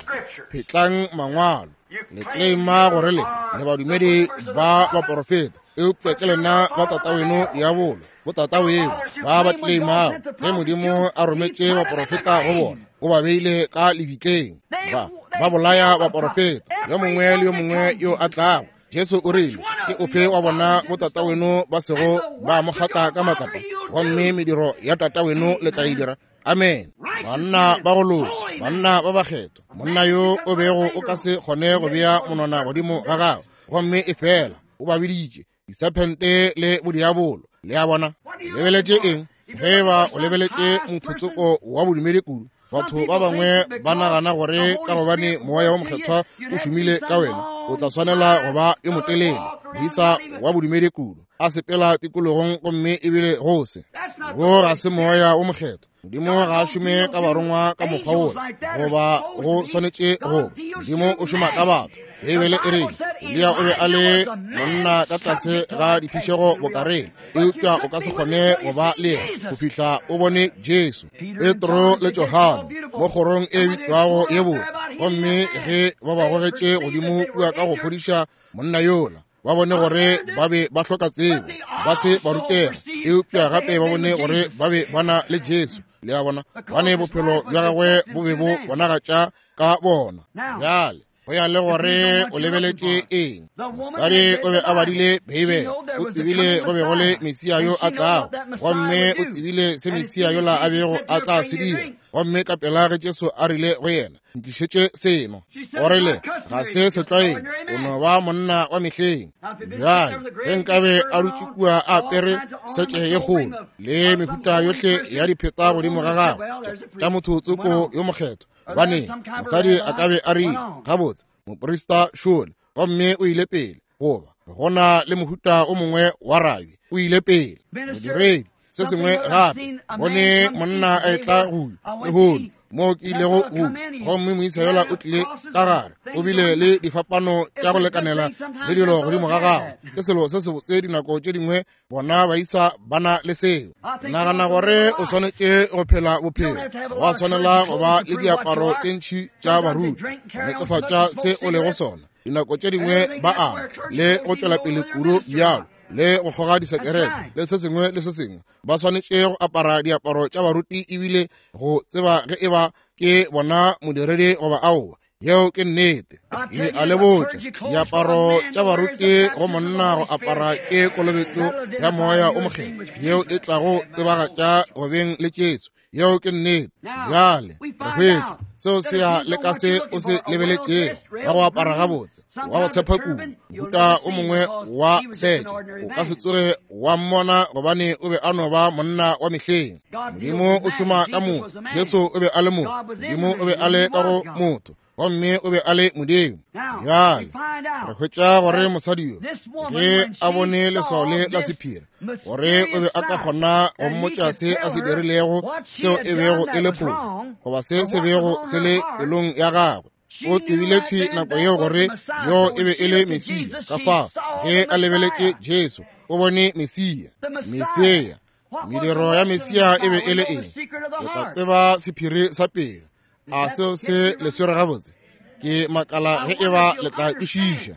Phetlang mangwalo. Le claima gore le le badumedi ba baporofeta, eupša ke lena ba tataweno diabolo, botataweno ba ba claimago ge Modimo a rometše baporofeta go bona, o ba beile ka lebitleng. Ba ba bolaya baporofeta, yo mongwe le yo mongwe yo a tlago. Jesu o rile, ke ofe wa bona botataweno ba sego ba mo kgatla ka matlapa, gomme mediro ya tataweno le tla e dira. Amen. Banna ba go loka, banna ba bakgethwa, monna yo o bego o ka se kgone go bea monwana godimo ga gagwe, gomme e fela o ba biditše disephente le bodiabolo. Le a bona? Lebeletše eng? Ge ba o lebeletše mothotsoko wa bodumedi kudu, batho ba bangwe ba nagana gore ka gobane moya wa mokgethwa o šomile ka wena, o tla swanela go ba yo motelele, moisa wa bodumedi kudu, a sepela tikologong gomme ebile go se. Wo ga se moya wa mokgethwa. Modimo ga a šome ka barongwa ka mokgwa wola, goba go swanetše go. Modimo o šoma ka batho. Beibele e rile Eliya o be a le monna ka tlase ga diphišego bokareng, eupša o ka se kgone go ba le yena go fihla o bone Jesu. Petro le Johane mo kgorong e bitšwago ye botse, gomme ge ba ba gogetše godimo kua ka go fodiša monna yola, ba bone gore ba be ba hloka tsebo, ba se ba rutega, eupša gape ba bone gore ba be ba na le Jesu. Le a bona, bane bophelo bja gagwe bo be bo bonagatša ka bona. Bjale go ya le gore o lebeletše eng. Mosadi o be a badile Beibele, o tsebile go be go le Mesia yo a tlago, gomme o tsebile se Mesia yola a bego a tla se dira. Gomme ka pela ge Jesu a rile go yena, ntlišetše seno, o rile ga se setlwaedi, o no ba monna wa mehleng. Bjale ge nkabe a dutše kua a apere setše ye kgolo le mehuta yohle ya dipheta godimo ga gagwe tša motho tsoko yo mokgethwa, gobane mosadi a ka be a rile, gabotse moprista šole, gomme o ile pele, goba go na le mohuta o mongwe wa rabi, o ile pele, modiredi, se sengwe gape. Bone monna a etla go lehono mo ke ilego go, gomme moisa yola o tlile ka gare, o bile le difapano tša go lekanela le dilo godimo ga gagwe. Ke selo se sebotse dinako tše dingwe bona baisa ba na le seo. Nagana gore o swanetše go phela bophelo, wa swanela go ba le diaparo tše ntši tša baruti go netefatša se o lego sona. Dinako tše dingwe ba ama le go tšwela pele kudu bjalo, le go kgoga disekerete le se sengwe le se sengwe. Ba swanetše go apara diaparo tša baruti ebile go tseba ge e ba ke bona modiredi goba aowa. Yeo ke nnete. Ke a le botša, diaparo tša baruti go monna go apara ke kolobetšo ya moya o mokgethwa, yeo e tlago tsebagatša go beng le Jesu. Yeo ke nnete. Bjale re hwetša seo se ya le ka se o se lebeletšego, wa go apara gabotse, wa go tshepa kudu, mohuta o mongwe wa setše, o ka se tsoge wa mmona gobane o be a no ba monna wa mehleng. Modimo o šoma ka motho. Jesu o be a le motho, Modimo o be a le ka go motho, gomme o be a le Modimo. Bjale re hwetša gore mosadi yo ge a bone leswao le la sephiri, gore o be a ka kgona go mmotša se a se dirilego seo e bego e le phošo, goba se se bego se le pelong ya gagwe. O tsebile thwi nako yeo gore yo e be e le Mesia. Ka fao ge a lebeletše Jesu, o bone Mesia. Mesia, mediro ya Mesia e be e le eng? O tla tseba sephiri sa pelo. A seo se le swere gabotse? Ke makala ge e ba le tla kwešiša.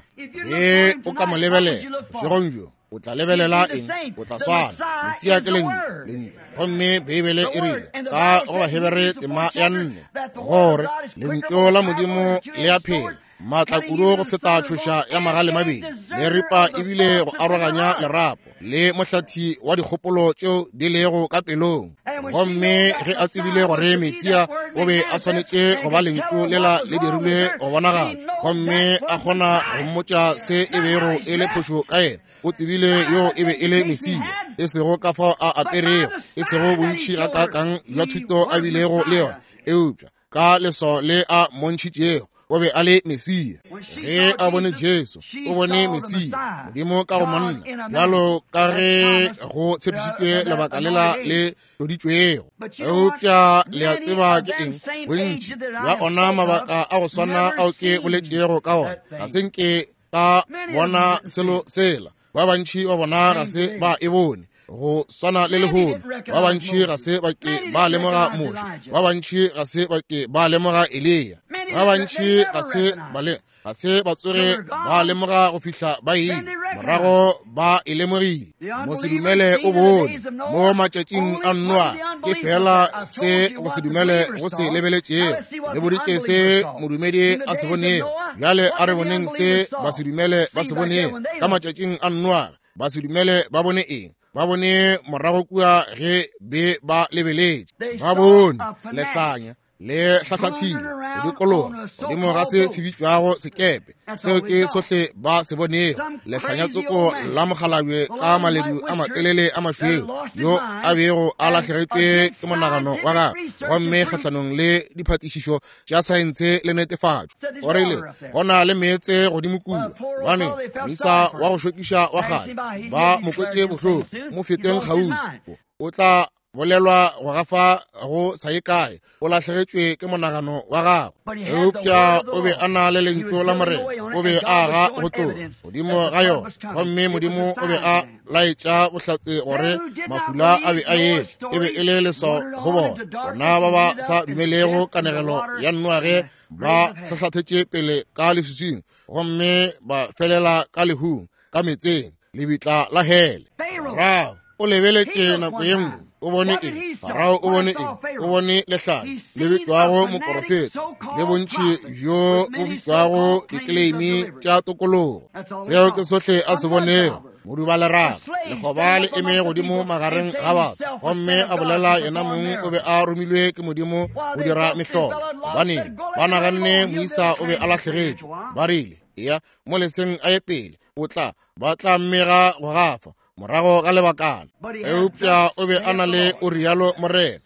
Ge o ka mo lebelela bošegong bjo, o tla lebelela eng? O tla swana. Mesia ke lentšu, lentšu. Gomme Beibele e rile ka go Bahebere tema ya nne gore lentšu la Modimo le a phela, maatla kudu go feta tšhoša ya magale mabedi, le ripa ebile go aroganya lerapo le mohlathi wa dikgopolo tšeo di lego ka pelong. Gomme ge a tsebile gore Mesia o be a swanetše go ba lentšu lela le dirilwe go bonagatšwa, gomme a kgona go mmotša se e bego e le phošo ka yena, o tsebile yo e be e le Mesia, e sego ka fao a aperego, e sego bontši gakaakang bja thuto a bilego le yona, eupša ka leswao le a mmontšhitšego o be a le Mesia. Ge a bone Jesu, o bone Mesia, Modimo ka go monna, bjalo ka ge go tshepišitšwe lebaka lela le tloditšwego. Eupša le a tseba ke eng? Bontši bja ona mabaka a go swana ao ke boletšego ka ona, ga se nke ka bona selo sela. Ba bantši ba bona ga se ba e bone go swana le lehono. Ba bantši ga se ba ke ba lemoga Moshe, ba bantši ga se ba ke ba lemoga Eliya, ba bantši ga se ba le ga se ba tsoge ba lemoga go fihla ba ile morago ba e lemogile. Mosedumele o bone mo matšatšing a Noa, ke fela se go se dumele go se lebeletšego, le boditše se modumedi a se bonego. Bjale a re boneng se basedumele ba se bonego ka matšatšing a Noa. Basedumele ba bone eng? Ba bone morago kua ge be ba lebeletše, ba bone lehlanya le hlahlathile go dikologa godimo ga se se bitšwago sekepe. Seo ke sohle ba se bonego, lehlanya tsoko la mokgalabje ka maledu a matelele a mašweu, yo a bego a lahlegetšwe ke monagano wa gagwe, gomme kgahlanong le diphatišišo tša saense le netefatšo. O rile go na le meetse godimo kua, gobane moisa wa go šokiša wa kgale ba mo kwetše bohloko, mo feteng kgauswi, o tla bolelwa go gafa go sa ye kae, o lahlegetšwe ke monagano wa gagwe. Eupša o be a na le lentšu la Morena, o be a aga go tloga godimo ga yona, gomme Modimo o be a laetša bohlatse gore mafula a be a etla. E be e le leswao go bona. Bona ba ba sa dumelego kanegelo ya Noage ba hlahlathetše pele ka leswiswing, gomme ba felela ka lehung, ka metseng, lebitla la hele. Farao o lebeletše nako ye nngwe, o bone eng? Farao o bone eng? O bone lehlanya le bitšwago moporofeta, le bontši bjo bo bitšwago dikleimi tša tokologo. Seo ke sohle a se bonego. Modubalerago, lekgoba le eme godimo magareng ga batho, gomme a bolela yena mong o be a romilwe ke Modimo go dira mehlolo. Gobaneng ba naganne moisa o be a lahlegetšwe? Ba rile, eya mo leseng a ye pele, o tla ba tla mmega go gafa morago ga lebakana. Eupša o be a na le o rialo Morena.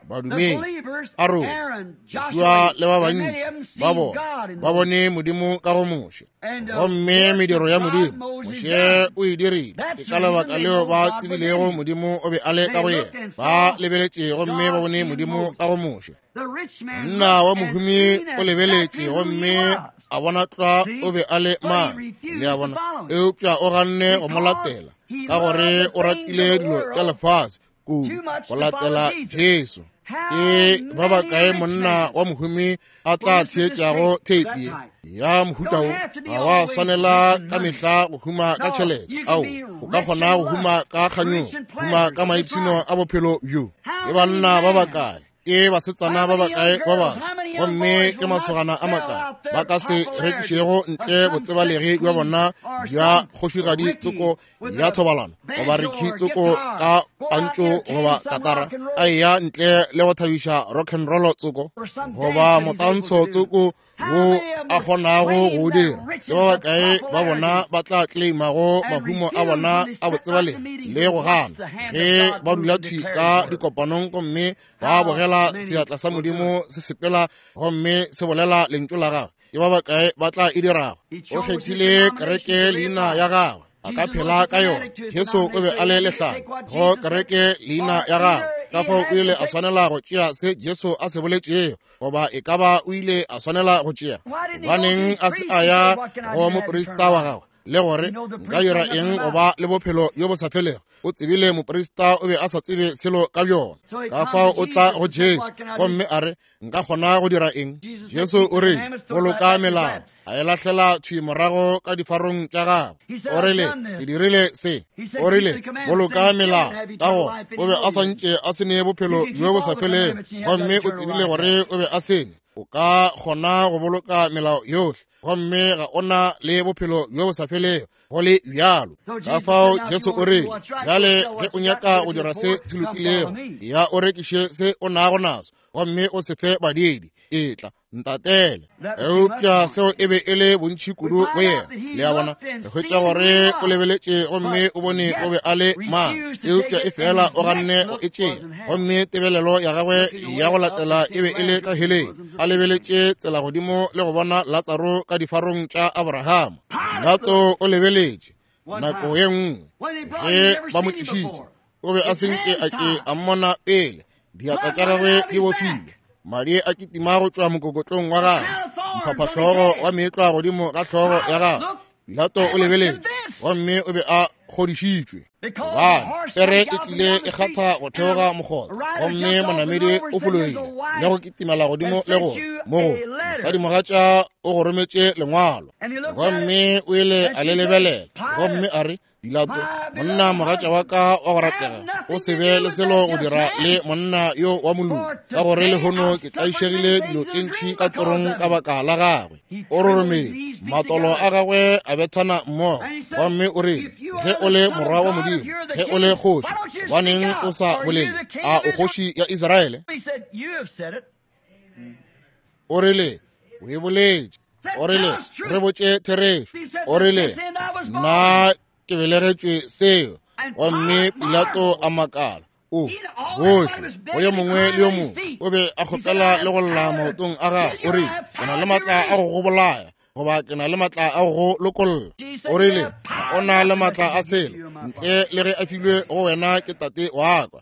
Badumedi, Arone, Joshua le ba bantši ba bona ba bone Modimo ka go Moshe, gomme mediro ya Modimo Moshe o e dirile. Ke ka lebaka leo ba tsebilego Modimo o be a le ka go yena. Ba lebeletše gomme ba bone Modimo ka go Moshe. Monna wa mohumi o lebeletše gomme a bona tlwa o be a le mang, le a bona, eupša o ganne go mo latela ka gore o ratile dilo tša lefase kudu go latela Jesu. Ke ba bakae monna wa mohumi a tla theetšago theipi ya mohuta wo? Ga wa swanela ka mehla go huma ka tšhelete. Ao, o ka kgona go huma ka kganyogo, huma ka maipshino a bophelo bjo. Ke banna ba bakae, ke basetsana ba bakae ba baswa, gomme ke masogana a makae ba ka se rekišego ntle botsebalegi bja bona bja kgošigadi tsoko ya thobalano, goba rekhi tsoko ka pantšo goba katara, a eya ntle le go thabiša rock and roll tsoko goba motantsho tsoko wo a kgonago go o dira. Ke ba bakae ba bona ba tla claimago mahumo a bona a botsebalegi le go gana ge ba dula thwi ka dikopanong gomme ba bogela seatla sa Modimo se sepela gomme se bolela lentšu la gagwe? Ke ba bakae ba tla e dirago? O kgethile kereke leina ya gagwe, a ka phela ka yona. Jesu o be a le lehlanya go kereke leina ya gagwe, ka fao o ile a swanela go tšea se Jesu a se boletšego, goba e ka ba o ile a swanela go tšea. Gobaneng a se a ya go moprista wa gagwe le gore nka dira eng go ba le bophelo bjo bo sa felego? O tsebile moprista o be a sa tsebe selo ka bjona. Ka fao o tla go Jesu gomme a re, nka kgona go dira eng? Jesu o re, boloka melao. A e lahlela thwi morago ka difarong tša gagwe. O rile, ke dirile se. O rile, boloka melao. Ka gona o be a santše a se ne bophelo bjo bo sa felego, gomme o tsebile gore o be a sene. O ka kgona go boloka melao yohle, gomme ga o na le bophelo bjo bo sa felego go le bjalo. Ka fao Jesu o rile, bjale ge o nyaka go dira se se lokilego, ya o rekiše se o nago naso gomme o se fe badiidi, etla ntatele. Eupša seo e be e le bontši kudu go yena. Le a bona, re hwetša gore o lebeletše gomme o bone o be a le mang, eupša e fela o ganne go e tšea, gomme tebelelo ya gagwe ya go latela e be e le ka heleng, a lebeletše tsela godimo le go bona Latsaro ka difarong tša Abrahama. Pilato o lebeletše nako ye nngwe ge ba mo tlišitše, o be a senke a ke a mmona pele, diatla tša gagwe di bofilwe, madi a kitima go tšwa mokokotlong wa gagwe, mphaphahlogo wa meetlwa godimo ga hlogo ya gagwe. Pilato o lebeletše gomme o be a kgodišitšwe, gobane pere e tlile e kgatha go theoga mokgotha, gomme monamedi o fologile le go kitimela godimo le go mo go mosadimogatša o go rometše lengwalo, gomme o ile a le lebelela gomme a re, Pilato, monna mogatša wa ka wa go ratega, o se be le selo go dira le monna yo wa moloki, ka gore lehono ke tlaišegile dilo tše ntši ka torong ka baka la gagwe. O rorometše, matolo a gagwe a bethana mmogo, gomme o rile, ge o le morwa wa Modimo, ge o le kgoši, gobaneng o sa bolele? A o kgoši ya Israele? O rile, o e boletše. O rile, re botše therešo. O rile, nna ke belegetšwe seo. Gomme Pilato a makala. O bohle go yo mongwe le yo mongwe o be a kgopela le go lla maotong a gagwe. O rile, ke na le matla a go go bolaya, goba ke na le matla a go go lokolla. O rile, o na le matla a selo ntle le ge a filwe go wena ke tate wa ka.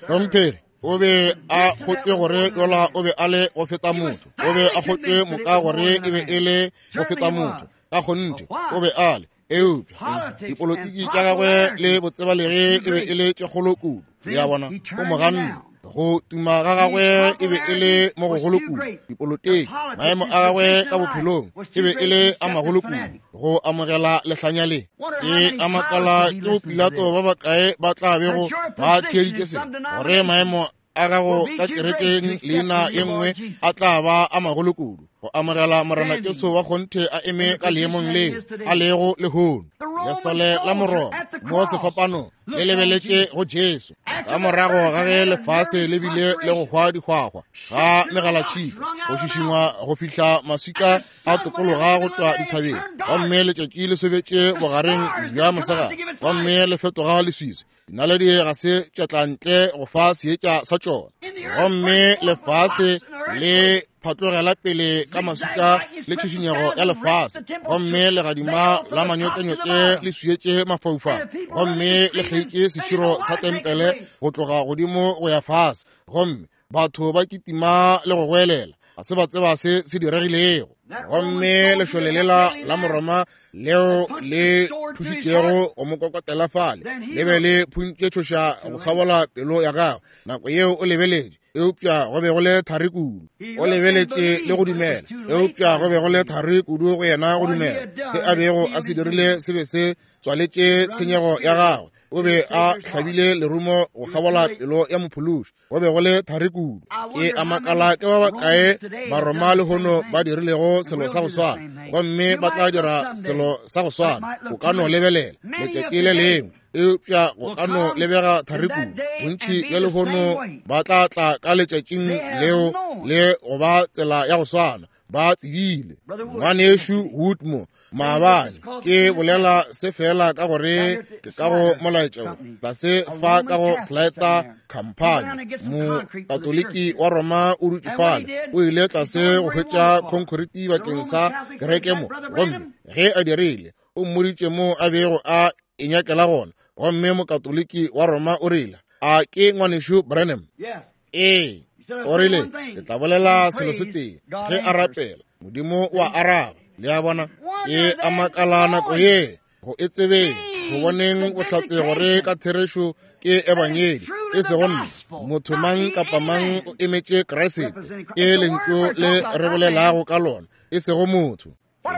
Hlomphegi, o be a kgotšwe gore yola o be a le go feta motho, o be a kgotšwe moka gore e be e le go feta motho, ka kgonthe o be a le. Eupša dipolotiki tša gagwe le botsebalege e be e le tše kgolo kudu. Le a bona, o mo ganne. Go tuma ga gagwe e be e le mo gogolo kudu. Dipolotiki, maemo a gagwe ka bophelong e be e le a magolo kudu go amogela lehlanya le. Ke a makala ke bo Pilato ba bakae ba tla bego ba theeditše se, gore maemo a gago ka kerekeng leina ye nngwe a tla ba a magolo kudu go amogela Morena Jesu wa kgonthe a eme ka leemong leo a lego lehono. Lesole la Moroma mo sefapanong le lebeletše go Jesu ka morago ga ge lefase le bile le go hwa dihwahwa ga megalatšhika, go šišingwa go fihla maswika a tokologa go tšwa dithabeng, gomme letšatši le sobetše bogareng bja mosegare gomme le fetoga leswiswi. Dinaledi ga se tša tla ntle go fa seetša sa tšona, gomme lefase le phatlogela pele ka maswika le tšhišinyego ya lefase, gomme legadima la manyokenyoke le swietše mafaufau, gomme le kgeitše seširo sa tempele go tloga godimo go ya fase, gomme batho ba kitima le go goelela, ga se ba tseba se se diregilego. Gomme lešole lela la Moroma leo le thušitšego go mo kokotela fale le be le phuntše tšhoša go kgabola pelo ya gagwe. Nako yeo o lebeletše, eupša go be go le thari kudu. O lebeletše le go dumela, eupša go be go le thari kudu go yena go dumela. Se a bego a se dirile se be se tswaletše tshenyego ya gagwe. O be a hlabile lerumo go kgabola pelo ya mophološi. Go be go le thari kudu. Ke a makala ke ba bakae Baroma lehono ba dirilego selo sa go swana, gomme ba tla dira selo sa go swana. O ka no lebelela letšatši le lengwe, eupša go ka no lebega thari kudu. Bontši bja lehono ba tla tla ka letšatšing leo le go ba tsela ya go swana. Ba tsebile. Ngwanešu Woodmo maabane ke bolela se fela ka gore ke ka go molaetša wo tlase fa ka go Slater Company. Mokatoliki wa Roma o dutše fale, o ile tlase go hwetša khonkhoriti bakeng sa kereke mo, gomme ge a dirile o mmoditše mo a bego a e nyakela gona. Gomme mokatoliki wa Roma o rile, a ke ngwanešu Branham? Ee. O rile, ke tla bolela selo se tee, ge a rapela Modimo wa araba. Le a bona, ke a makala nako ye go e tsebeng, go boneng bohlatse gore ka therešo ke ebangedi, e sego nna. Motho mang kapa mang o emetše Kriste, ke lentšu le re bolelago ka lona, e sego motho.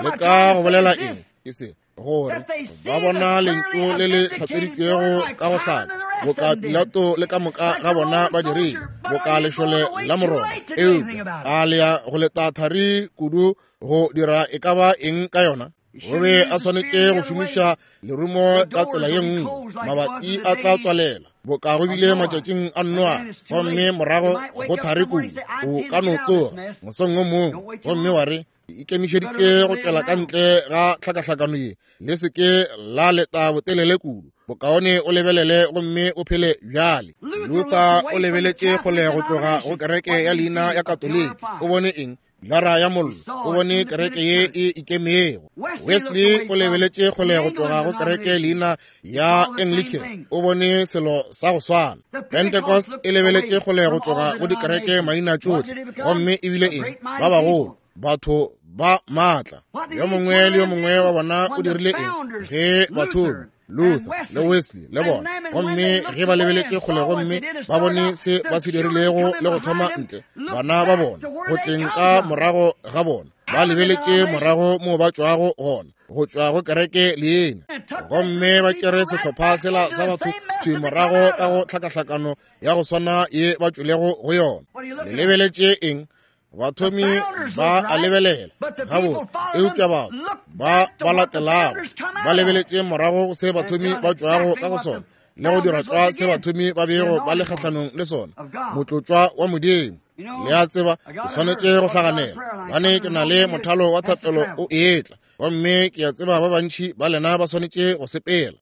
Le ka go bolela eng? Ke se gore ba bona lentšu le le hlatseditšwego ka go hlaka, boka Pilato le ka moka ga bona ba dirile, boka lešole la Moroma. Eupša a le ya go leta thari kudu go dira e ka ba eng ka yona? O be a swanetše go šomiša lerumo ka tsela ye nngwe, mabati a tla tswalela boka go bile matšatšing a Noa, gomme morago go thari kudu o ka no tsoga mosong o mongwe gomme wa re, ikemišeditše go tšwela ka ntle ga tlhakahlakano ye, le se ke la leta botelele kudu, bokaone o lebelele gomme o phele bjale. Luther o lebeletše kgole go tloga go kereke ya leina ya Katoliki. O bone eng? Pilara ya mollo. O bone kereke ye e ikemego. Wesley o lebeletše kgole go tloga go kereke leina ya Anglican. O bone selo sa go swana. Pentecost e lebeletše kgole go tloga go dikereke maina tšohle, gomme ebile eng? Ba bagolo, batho ba maatla. Yo mongwe le yo mongwe wa bona o dirile eng ge bathomi Luther le Wesley le bona, gomme ge ba lebeletše kgole gomme ba bone se ba se dirilego le go thoma ntle bana ba bona go tleng ka morago ga bona, ba lebeletše morago mo ba tšwago gona, go tšwa go kereke leina, gomme ba tšere sehlopha sela sa batho thwi morago ka go tlhakahlakano ya go swana ye ba tšwelego go yona. Le lebeletše eng? Bathomi ba a lebelela gabotse, eupša batho ba ba latelago ba lebeletše morago go se bathomi ba tšwago ka go sona le go dira tlwa se bathomi ba bego ba le kgahlanong le sona, motlotšwa wa Modimo. Le a tseba, ke swanetše go hlaganela, gobane ke na le mothalo wa thapelo o etla, gomme ke a tseba ba bantši ba lena ba swanetše go sepela.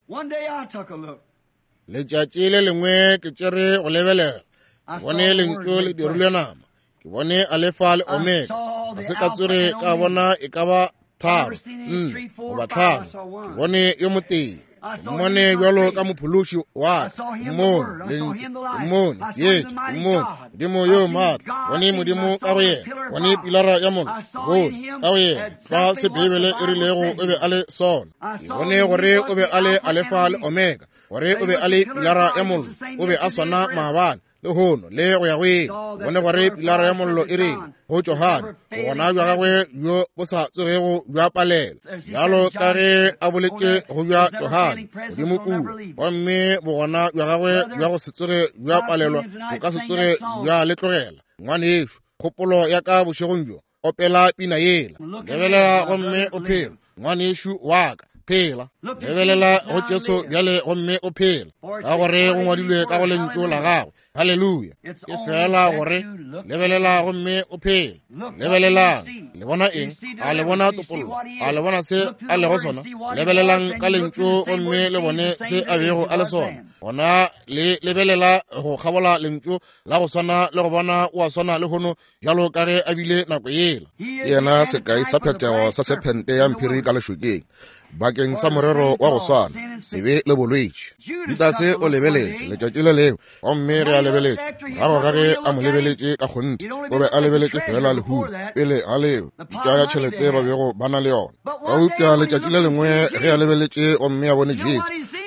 Letšatši le lengwe ke tšere go lebelela, ke bone lentšu le dirilwe nama, ke bone Alefa le Omega. Ga se ka tsoge ka bona e ka ba tharo, nne goba tlhano. Ke bone yo motee, ke mmone bjalo ka mophološi wa ka, mmone lentšu, ke mmone seetša, ke mmone Modimo yo maatla, bone Modimo ka go yena, bone pilara ya mollo, bone ka go yena tlwa se Beibele e rilego o be a le sona. Ke bone gore o be a le Alefa le Omega, gore o be a le pilara ya mollo, o be a swana maabane, lehono le go ya go ile. Bone gore pilara ya mollo e rile go Johane, bogona bja gagwe bjo bo sa tsogego bja palela, bjalo ka ge a boletše go bja Johane godimo kua, gomme bogona bja gagwe bja go se tsoge bja palelwa bo ka se tsoge bja le tlogela. Ngwanešo, kgopolo ya ka bošegong bjo, opela pina yela, lebelela gomme o phela. Ngwanešo wa ka, phela. Lebelela go Jesu bjale gomme o phela, ka gore go ngwadilwe ka go lentšu la gagwe. Haleluya. Ke fela gore lebelela gomme o phela. Lebelelang, le bona eng? A le bona topollo? A le bona se a lego sona? Lebelelang ka lentšu gomme le bone se a bego a le sona. Gona le lebelela go kgabola lentšu la go swana le go bona o a swana le hono bjalo ka ge a bile nako yela. Ke yena sekai sa phethego sa sephente ya mphiri ka lešokeng bakeng sa morero wa go swana, sebe le bolwetši. Judase o lebeletše letšatši le lengwe, gomme ge a lebeletše morago ga ge a mo lebeletše ka kgonthe, o be a lebeletše fela lehumo pele ga leo pitša ya tšhelete ba bego ba na le yona. Eupša letšatši le lengwe ge a lebeletše gomme a bone Jesu,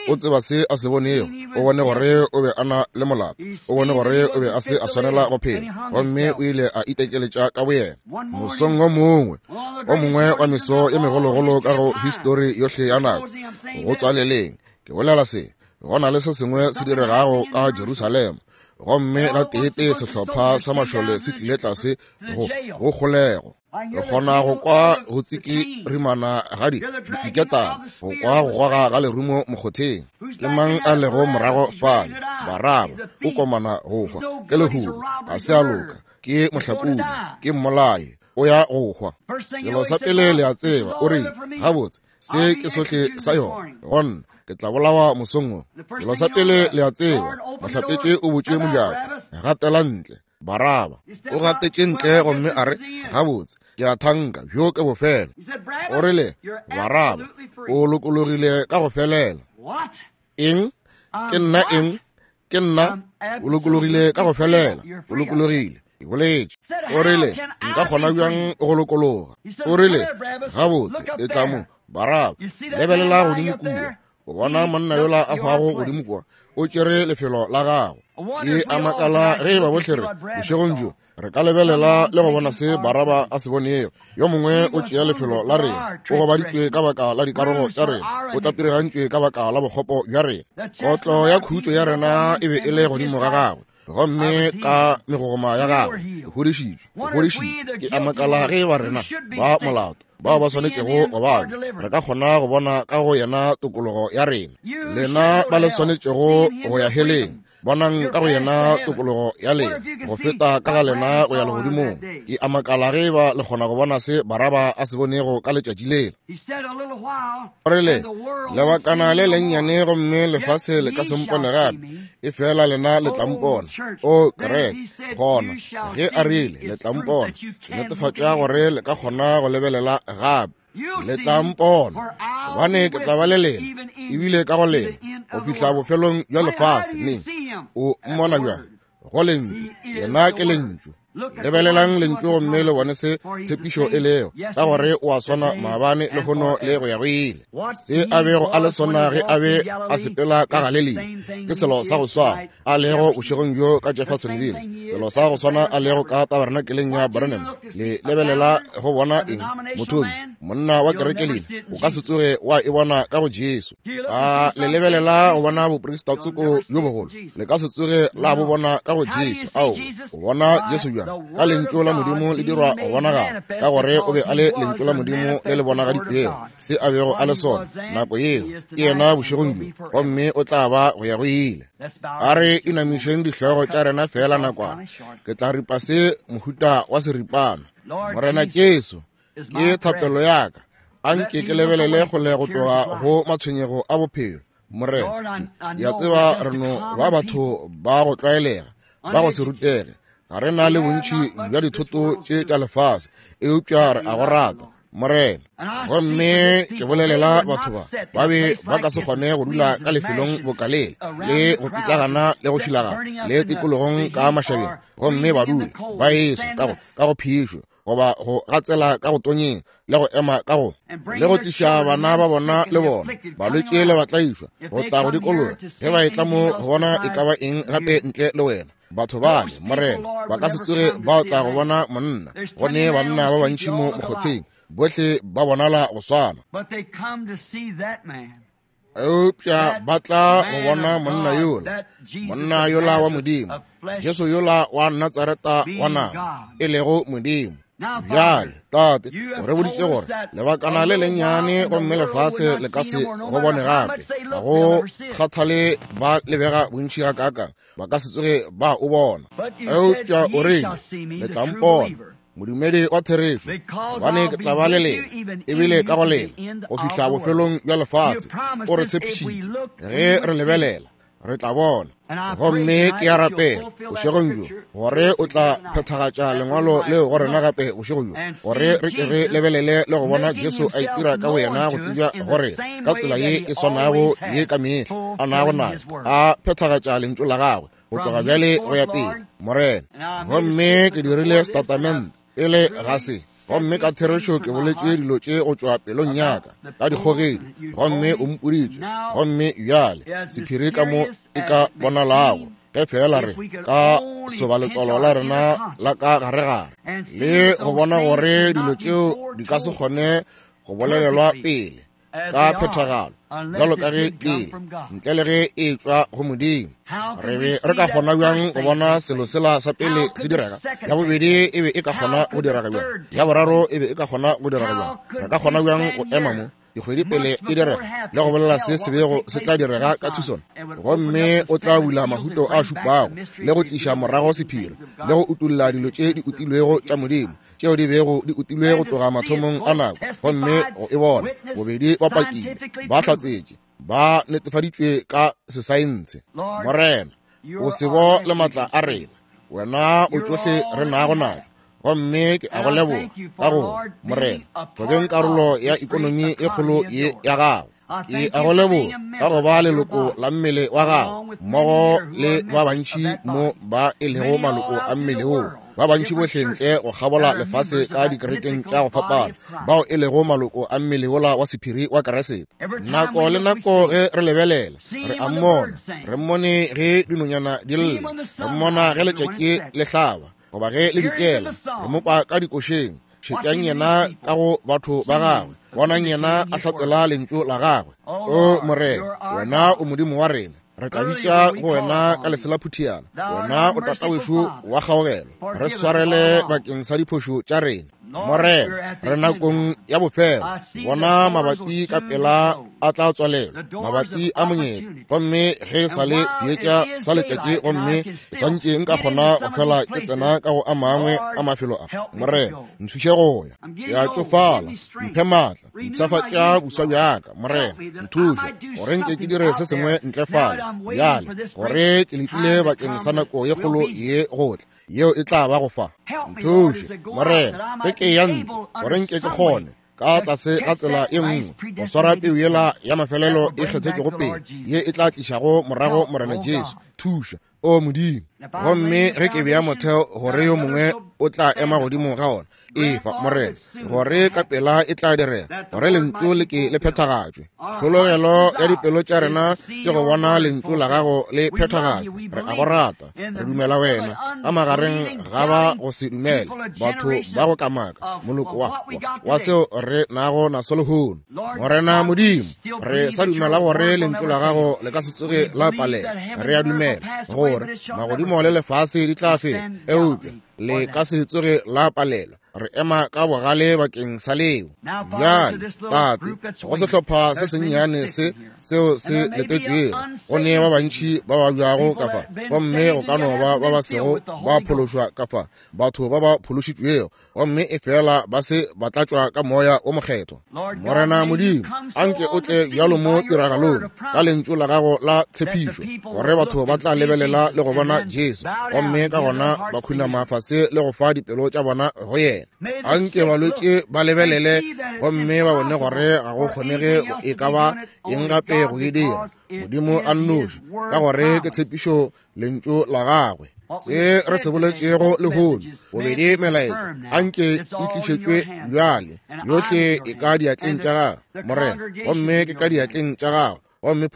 o tseba se a se bonego. O bone gore o be a na le molato, o bone gore o be a se a swanela go phela, gomme o ile a itekeletša ka boyena. Mosong o mongwe o mongwe wa meso e megologolo ka go histori yohle ya nako, go tswaleleng, ke bolela se, go na le se sengwe se diregago ka Jerusalema, gomme gateetee sehlopha sa mašole se tlile tlase go go kgolego. Re kgona go kwa go tsikirimana ga diketane, go kwa go goga ga lerumo mokgotheng. Ke mang a lego morago fale? Baraba o komana go hwa, ke lehumo, ga se a loka, ke mohlakodi, ke mmolai, o ya go hwa. Selo sa pele le a tseba, o rile, gabotse, se ke sohle sa yona, gonna ke tla bolawa mosong wo. Selo sa pele le a tseba, mohlapetše o botše mojako, gatela ntle Baraba. O gatetše ntle gomme a re, gabotse, ke a thanka bjo ke bofelo. O rile, Baraba, o lokologile ka go felela. Eng? Ke nna eng? Ke nna. O lokologile ka go felela. O lokologile. Ke boletše. O rile, nka kgona bjang go lokologa? O rile, gabotse, e tla mo, Baraba, lebelela godimo kua. O bona monna yola a hwago godimo kua, o tšere lefelo la gago. Ke a makala ge ba bohle re bošegong bjo re ka lebelela le go bona se Baraba a se bonego. Yo mongwe o tšea lefelo la rena, o gobaditšwe ka baka la dikarogo tša rena, o tlapirigantšwe ka baka la bokgopo bja rena. Kotlo ya khutšo ya rena e be e le godimo ga gagwe, gomme ka megogoma ya gagwe o fodišitšwe, o fodišitšwe. Ke a makala ge ba rena ba molato bao ba swanetšego go babja re ka kgona go bona ka go yena tokologo ya rena. Lena ba le swanetšego go ya heleng, bonang ka go yena tokologo ya lena go feta ka ga lena go ya legodimong. Ke a makala ge ba le kgona go bona se Baraba a se bonego ka letšatši lela. O rile, lebakana le lennyane gomme lefase le ka se mpone gape, e fela lena le tla mpona. O kereke, gona ge a rile le tla mpona, ke netefatša gore le ka kgona go lebelela gape. Le tla mpona, gobane ke tla ba le lena, ebile ka go lena, go fihla bofelong bja lefase. Neng o mmona bjang? Go lentšu. Yena ke lentšu. Lebelelang lentšu gomme le bone se tshepišo e lego, ka gore o a swana maabane, lehono le go ya go ile. Se a bego a le sona ge a be a sepela ka Galilea ke selo sa go swana a lego bošegong bjo ka Jeffersonville, selo sa go swana a lego ka tabernakeleng ya Branham. Le lebelela go bona eng? Mothomi, monna wa kerekelina, o ka se tsoge wa e bona ka go Jesu. A le lebelela go bona boprista tsoko bjo bogolo, le ka se tsoge la bo bona ka go Jesu. Ao, o bona Jesu bjang? Ka lentšu la Modimo le dirwa go bonagala, ka gore o be a le lentšu la Modimo le le bonagaditšwego. Se a bego a le sona nako yeo ke yena bošegong bjo, gomme o tla ba go ya go ile. A re inamišeng dihlogo tša rena fela nakwana. Ke tla ripa se mohuta wa seripana. Morena Jesu, ke thapelo ya ka, a nke ke lebelele kgole go tloga go matshwenyego a bophelo. Morena, ke a tseba re no ba batho ba go tlwaelega, ba go se rutege, ga re na le bontši bja dithoto tše tša lefase, eupša re a go rata, Morena. Gomme ke bolelela batho ba ba be ba ka se kgone go dula ka lefelong bokalele le go pitlagana le go šilagana le tikologong ka mašabeng, gomme ba dule ba eswa ka go ka go phišo goba go gatsela ka go tonyeng le go ema ka go le go tliša bana ba bona le bona balwetši le batlaišwa go tla go dikologa ge ba etla mo go bona e ka ba eng gape ntle le wena. Batho bale, Morena, ba ka se tsoge ba tla go bona monna, gone banna ba bantši mo mokgotheng, bohle ba bonala go swana. Eupša ba tla go bona monna yola, monna yola wa Modimo, Jesu yola wa Natsareta wa nama, e lego Modimo. Bjale, Tate, o re boditše gore lebakana le lennyane gomme lefase le ka se go bone gape. Ga go kgathale ba lebega bontši gakaakang, ba ka se tsoge ba o bona. Eupša o rile, le tla mpona, modumedi wa therešo, gobane ke tla ba le lena, ebile ka go lena, go fihla bofelong bja lefase. O re tshepišitše, ge re lebelela re tla bona. Gomme ke a rapela bošegong bjo gore o tla phethagatša lengwalo leo go rena gape bošego bjo, gore re ke re lebelele le go bona Jesu a itira ka boyena go tsebja gore ka tsela ye e swanago ye ka mehla a nago nayo, a phethagatša lentšu la gagwe go tloga bjale go ya pele, Morena. Gomme ke dirile setatamente pele ga se, gomme ka therešo ke boletše dilo tše go tšwa pelong ya ka ka dikgogedi, gomme o mpoditše. Gomme bjale sephiri ka mo e ka bonalago, ge fela re ka soba letswalo la rena la ka garegare le go bona gore dilo tšeo di ka se kgone go bolelelwa pele ka phethagalo bjalo ka ge pele ntle le ge e tšwa go Modimo. Re be re ka kgona bjang go bona selo sela sa pele se direga? Ya bobedi e be e ka kgona go direga bjang? Ya boraro e be e ka kgona go direga bjang? Re ka kgona bjang go ema mo dikgwedi pele e direga le go bolela se se bego se tla direga ka Tucson? Gomme o tla bula mahuto a šupago le go tliša morago sephiri le go utolla dilo tše di utilwego tša Modimo tšeo di bego di utilwe go tloga mathomong a nako, gomme go e bona bobedi ba pakile, ba hlatsetše, ba netefaditšwe ka sesaense. Morena, o sebo le matla a rena, wena o tšohle re nago najo. Gomme ke a go leboga ka gore, Morena, go beng karolo ya ikonomi e kgolo ye ya gago. Ke a go leboga ka go ba leloko la mmele wa gago mmogo le ba bantši mo ba e lego maloko a mmele wo. Ba bantši bohle ntle go kgabola lefase ka dikerekeng tša go fapana, bao e lego maloko a mmele wola wa sephiri wa Keresete. Nako le nako ge re lebelela, re a mmona. Re mmone ge dinonyana di lla, re mmona ge letšatši le hlaba goba ge le dikela, re mo kwa ka dikošeng. Šetšang yena ka go batho ba gagwe, bonang yena a hlatsela lentšu la gagwe. O Morena, wena o Modimo wa rena, re tla bitša go wena ka leselaphutiana. Wena o tata wešo wa kgaogelo, re swarele bakeng sa diphošo tša rena. Morena, re nakong ya bofelo. Bona mabati ka pela a tla tswalelwa, mabati a monyetla, gomme ge sa le seetša sa letšatši, gomme ke santše nka kgona go fela ke tsena ka go a mangwe a mafelo a. Morena, nthuše go ya. Ke a tšofala, mphe maatla, mpshafatša boswa bjaka. Morena, nthuše gore nke ke dire se sengwe ntle fale bjale, gore ke letile bakeng sa nako ye kgolo ye go tla, yeo e tla ba go fa. Nthuše, Morena, ge ke ya ntlo, gore nke ke kgone ka tlase ga tsela e nngwe go swara peu yela ya mafelelo e kgethetšego pele, ye e tla tlišago morago Morena Jesu. Thuša, o Modimo. Gomme ge ke bea motheo gore yo mongwe o tla ema godimo ga ona, efa, Morena, gore ka pela e tla direga, gore lentšu le ke le phethagatšwe. Tlhologelo ya dipelo tša rena ke go bona lentšu la gago le phethagatšwe. Re a go rata, re dumela wena. Ka magareng ga ba go se dumele, batho ba go kamaka, moloko wa, wa seo re nago naso lehono. Morena Modimo, re sa dumela gore lentšu la gago le ka se tsoge la palela. Re a dumela gore magodimo le lefase di tla fela, eupša le ka se tsoge la palela. Re ema ka bogale bakeng sa leo. Bjale, Tate, go sehlopha se sennyane se seo se letetšwego, go ne ba bantši ba babjago ka fa, gomme go ka no ba ba ba sego ba phološwa ka fa, batho ba ba phološitšwego, gomme e fela ba se ba tlatšwa ka moya o mokgethwa. Morena Modimo, anke o tle bjalo mo tiragalong ka lentšu la gago la tshepišo, gore batho ba tla lebelela le go bona Jesu, gomme ka gona ba khunama fase le go fa dipelo tša bona go yena. Anke balwetši ba lebelele gomme ba bone gore ga go kgonege e ka ba eng gape go e dira, Modimo a nnoši, ka gore ke tshepišo lentšu la gagwe. Se re se boletšego lehono, bobedi melaetša, anke e tlišetšwe bjale, yohle e ka diatleng tša gago, Morena, gomme ke ka diatleng tša gago, gomme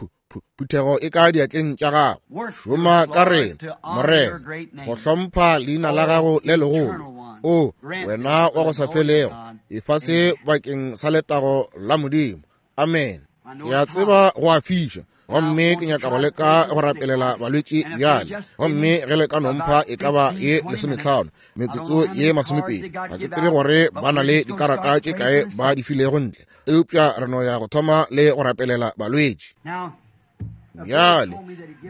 phuthego e ka diatleng tša gago. Šoma ka rena, Morena, go hlompha leina la gago le legolo. O wena wa go sa felego, efa se bakeng sa letago la Modimo. Amen. Ke a tseba go a fiša, gomme ke nyaka go leka go rapelela balwetši bjale. Gomme ge le ka nompha e ka ba ye lesometlhano, metsotso ye masomepedi, ga ke tsebe gore ba na le dikarata tše kae ba di filego ntle, eupša re no ya go thoma le go rapelela balwetši. Bjale,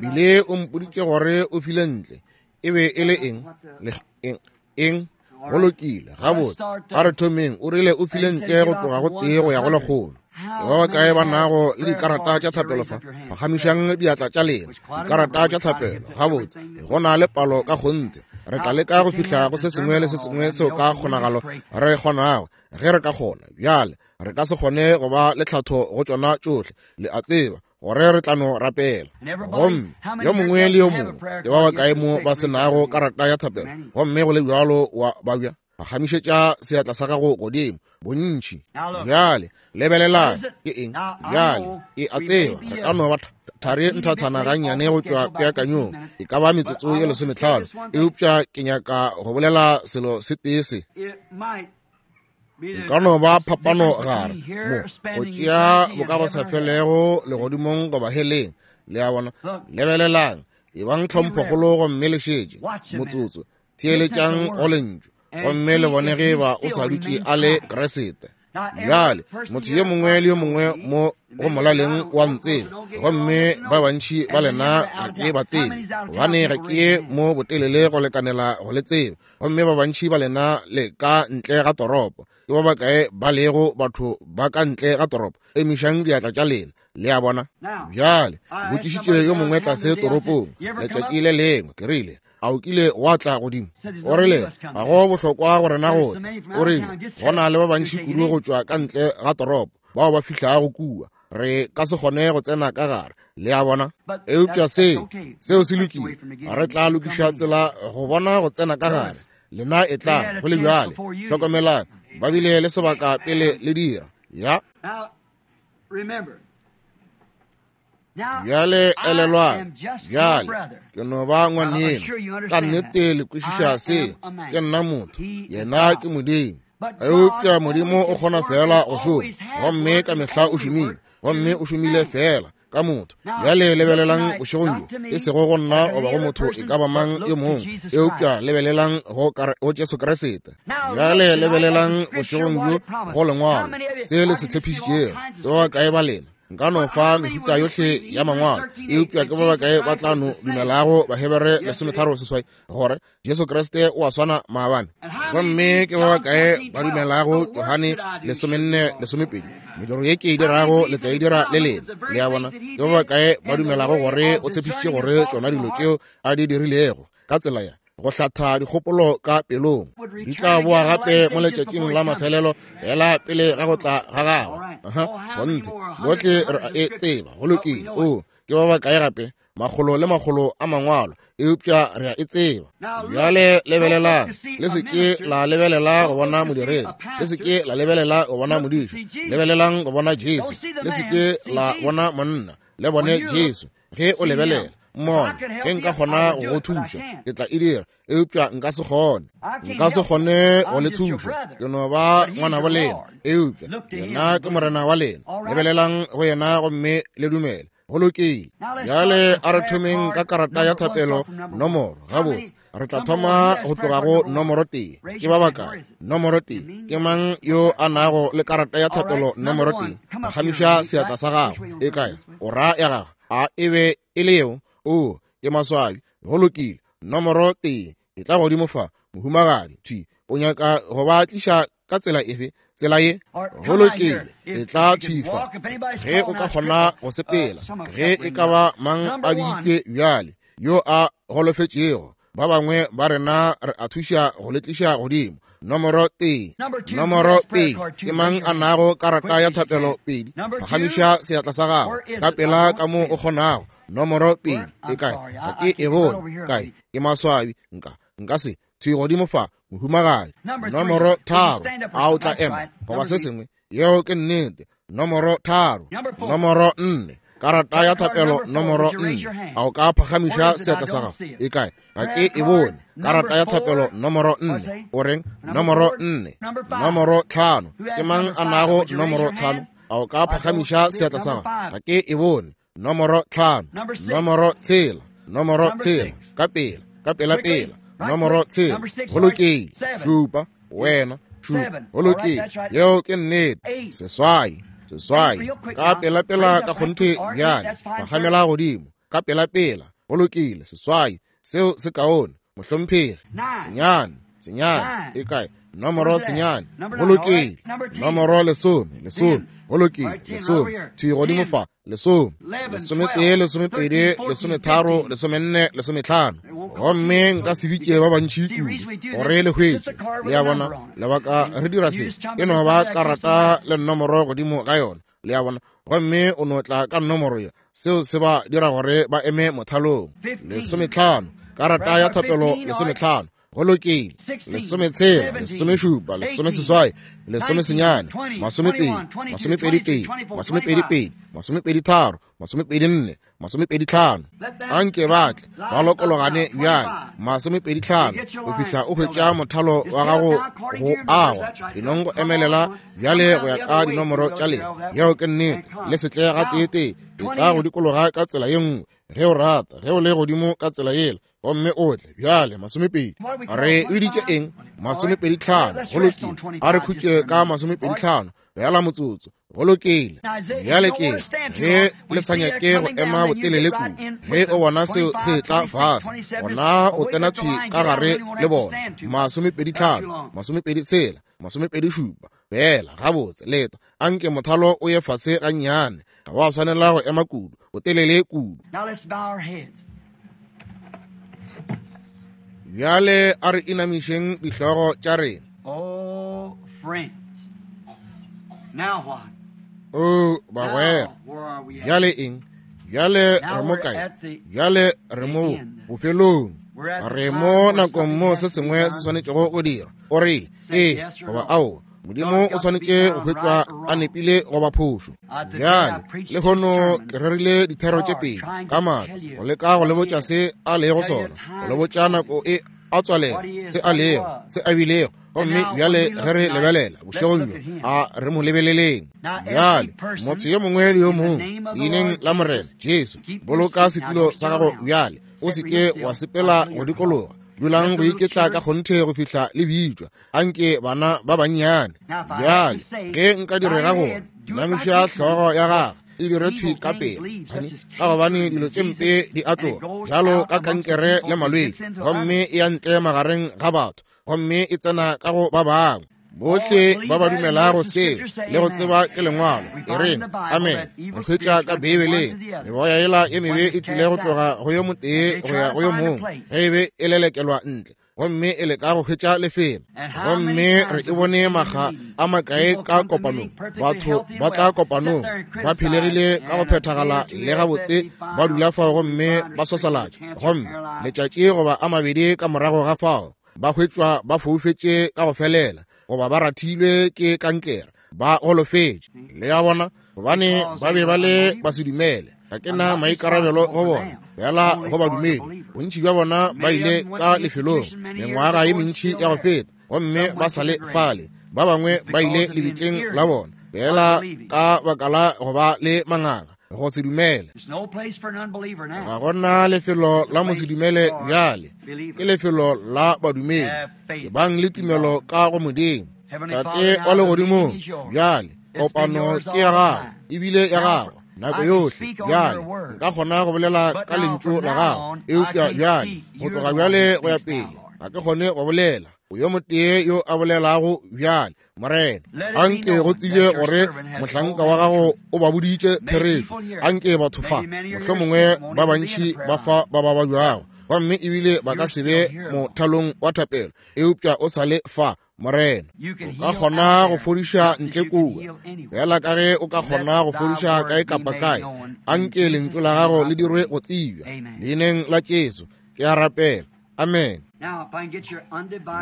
bile o mpoditše gore o file ntle. E be e le eng? Le eng? Eng? Go lokile, gabotse. A re thomeng. O rile o file ntle go tloga go tee go ya go lekgolo. Ke ba bakae ba nago le dikarata tša thapelo fa? Phagamišang diatla tša lena. Dikarata tša thapelo, gabotse. Go na le palo ka kgonthe. Re tla leka go fihla go se sengwe le se sengwe seo ka kgonagalo re kgonago, ge re ka kgona. Bjale, re ka se kgone go ba le tlhatho go tšona tšohle, le a tseba, gore re tla no rapela. Gomme yo mongwe le yo mongwe, ke ba bakae mo ba se nago karata ya thapelo, gomme go le bjalo wa babja, phagamišetša seatla sa gago godimo, bontši. Bjale, lebelelang, ke eng? Bjale, e a tseba, re ka no ba thari nthathana gannyane go tšwa peakanyong, e ka ba metsotso ye lesometlhano, eupša ke nyaka go bolela selo se tee se. E ka no ba phapano gare mo go tšea bokagosafelego legodimong goba heleng. Le a bona? Lebelelang, ebang tlhomphokgolo gomme le šetše motsotso, theeletšang go lentšu, gomme le bone ge ba o sa dutše a le Keresete. Bjale, motho yo mongwe le yo mongwe mo go molaleng wa ntseba, gomme ba bantši ba lena ga ke ba tsebe, gobane ga ke mo botelele go lekanela go le tseba, gomme ba bantši ba lena le ka ntle ga toropo. Ke ba bakae ba lego batho ba ka ntle ga toropo? Emišang diatla tša lena. Le a bona? Bjale, botšišitše yo mongwe tlase toropong letšatši le lengwe, ke rile, a o kile wa tla godimo? O rile, ga go bohlokwa go rena go tla. O rile, go na le ba bantši kudu go tšwa ka ntle ga toropo bao ba fihlago kua, re ka se kgone go tsena ka gare. Le a bona? Eupša se, seo se lokile. Re tla lokiša tsela go bona go tsena ka gare. Lena e tla go le bjale. Hlokomelang, ba bile le sebaka pele le dira. Ya. Bjale elelwang, bjale ke no ba ngwaneno. Ka nnete le kwešiša se. Ke nna motho, yena ke Modimo. Eupša Modimo o kgona fela go šoma, gomme ka mehla o šomile, gomme o šomile fela ka motho. Bjale lebelelang bošegong bjo, e sego go nna goba go motho e ka ba mang yo mongwe, eupša lebelelang go, go Jesu Kriste. Bjale lebelelang bošegong bjo go Lengwalo, se le se tshepišitšego. Ke ba bakae ba lena? Nka no fa mehuta yohle ya mangwalo, eupša ke ba bakae ba tla no dumelago Bahebere lesometharo seswai gore Jesu Kriste o a swana maabane? Gomme ke ba bakae ba dumelago Johane lesomenne lesomepedi, mediro ye ke e dirago le tla e dira le lena? Le a bona? Ke ba bakae ba dumelago gore o tshepišitše gore tšona dilo tšeo a di dirilego ka tsela ya go hlatha dikgopolo ka pelong di tla boa gape mo letšatšing la mafelelo fela pele ga go tla ga gagwe? Aha, kgonthe, bohle re a e tseba. Go lokile. O, ke ba bakae gape? Makgolo le makgolo a mangwalo, eupša re a e tseba. Bjale lebelelang, le se ke la lebelela go bona modiredi, le se ke la lebelela go bona modiši, lebelelang go bona Jesu. Le se ke la bona monna, le bone Jesu. Ge o lebelela mmone, ge nka kgona go go thuša, ke tla e dira, eupša nka se kgone. Nka se kgone go le thuša, ke no ba ngwana wa lena, eupša yena ke Morena wa lena. Lebelelang go yena gomme le dumele. Go lokile. Bjale a re thomeng ka karata ya thapelo nomoro. Gabotse, re tla thoma go tloga go nomoro tee. Ke ba bakae? Nomoro tee. Ke mang yo a nago le karata ya thapelo nomoro tee? Phagamiša seatla sa gago. E kae? O ra ya gago. A e be e le yeo? O, ke maswabi. Go lokile. Nomoro tee. E tla godimo fa, mohumagadi. Thwi. O nyaka go ba tliša ka tsela efe? Tsela ye. Go lokile. E tla thwi fa. Ge o ka kgona go sepela, ge e ka ba mang a biditšwe bjale yo a golofetšego, ba bangwe ba rena re a thuša go le tliša godimo. Nomoro tee. Nomoro pedi. Ke mang a nago karata ya thapelo pedi? Phagamiša seatla sa gago ka pela ka mo o kgonago. Nomoro pedi. E kae? Ga ke e bone. Kae? Ke maswabi. Nka nka se thwi godimo fa, mohumagadi. Nomoro tharo. A o tla ema goba se sengwe? Yeo ke nnete. Nomoro tharo. Nomoro nne. Karata ya thapelo nomoro nne. A o ka phagamiša seatla sa gago? E kae? Ga ke e bone. Karata ya thapelo nomoro nne. O reng? Nomoro nne. Nomoro tlhano. Ke mang a nago nomoro tlhano? A o ka phagamiša seatla sa gago? Ga ke e bone. Nomoro tlhano. Nomoro tshela. Nomoro tshela. Ka pela, ka pela pela. Nomoro tshela. Go lokile. Šupa. Wena. Šupa. Go lokile. Yeo ke nnete. Seswai. Seswai. Ka pela pela ka kgonthe bjale. Phagamela godimo. Ka pela pela. Go lokile. Seswai. Seo se kaone. Mohlomphegi. Senyane. Senyane. E kae? Nomoro senyane. Go lokile. Nomoro lesome. Lesome. Go lokile. Lesome. Thwi godimo fa. Lesome. Lesometee, lesomepedi, lesometharo, lesomenne, lesometlhano. Gomme nka se bitše ba bantši kudu gore le hwetše. Le a bona? Lebaka re dira se, e no ba karata le nomoro godimo ga yona. Le a bona? Gomme o no tla ka nomoro ye. Seo se ba dira gore ba eme mothalong. Lesometlhano. Karata ya thapelo lesometlhano. Go lokile. Lesometshela, lesomešupa, lesomeseswai, lesomesenyane, masomepedi, masomepedi tee, masomepedi pedi, masomepedi tharo, masomepedi nne, masomepedi tlhano. Anke ba tle ba lokologane bjale. Masomepedi tlhano go fihla o hwetša mothalo wa gago go agwa. Enong go emelela bjale go ya ka dinomoro tša lena. Yeo ke nnete. Le se tle ga tee-tee. E tla go dikologa ka tsela ye nngwe ge o rata, ge o le godimo ka tsela yela, gomme o tle bjale. Masomepedi. Re biditše eng? Masomepedi tlhano. Go lokile. A re khutše ka masomepedi tlhano bjala motsotso. Go lokile. Bjale ke ge le sa nyake go ema botelele kudu, ge o bona seo se tla fase, gona o tsena thwi ka gare le bona. Masomepedi tlhano, masomepedi tshela, masomepedi šupa. Fela gabotse leta. Anke mothalo o ye fase gannyane. Ga wa swanela go ema kudu, botelele kudu. Bjale a re inamišeng dihlogo tša rena. Oh, friends. Now what? O bagwera, bjale eng? Bjale re mo kae? Bjale re mo bofelong. Re mo nakong mo se sengwe se swanetšego go dira. O rile, ee goba aowa, Modimo o swanetše go hwetšwa a nepile goba phošo. Bjale lehono ke rerile dithero tše pedi ka maatla go leka go le botša se a lego sona, go le botša nako e a tswalela se a lego, se a bilego. Gomme bjale ge re lebelela bošegong bjo, a re mo lebeleleng. Bjale motho yo mongwe le yo mongwe leineng la Morena Jesu, boloka setulo sa gago bjale, o se ke wa sepela go dikologa. Dulang go iketla ka kgonthe go fihla le bitšwa. Anke bana ba bannyane. Bjale ge nka direga gore namiša hlogo ya gagwe e dire thwi ka pele, ka gobane dilo tše mpe di a tloga bjalo ka kankere le malwetši, gomme e ya ntle magareng ga batho, gomme e tsena ka go ba bangwe. Bohle ba ba dumelago seo le go tseba ke lengwalo, e reng amen. Re hwetša ka Beibeleng meboya yela ye mebe e tšwile go tloga go yo motee go ya go yo mongwe ge e be e lelekelwa ntle, gomme e leka go hwetša lefelo. Gomme re e bone makga a makae ka kopanong, batho ba tla kopanong ba phelegile ka go phethagala le gabotse, ba dula fao gomme ba swasalatša, gomme letšatši goba a mabedi ka morago ga fao ba hwetšwa ba foufetše ka go felela, goba ba rathilwe ke kankere, ba golofetše. Le a bona, gobane ba be ba le ba se dumele. Ga ke na maikarabelo go bona, fela go badumedi. Bontši bja bona ba ile ka lefelong mengwaga ye mentši ya go feta, gomme ba sa le fale. Ba bangwe ba ile lebitleng la bona, fela ka baka la go ba le manganga, go se dumele. Ga gona lefelo la mosedumele bjale, ke lefelo la badumedi. Ke bang le tumelo ka go Modimo. Tate wa legodimong, bjale kopano ke ya gago, ebile ya gago nako yohle. Bjale nka kgona go bolela ka lentšu la gago, eupša bjale go tloga bjale go ya pele ga ke kgone go bolela. O yo motee yo a bolelago bjale, Morena. Anke go tsebje gore mohlanka wa gago o ba boditše therešo. Anke batho fa, mohlomongwe ba bantši ba fa ba ba babjago, gomme ebile ba ka se be mothalong wa thapelo, eupša o sa le fa, Morena. O ka kgona go fodiša ntle kua, fela ka ge o ka kgona go fodiša kae kapa kae. Anke lentšu la gago le dirwe go tsebja. Leineng la Jesu ke a rapela, amen.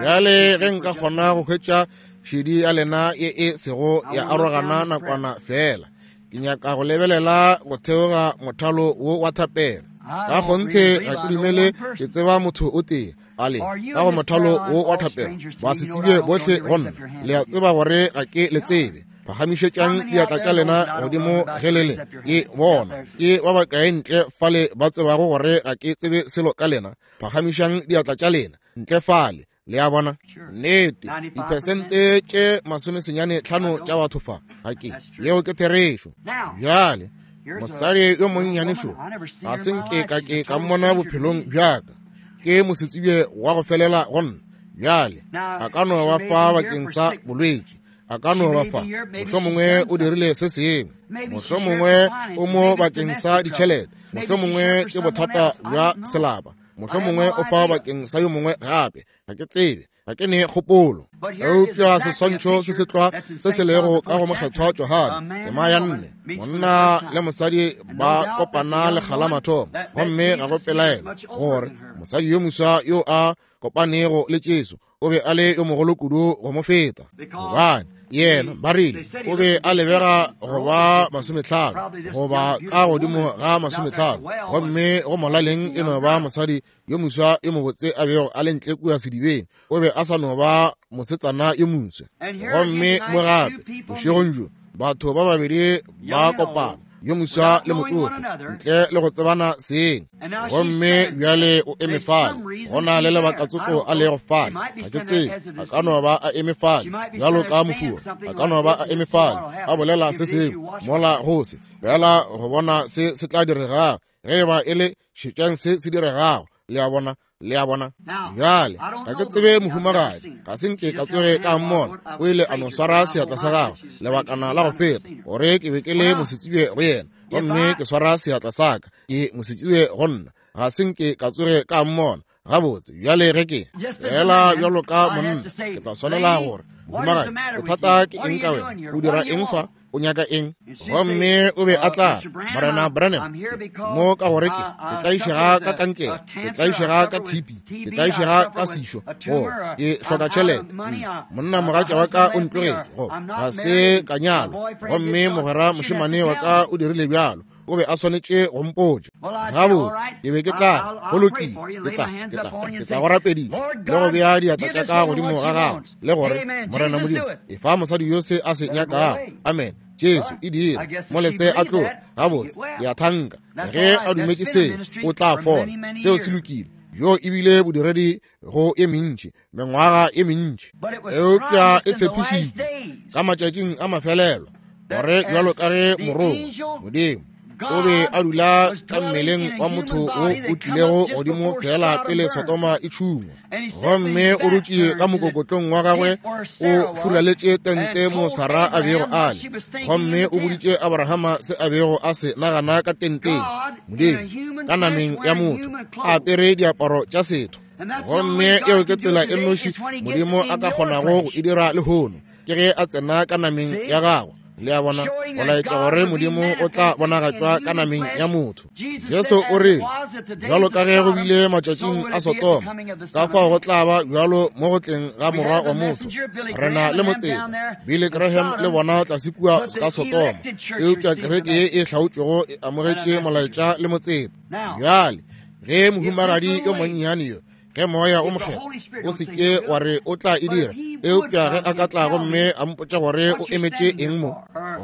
Bjale ge nka kgona go hwetša šedi ya lena ye e sego ya arogana nakwana fela, ke nyaka go lebelela go theoga mothalo wo wa thapelo. Ka kgonthe ga ke dumele ke tseba motho o tee ale ka go mothalo wo wa thapelo. Ba se tsebje bohle go nna. Le a tseba gore ga ke le tsebe. Phagamišetšang diatla tša lena godimo ge le le ke bona. Ke ba bakae ntle fale ba tsebago gore ga ke tsebe selo ka lena? Phagamišang diatla tša lena ntle fale. Le a bona? Nnete, diphesente tše masomesenyane tlhano tša batho fa ga ke. Yeo ke therešo. Bjale mosadi yo monnyane šo, ga se nke ka ke ka mmona bophelong bjaka. Ke mosetsebje wa go felela go nna. Bjale a ka no ba fa bakeng sa bolwetši, a ka no ba fa, mohlomongwe o dirile se sengwe, mohlomongwe o mo bakeng sa ditšhelete, mohlomongwe ke bothata bja selapa, mohlomongwe o fa bakeng sa yo mongwe gape. Ga ke tsebe, ga ke ne kgopolo. Eupša seswantšho se se tlwa se se lego ka go mokgethwa Johane tema ya nne, monna le mosadi ba kopana lekga la mathomo, gomme ga go pelaelo gore mosadi yo moswa yo a kopanego le Jesu o be a le yo mogolo kudu go mo feta, gobane yena ba rile o be a lebega go ba masometlhano goba ka godimo ga masometlhano, gomme go molaleng e no ba mosadi yo moswa yo mobotse a bego a le ntle kua sedibeng. O be a sa no ba mosetsana yo moswa. Gomme mo gape bošegong bjo batho ba babedi ba kopana, yo moswa le motsofe, ntle le go tsebana seng. Gomme bjale o eme fale, go na le lebaka tsoko a lego fale, ga ke tsebe. A ka no ba a eme fale bjalo ka mofuwa, a ka no ba a eme fale a bolela se sengwe mola go se fela go bona se se tla diregago. Ge e ba e le, šetšang se se diregago. Le a bona? Le a bona? Bjale ga ke tsebe mohumagadi, ga se nke ka tsoge ka mmona. O ile a no swara seatla sa gagwe lebakana la go feta, gore ke be ke le mosetsebje go yena, gomme ke swara seatla sa ka, ke mosetsebje go nna, ga se nke ka tsoge ka mmona. Gabotse, bjale ge ke fela bjalo ka monna, ke tla swanela gore Mohumagadi, bothata ke eng ka wena? O dira eng fa? O nyaka eng? Gomme o be a tla, Morena Branham, mo ka gore ke ke tlaišega ka kankere, ke tlaišega ka T B, ke tlaišega ka sešo, go ke hloka tšhelete. Monna mogatša wa ka o ntlogetše, go ga se ka nyalwa, gomme mogwera mošemane wa ka o dirile bjalo. O be a swanetše go mpotša. Gabotse, ke be ke tla, go lokile, ke tla, ke tla, ke tla go rapediša le go bea diatla tša ka godimo ga gago, le gore Morena Modimo, efa mosadi yo se a se nyakago. Amen. Jesu e dira molese a tloga. Gabotse, ke a thanka ge a dumetše seo o tla fola. Seo se lokile. Yo ebile bodiredi go e mentši, mengwaga e mentši, eupša e tshepišitšwe ka matšatšing a mafelelo, gore bjalo ka ge morongwa Modimo o be a dula ka mmeleng wa motho wo o tlilego godimo fela pele Sodoma e tšhungwa, gomme o dutše ka mokokotlong wa gagwe o furaletše tente mo Sara a bego a le, gomme o boditše Abrahama se a bego a se nagana ka tenteng. Modimo ka nameng ya motho a apere diaparo tša setho. Gomme eo ke tsela e nnoši Modimo a ka kgonago go e dira lehono, ke ge a tsena ka nameng ya gagwe. Le a bona, go laetša gore Modimo o tla bonagatšwa ka nameng ya motho. Jesu o rile, bjalo ka ge go bile matšatšing a Sodoma, ka fao go tla ba bjalo mo go tleng ga Morwa wa motho. Re na le motseta Billy Graham le bona tlase kua ka Sodoma, eupša kereke ye e hlaotšwego e amogetše molaetša le motseta. Bjale ge mohumagadi yo monnyane yo, ge moya o mokgethwa o se ke wa re o tla e dira, eupša ge a ka tla gomme a mpotša gore o emetše eng mo,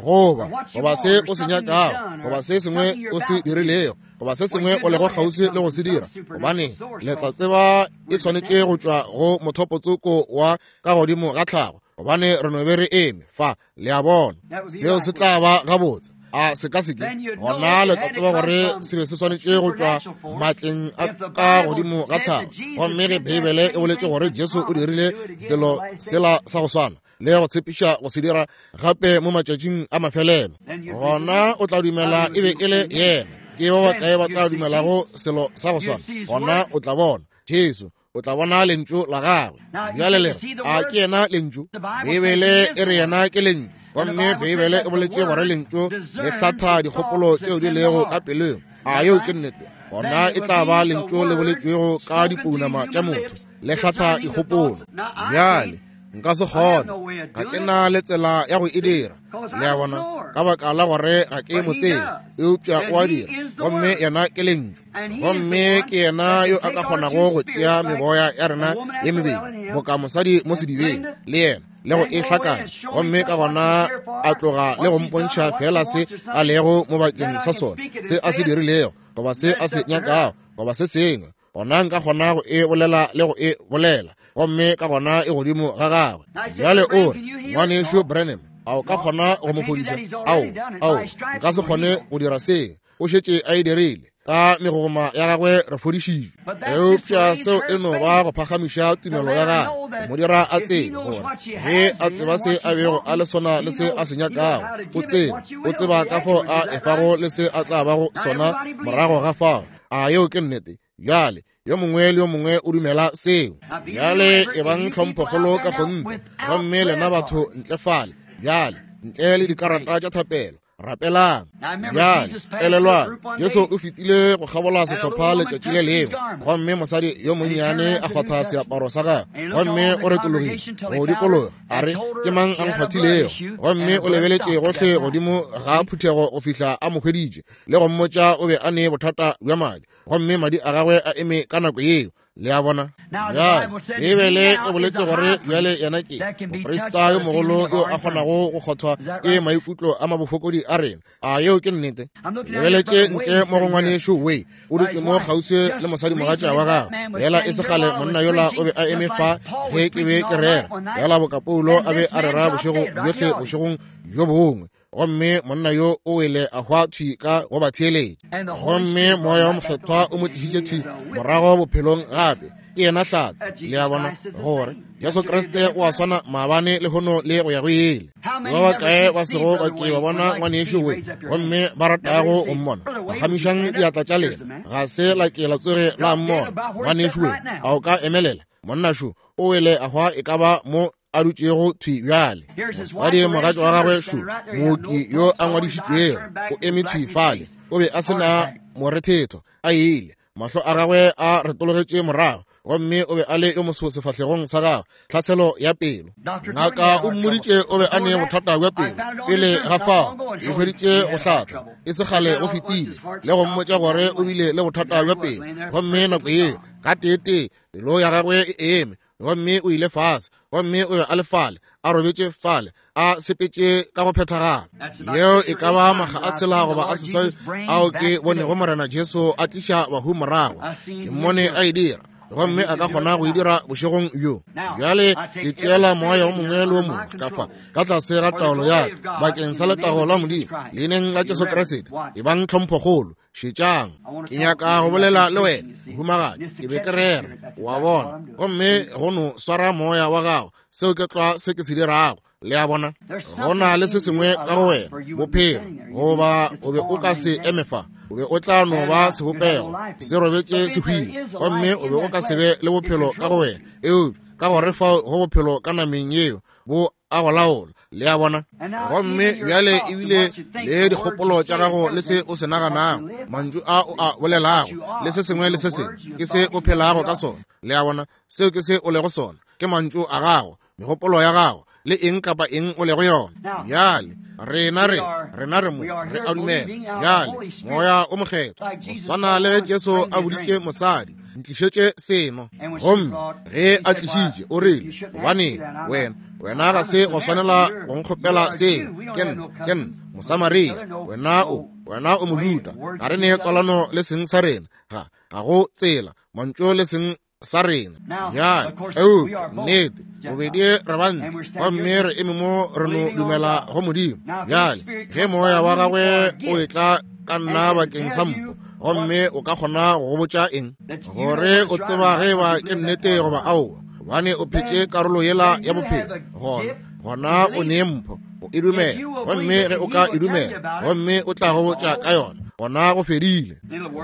goba goba se o se nyakago, goba se sengwe o se dirilego, goba se sengwe o lego kgauswi le go se dira, gobane le tla tseba e swanetše go tšwa go mothopotsoko wa ka godimo ga tlhago, gobane re no be re eme fa. Le a bona, seo se tla ba gabotse. A se ka se ke gona le tla tseba gore se be se swanetše go tšwa matleng a ka godimo ga tlhago. Gomme ge Beibele e boletše gore Jesu o dirile selo sela sa go swana le go tshepiša go se dira gape mo matšatšing a mafelelo, gona o tla dumela e be e le yena. Ke ba bakae ba tla dumelago selo sa go swana? Gona o tla bona Jesu, o tla bona lentšu la gagwe. Bjale le re, a ke yena lentšu? Beibele e re yena ke lentšu, gomme Beibele e boletše gore lentšu le hlatha dikgopolo tšeo di lego ka pelong. A yeo ke nnete? Gona e tla ba lentšu le boletšwego ka dipounama tša motho, le hlatha dikgopolo. Bjale nka se kgone, ga ke na le tsela ya go e dira. Le a bona, ka baka la gore ga ke mo tsebe, eupša o a dira, gomme yena ke lentšu. Gomme ke yena yo a ka kgonago go tšea meboya ya rena ye mebedi boka mosadi mo sedibeng le yena, le go e hlakanya, gomme ka gona a tloga le go mpontšha fela se a lego mo bakeng sa sona, se a se dirilego, goba se a se nyakago, goba se sengwe. Gona nka kgona go e bolela le go e bolela, gomme ka gona e godimo ga gagwe. Bjale o re, ngwanešu Branham, a o ka kgona go mo fodiša? Ao, ao, nka se kgone go dira se. O šetše a e dirile. Ka megogoma ya gagwe re fodišitšwe. Eupša seo e no ba go phagamiša tumelo ya gagwe, mo dira a tsebe gore ge a tseba se a bego a le sona le se a se nyakago, o tseba, o tseba ka fao a efago le se a tla bago sona morago ga fao. A yeo ke nnete? Bjale yo mongwe le yo mongwe o dumela seo. Bjale e bang tlhomphokgolo ka kgonthe, gomme lena batho ntle fale bjale, ntle le dikarata tša thapelo, rapelang. Bjale elelwang, Jesu o fetile go kgabola sehlopha letšatši le lengwe, gomme mosadi yo monnyane a kgwatha seaparo sa gagwe, gomme o retologile go dikologa a re, ke mang a nkgwathilego? Gomme o lebeletše gohle godimo ga phuthego go fihla a mo hweditše le go mmotša o be a ne bothata bja madi, gomme madi a gagwe a eme ka nako yeo. Le a bona? Bjale Beibele e boletše gore bjale yena ke moprista yo mogolo yo a kgonago go kgothwa ke maikutlo a mabofokodi a rena. A yeo ke nnete? Lebeletše ntle mo go ngwanešu Way, o dutše mo kgauswi le mosadimogatša wa gagwe. Yela e se kgale monna yola o be a eme fa ge ke be ke rera, yela boka Paulo a be a rera bošego bjohle bošegong bjo bongwe, gomme monna yo o wele a hwa thwi ka go ba theeletša. Gomme moya wa mokgethwa o mo tlišitše thwi morago bophelong gape. Ke yena hlatse. Le a bona, gore Jesu Kriste o a swana maabane lehono le go ya go ile. Ba bakae ba sego ba ke ba bona ngwanešu we, gomme ba ratago go mmona? Phagamišang diatla tša lena. Ga se la ke la tsoge la mmona ngwanešu we. A o ka emelela? Monna šo o wele a hwa e ka ba mo a dutšego thwi bjale. Mosadi mogatša wa gagwe šo, mooki yo a ngwadišitšwego, o eme thwi fale. O be a se na morethetho, a ile. Mahlo a gagwe a retologetše morago, gomme o be a le yo moso sefahlegong sa gagwe, tlhaselo ya pelo. Ngaka o mmoditše o be a ne bothata bja pelo pele ga fao, e hweditše go hlatha e se kgale go fetile, le go mmotša gore o bile le bothata bja pelo. Gomme nako yeo gateetee pelo ya gagwe e eme, gomme o ile fase, gomme o be a le fale, a robetše fale, a sepetše ka go phethagala. Yeo e ka ba makga a tshela goba a seswai ao ke bonego Morena Jesu a tliša bahu morago. Ke mmone a e dira, gomme a ka kgona go e dira bošegong bjo. Bjale ke tšeela moya o mongwe le o mongwe ka fa ka tlase ga taolo ya ka bakeng sa letago la Modimo, leineng la Jesu Kriste. Ebang tlhomphokgolo. Šetšang, ke nyaka go bolela le wena, mohumagadi. Ke be ke rera, wa bona, gomme go no swara moya wa gago. Seo ke tlwa se ke se dirago. Le a bona, go na le se sengwe ka go wena, bophelo, goba o be o ka se eme fa, o be o tla no ba sebopego se robetše se hwile, gomme o be o ka se be le bophelo ka go wena. Eupša ka gore fao go bophelo ka nameng yeo bo a go laola. Le a bona? Gomme bjale ebile le dikgopolo tša gago le se o se naganago, mantšu a o a bolelago, le se sengwe le se sengwe, ke se o phelago ka sona. Le a bona? Seo ke se o lego sona, ke mantšu a gago, megopolo ya gago, le eng kapa eng o lego yona. Bjale rena re rena re mo re a dumela. Bjale moya o mokgethwa, go swana le ge Jesu a boditše mosadi, ntlišetše seno, gomme ge a tlišitše o rile, gobane wena wena ga se go swanela go nkgopela seo, ke nna ke nna Mosamaria, wena o wena o Mojuda, ga re ne tswalano le seng sa rena, ga ga go tsela mantšu le seng sa rena. Bjale eupša nnete bobedi re bantsi, gomme re eme mo re no dumela go Modimo. Bjale ge moya wa gagwe o etla ka nna bakeng sa mpho, gomme o ka kgona go botša eng gore o tseba ge ba ke nnete goba aowa, gobane o phetše karolo yela ya bophelo, gona gona o ne mpho o e dumela, gomme ge o ka e dumela gomme o tla go botša ka yona, gona go fedile,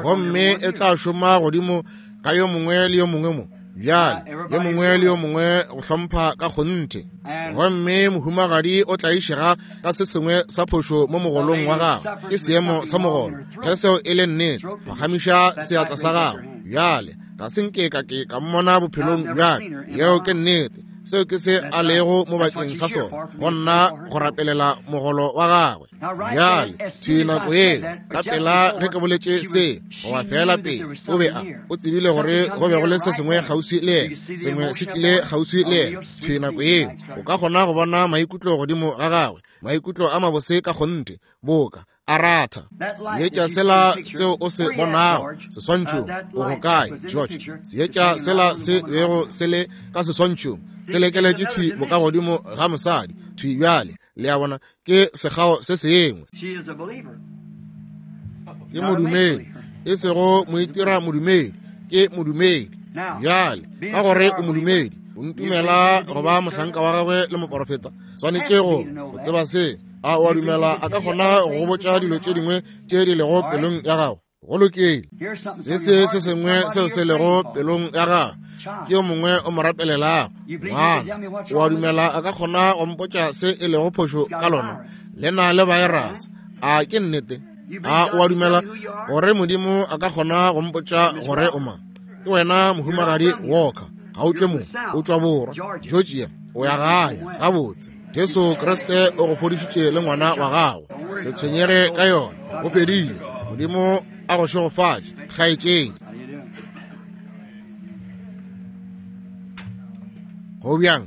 gomme e tla šoma godimo ka yo mongwe le yo mongwe mo. Bjale yo mongwe le yo mongwe go hlompha ka kgonthe. Gomme mohumagadi o tlaišega ka se sengwe sa phošo mo mogolong wa gagwe, ke seemo sa mogolo. Ge seo e le nnete, phagamiša seatla sa gago. Bjale ga se nke ka ke ka mmona bophelong bjaka. Yeo ke nnete. Seo ke se a lego mo bakeng sa sona, go nna go rapelela mogolo wa gagwe. Bjale thwi nako yeo ka pela ge ke boletše se, goba fela pele, o be a o tsebile gore go be go le se sengwe kgauswi le yena, sengwe se tlile kgauswi le yena. Thwi nako yeo o ka kgona go bona maikutlo godimo ga gagwe, maikutlo a mabose ka kgonthe, boka a ratha. Seetša sela seo o se bonago seswantšhong, o go kae, George? Seetša sela se bego se le ka seswantšhong se lekeletše thwi bokagodimo ga mosadi thwi bjale. Le a bona, ke sekgao se sengwe. Ke modumedi, e sego moitira modumedi, ke modumedi. Bjale ka gore o modumedi, o ntumela go ba mohlanka wa gagwe le moporofeta, swanetše go go tseba se. A o a dumela a ka kgona go botša dilo tše dingwe tše di lego pelong ya gago? Go lokile. Se se se sengwe seo se lego pelong ya gago ke yo mongwe o mo rapelelago. Ngwana, o a dumela a ka kgona go mpotša se e lego phošo ka lona? Le na le virus. A ke nnete? A o a dumela gore Modimo a ka kgona go mpotša gore o mang? Ke wena mohumagadi Walker. Ga o tšwe mo, o tšwa borwa, Georgia. O ya gae gabotse. Jesu Kriste o go fodišitše le ngwana wa gago. Se tshwenyege ka yona, go fedile. Modimo a go šegofatše, kgaetšedi. Go bjang?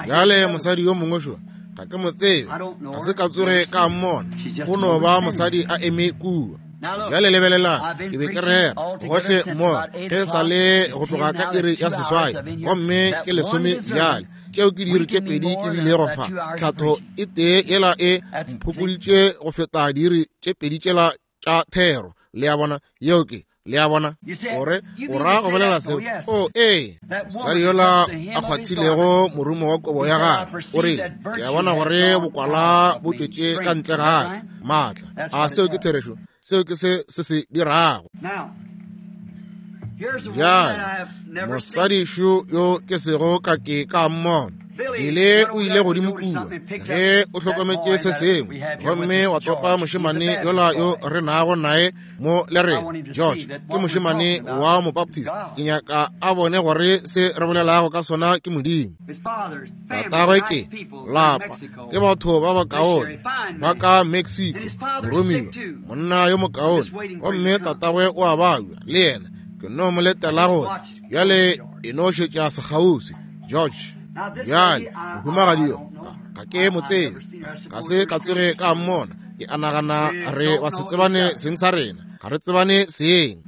Bjale mosadi yo mongwe šo, ga ke mo tsebe, ga se ka tsoge ka mmona, o no ba mosadi a eme kua. Bjale lebelelang, ke be ke rera gohle mo ge sa le go tloga ka iri ya seswai, gomme ke lesome bjale. Tšeo ke diiri tše pedi ke bilego fa. Tlhatho e tee yela e mphokoditše go feta diiri tše pedi tšela tša thero. Le a bona? Yeo ke, le a bona? Gore o ra go bolela seo? O ee, mosadi yola a kgwathilego morumo wa kobo ya gagwe, o rile, ke a bona gore bokwala bo tšwetše ka ntle ga ka, maatla. A seo ke therešo? Seo ke se se se dirago. Bjale mosadi šo yo ke sego ka ke ka mmona, ile o ile godimo kua ge o hlokometše se sengwe gomme wa topa mošemane yola yo re nago naye mo le rena. George ke mošemane wa mobaptist. Ke nyaka a bone gore se re bolelago ka sona ke Modimo. Tatagwe ke lapa, ke batho ba bakaone ba ka Mexico, moromiwa, monna yo mokaone, gomme tatagwe o a babja le yena. Ke no mo letela gore bjale e no šetša sekgauswi. George. Bjale mohumagadi yo ga ke mo tsebe, ga se ka tsoge ka mmona. Ke a nagana re ba se tsebane seng sa rena, ga re tsebane seng.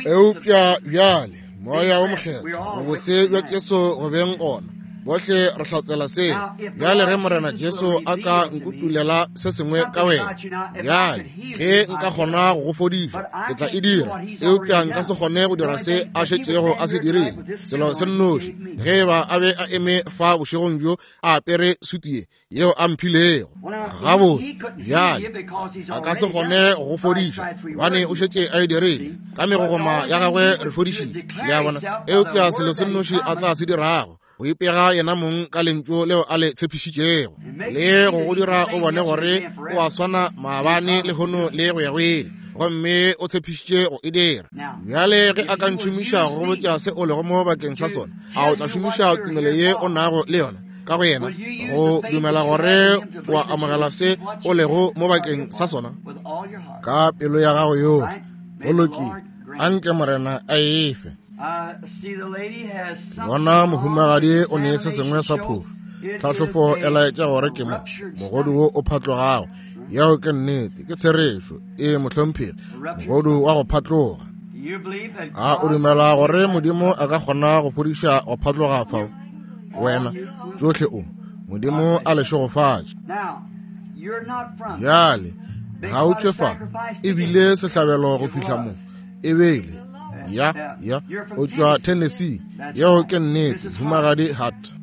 Eupša bjale moya wo mokgethwa, bobose bja Jesu go beng gona, bohle re hlatsela seo. Bjale ge Morena Jesu a ka nkutulela se sengwe ka wena, bjale ge nka kgona go go fodiša, ke tla e dira, eupša nka se kgone go dira se a šetšego a se dirile. Selo se nnoši, ge ba a be a eme fa bošegong bjo a apere sutu ye yeo a mphilego, gabotse bjale a ka se kgone go go fodiša gobane o šetše a e dirile. Ka megogoma ya gagwe re fodišitše, le a bona. Eupša selo se nnoši a tla se dirago, go ipega yena mong ka lentšu leo a le tshepišitšego, le go go dira o bone gore o a swana maabane lehono le go ya go ile, gomme o tshepišitše go e dira. Bjale ge a ka ntšhomiša go botša se o lego mo bakeng sa sona, a o tla šomiša tumelo ye o nago le yona ka go yena go dumela gore o a amogela se o lego mo bakeng sa sona ka pelo ya gago yohle? Go lokile, anke Morena a efe. Bona mohumagadi o ne se sengwe sa phofu. Tlhahlofo e laetša gore ke mo mogodu wo o phatlogago. Yeo ke nnete, ke therešo. E mohlomphegi, mogodu wa go phatloga. A o dumela gore Modimo a ka kgona go fodiša go phatloga fao? Wena tšohle o Modimo a le šegofatše. Bjale ga o tšwe fa, ebile sehlabelo go fihla mo e bele. Ya, ya, o tšwa Tennessee. Yeo ke nnete, Mohumagadi Hart.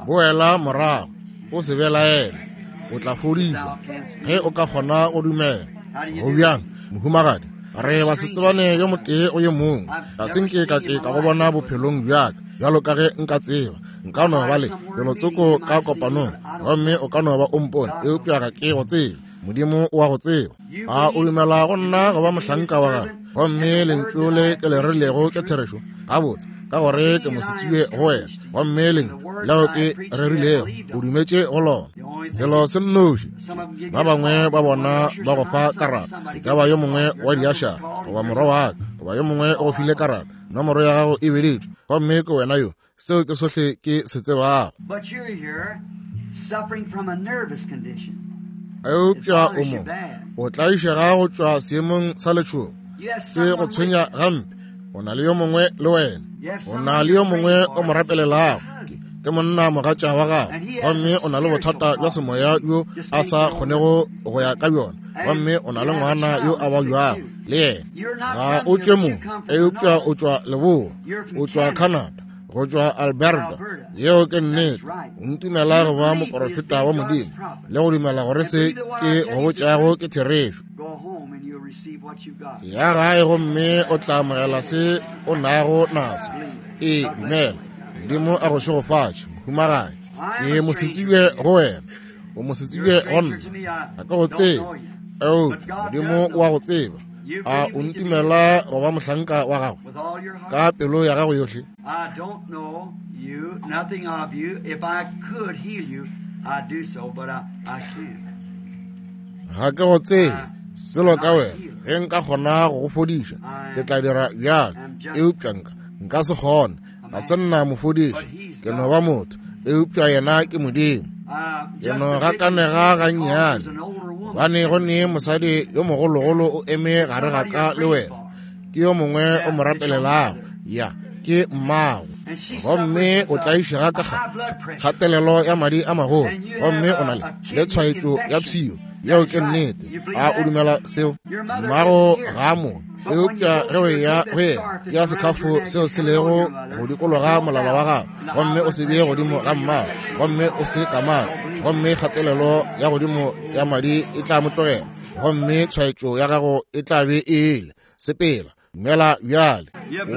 Boela morago, o se belaele, o tla fodišwa ge o ka kgona go dumela. Go bjang, mohumagadi? Re ba se tsebane yo motee o yo mongwe. Ga se nke ka ke ka go bona bophelong bjaka, bjalo ka ge nka tseba. Nka no ba le pelotsoko ka kopanong, gomme o ka no ba o mpone, eupša ga ke go tsebe. Modimo o a go tseba. A o dumela go nna go ba mohlanka wa gagwe, gomme lentšu le ke le rilego ke therešo? Gabotse, ka gore ke mosetsebje go wena, gomme lentšu leo ke rerilego o dumetše go lona. Selo se nnoši, ba bangwe ba bona ba go fa karata, e ka ba yo mongwe wa diašara goba morwa wa ka goba yo mongwe o go file karata, nomoro ya gago e beditšwe, gomme ke wena yo. Seo ke sohle ke se tsebago. Eupša o mo o tlaišega go tšwa seemong sa letšhogo, se go tshwenya gampe. O na le yo mongwe le wena, o na le yo mongwe o mo rapelelago, ke monna mogatša wa gago, gomme o na le bothata bja semoya bjo a sa kgonego go ya ka bjona, gomme o na le ngwana yo a babjago le yena. Ga o tšwe mo, eupša o tšwa leboa, o tšwa Canada, go tšwa Alberta. Yeo ke nnete. O ntumela go ba moporofeta wa Modimo le go dumela gore se ke go botšago ke therešo. Ya gae gomme o tla amogela se o nago naso. E dumela. Modimo a go šegofatše, mohumagadi. Ke mosetsebje go wena, o mosetsebje go nna. Ga ke go tsebe, eupša Modimo o a go tseba. A o ntumela go ba mohlanka wa gagwe ka pelo ya gago yohle? I don't know you, nothing of you. If I could heal you, I'd do so, but I, I can't. Ga ke go tsebe selo ka wena. Ge nka kgona go go fodiša, ke tla dira bjalo, eupša nka nka se kgone. Ga se nna mofodiši, ke no ba motho, eupša yena ke Modimo. Ke no gakanega gannyane, gobane go ne mosadi yo mogologolo o eme gare ga ka le wena, ke yo mongwe o mo rapelelago. Ya, ke mmago, gomme o tlaišega ka kgatelelo ya madi a magolo, gomme o na le le tshwaetšo ya pshio. Yeo ke nnete. A o dumela seo? Mmago ga mo, Eupša ge o eya go yena, tšea sekhafo seo se lego go dikologa molala wa gago, gomme o se bee godimo ga mmago, gomme o se kamake, gomme kgatelelo ya godimo ya madi e tla mo tlogela, gomme tshwaetšo ya gago e tla be e ile. Sepela, dumela bjale.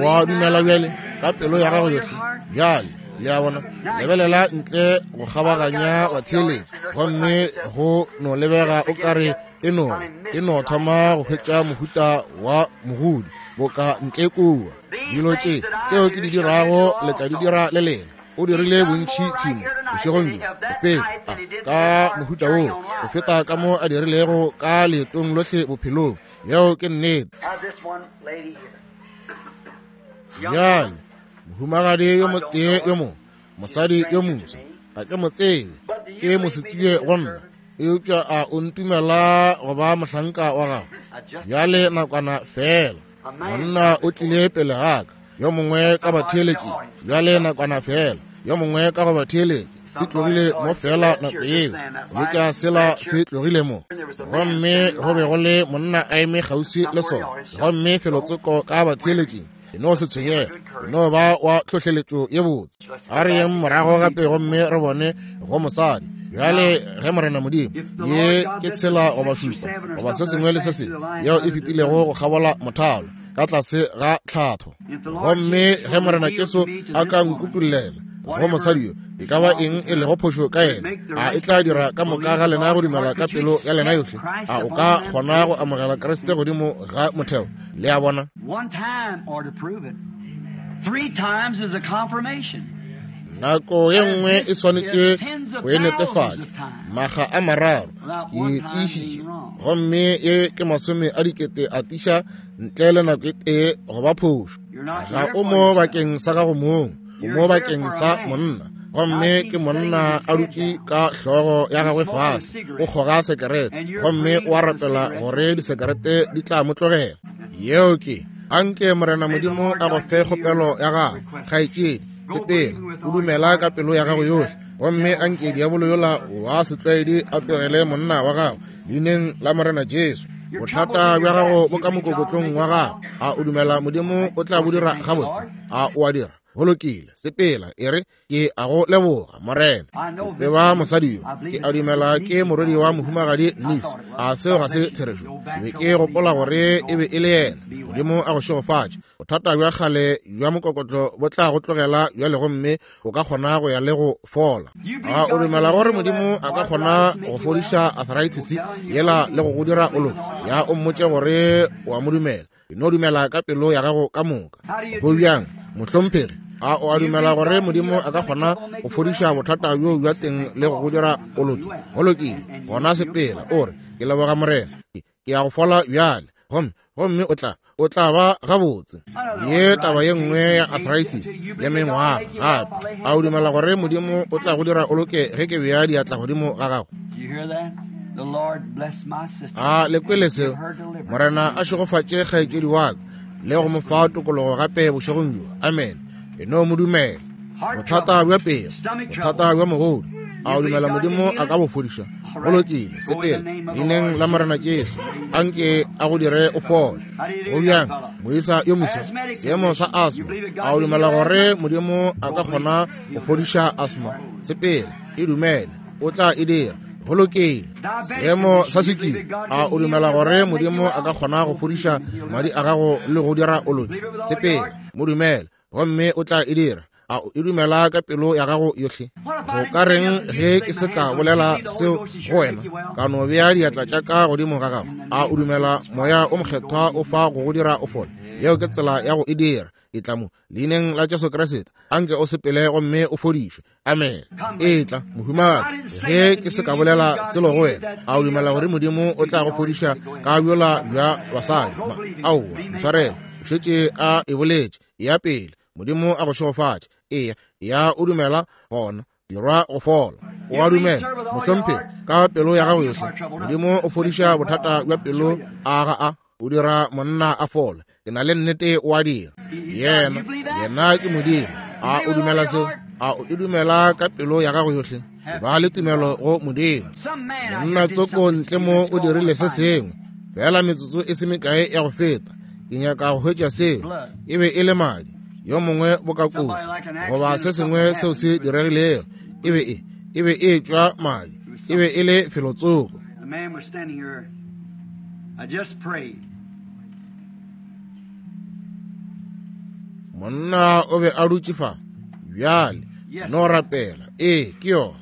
Wa dumela bjale ka pelo ya gago yohle bjale. Le a bona, lebelela ntle go kgabaganya batheeletši, gomme go no lebega o kare e no e no thoma go hwetša mohuta wa mogodi boka ntle kua. Dilo tše tšeo ke di dirago le tla di dira le lena. O dirile bontši thimo bošegong bjo go feta ka mohuta wo, go feta ka mo a dirilego ka leetong lohle bophelong. Yeo ke nnete. Bjale mohumagadi yo motee yo mongwe, mosadi yo moswa, ga ke mo tsebe, ke mosetsebje go nna, eupša a o ntumela go ba mohlanka wa gago? Bjale nakwana fela, monna o tlile pele ga ka, yo mongwe ka batheeletši. Bjale nakwana fela, yo mongwe ka go batheeletši. Se tlogile mo fela nako yeo, seetša sela se tlogile mo, gomme go be go le monna a eme kgauswi le sona, gomme felotsoko ka batheeletšing. E no se tshwenyege, e no ba wa tlhohleletšo ye botse. A re yeng morago gape gomme re bone go mosadi. Bjale ge Morena Modimo, ye ke tshela goba šupa goba se sengwe le se sengwe yeo e fetilego go kgabola mothalo ka tlase ga tlhatho, gomme ge Morena Jesu a ka nkutullela go mosadi yo e ka ba eng e lego phošo ka yena, a e tla dira ka moka ga lena go dumela ka pelo ya lena yohle? A o ka kgona go amogela Kriste godimo ga motheo? Le a bona? Nako ye nngwe e swanetše go e netefatša makga a mararo, ke tiišitše, gomme ye ke masome a dikete a tiša ntle le nako e tee go ba phošo. Ga o mo bakeng sa gago mong, o mo bakeng sa monna, gomme ke monna a dutše ka hlogo ya gagwe fase, o kgoga sekerete, gomme o a rapela gore disekerete di tla mo tlogela. Yeo ke anke Morena Modimo a go fe kgopelo ya gago, kgaetšedi. Sepela, o dumela ka pelo ya gago yohle, gomme anke diabolo yola wa setlwaedi a tlogele monna wa gago leineng la Morena Jesu. Bothata bja gago bo ka mokokotlong wa gago. A o dumela Modimo o tla bo dira gabotse? A o a dira? Go lokile, sepela, e re ke a go leboga Morena. Ke tseba mosadi yo, ke a dumela ke morwedi wa mohumagadi Nis. A seo ga se therešo? Ke be ke gopola gore e be e le yena. Modimo a go šegofatše. Bothata bja kgale bja mokokotlo bo tla go tlogela bjale, gomme o ka kgona go ya le go fola. A o dumela gore Modimo a ka kgona go fodiša arthritis yela le go go dira o loke? Ya o mmotše gore o a mo dumela. E no dumela ka pelo ya gago ka moka. Go bjang, mohlomphegi? A o a dumela gore Modimo a ka kgona go fodiša bothata bjo bja teng le go go dira o loke? Go lokile, gona sepela, o re ke leboga Morena, ke ya go fola bjale, gomme gomme o tla o tla ba gabotse. Ye taba ye nngwe ya arthritis le mengwaga gape. A o dumela gore Modimo o tla go dira o loke ge ke bea diatla godimo ga gago? A le kwele seo? Morena a šegofatše kgaetšedi wa ka le go mo fa tokologo gape bošegong bjo. Amen. E no mo dumela. Bothata bja pelo, bothata bja mogodu, a o dumela Modimo a ka bo fodiša? Go lokile, sepela leineng la Morena Jesu, anke a go dire o fole. Go bjang, moisa yo moswa, seemo sa asthma, a o dumela gore Modimo a ka kgona go fodiša asthma? Sepela, e dumele, o tla e dira. Go lokile. Seemo sa swikiri, a o dumela gore Modimo a ka kgona go fodiša madi a gago le go dira o loke? Sepela, mo dumele, gomme o tla e dira. A o e dumela ka pelo ya gago yohle? Go ka reng ge ke se ka bolela seo go wena, ka no bea diatla tša ka godimo ga gago? A o dumela Moya o Mokgethwa o fa go go dira o fole? Yeo ke tsela ya go e dira. E tla mo leineng la Jesu Kriste, anke o sepele gomme o fodišwe. Amen. E tla, mohumagadi, ge ke se ka bolela selo go wena, a o dumela gore Modimo o tla go fodiša ka bjola bja basadi? Aowa, ntshwarele, o šetše a e boletše. Ya pele, Modimo a go šegofatše. Eya, ya o dumela gona dirwa go fola. O a dumela, mohlomphegi, ka pelo ya gago yohle? Modimo o fodiša bothata bja pelo, a ga a o dira monna a fole? Ke na le nnete o a dira. Yena, yena ke Modimo. A o dumela seo? A o e dumela ka pelo ya gago yohle? Ba le tumelo go Modimo. Monna tsoko ntle mo o dirile se sengwe fela metsotso e se mekae ya go feta. Ke nyaka go hwetša seo. E be e le madi. Yo mongwe boka kotsi goba se sengwe seo se diregilego. E be e e be e tšwa madi. E be e le felotsoko. The man was standing here. I just prayed. Monna o be a dutše fa. Bjale no rapela. Ee, ke yona.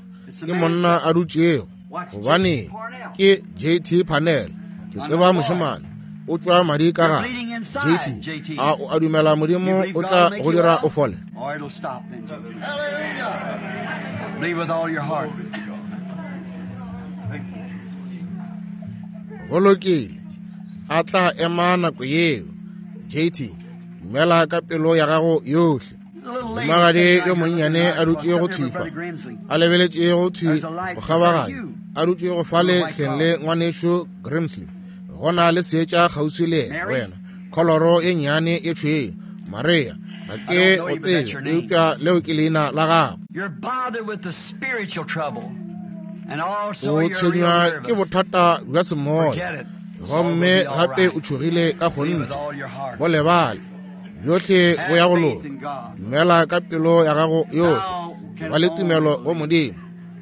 Ke monna a dutšego. Gobane ke J T Parnell. Ke tseba mošemane. O tšwa madi ka gare. J T, a o a dumela Modimo o tla go dira o fole? Or it'll stop then. Believe with all your heart. Go lokile. A tla ema nako yeo. J T, dumela ka pelo ya gago yohle. Mohumagadi yo monnyane a dutše go thwi fa, a lebeletše go thwi go kgabaganya, a dutše go fale hleng le ngwanešu Grimsley. Go na le seetša kgauswi le yena, wena kholoro ye nnyane ye tšhweu. Maria, ga ke go tsebe, eupša leo ke leina la gago. You're bothered with the spiritual trouble. And also O you're real tshwenywa ke nervous. bothata bja semoya, Forget it. gomme gape o tšhogile ka Believe with kgonthe. all your heart. Bo lebale, bjohle bo ya go loka. Dumela ka pelo ya gago yohle. Ba le tumelo go Modimo.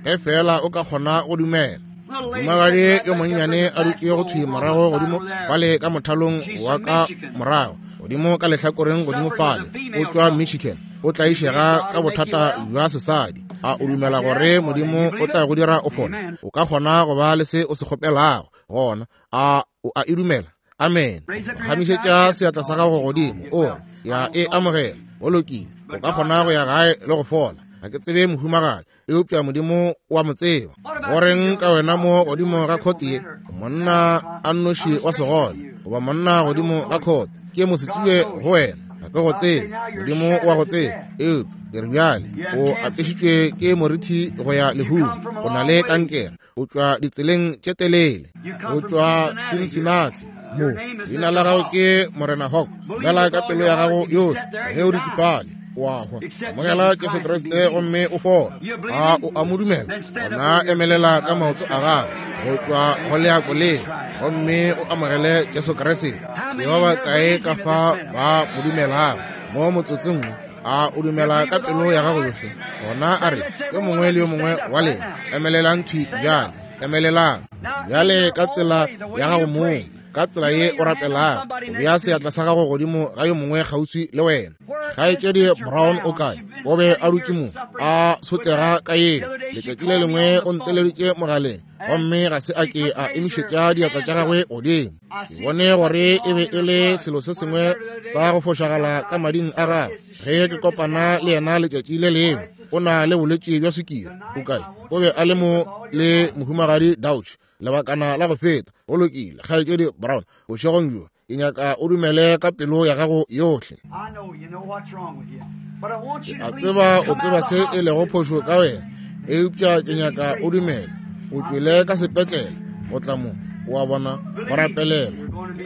Ge fela o ka kgona go dumela. Mohumagadi yo monnyane a dutše go thwi morago godimo fale ka mothalong wa ka morago, godimo ka lehlakoreng godimo fale, o tšwa Michigan. O tlaišega ka bothata bja sesadi. A o dumela gore Modimo o tla go dira o fole? O ka kgona go ba le se o se kgopelago gona. A o a e dumela? Amen. Phagamišetša seatla sa gago godimo, o re, ya e amogela. Go lokile. O ka kgona go ya gae le go fola. Ga ke tsebe mohumagadi, eupša Modimo o a mo tseba. Go reng ka wena mo godimo ga khote ye? Monna a nnoši wa segole, goba monna godimo ga khote, ke mosetsebje go wena. Ga ke go tsebe, Modimo o a go tseba. Eupša ke re bjale o apešitšwe ke morithi go ya lehung. O na le kankere. O tšwa ditseleng tše telele. O tšwa Cincinnati. Mo leina la gago ke Morena Hawk. Dumela ka pelo ya gago yohle. Ge o dutše fale, o a hwa. Amogela Jesu Kriste gomme o fole. A o a mo dumela? Gona emelela ka maoto a gago go tšwa go leako leo, gomme o amogele Jesu Kriste. Ke ba bakae ka fa ba mo dumelago mo motsotsong wo? A o dumela ka pelo ya gago yohle? Gona a re, yo mongwe le yo mongwe wa lena, emelelang thwi bjale. Emelelang bjale ka tsela ya gago mong, ka tsela ye o rapelago. O bea seatla sa gago godimo ga yo mongwe kgauswi le wena. Kgaetšedi Brown o kae? O be a dutše mo, a sotlega ka yena. Letšatši le lengwe o nteleditše mogaleng, gomme ga se a ke a emišetša diatla tša gagwe godimo. Ke bone gore e be e le selo se sengwe sa go fošagala ka mading a gagwe. Ge ke kopana le yena letšatši le lengwe, o na le bolwetši bja sukiri. O kae? O be a le mo le mohumagadi Dauch lebakana la go feta. Go lokile, kgaetšedi Brown, bošegong bjo ke nyaka o dumele ka pelo ya gago yohle. I know you know what's wrong with you. But I want you to A believe tseba you o come tseba out of se the e lego phošo ka wena, eupša ke nyaka o dumele. O tšwele ka sepetlele go tla mo, o a bona, go rapelela.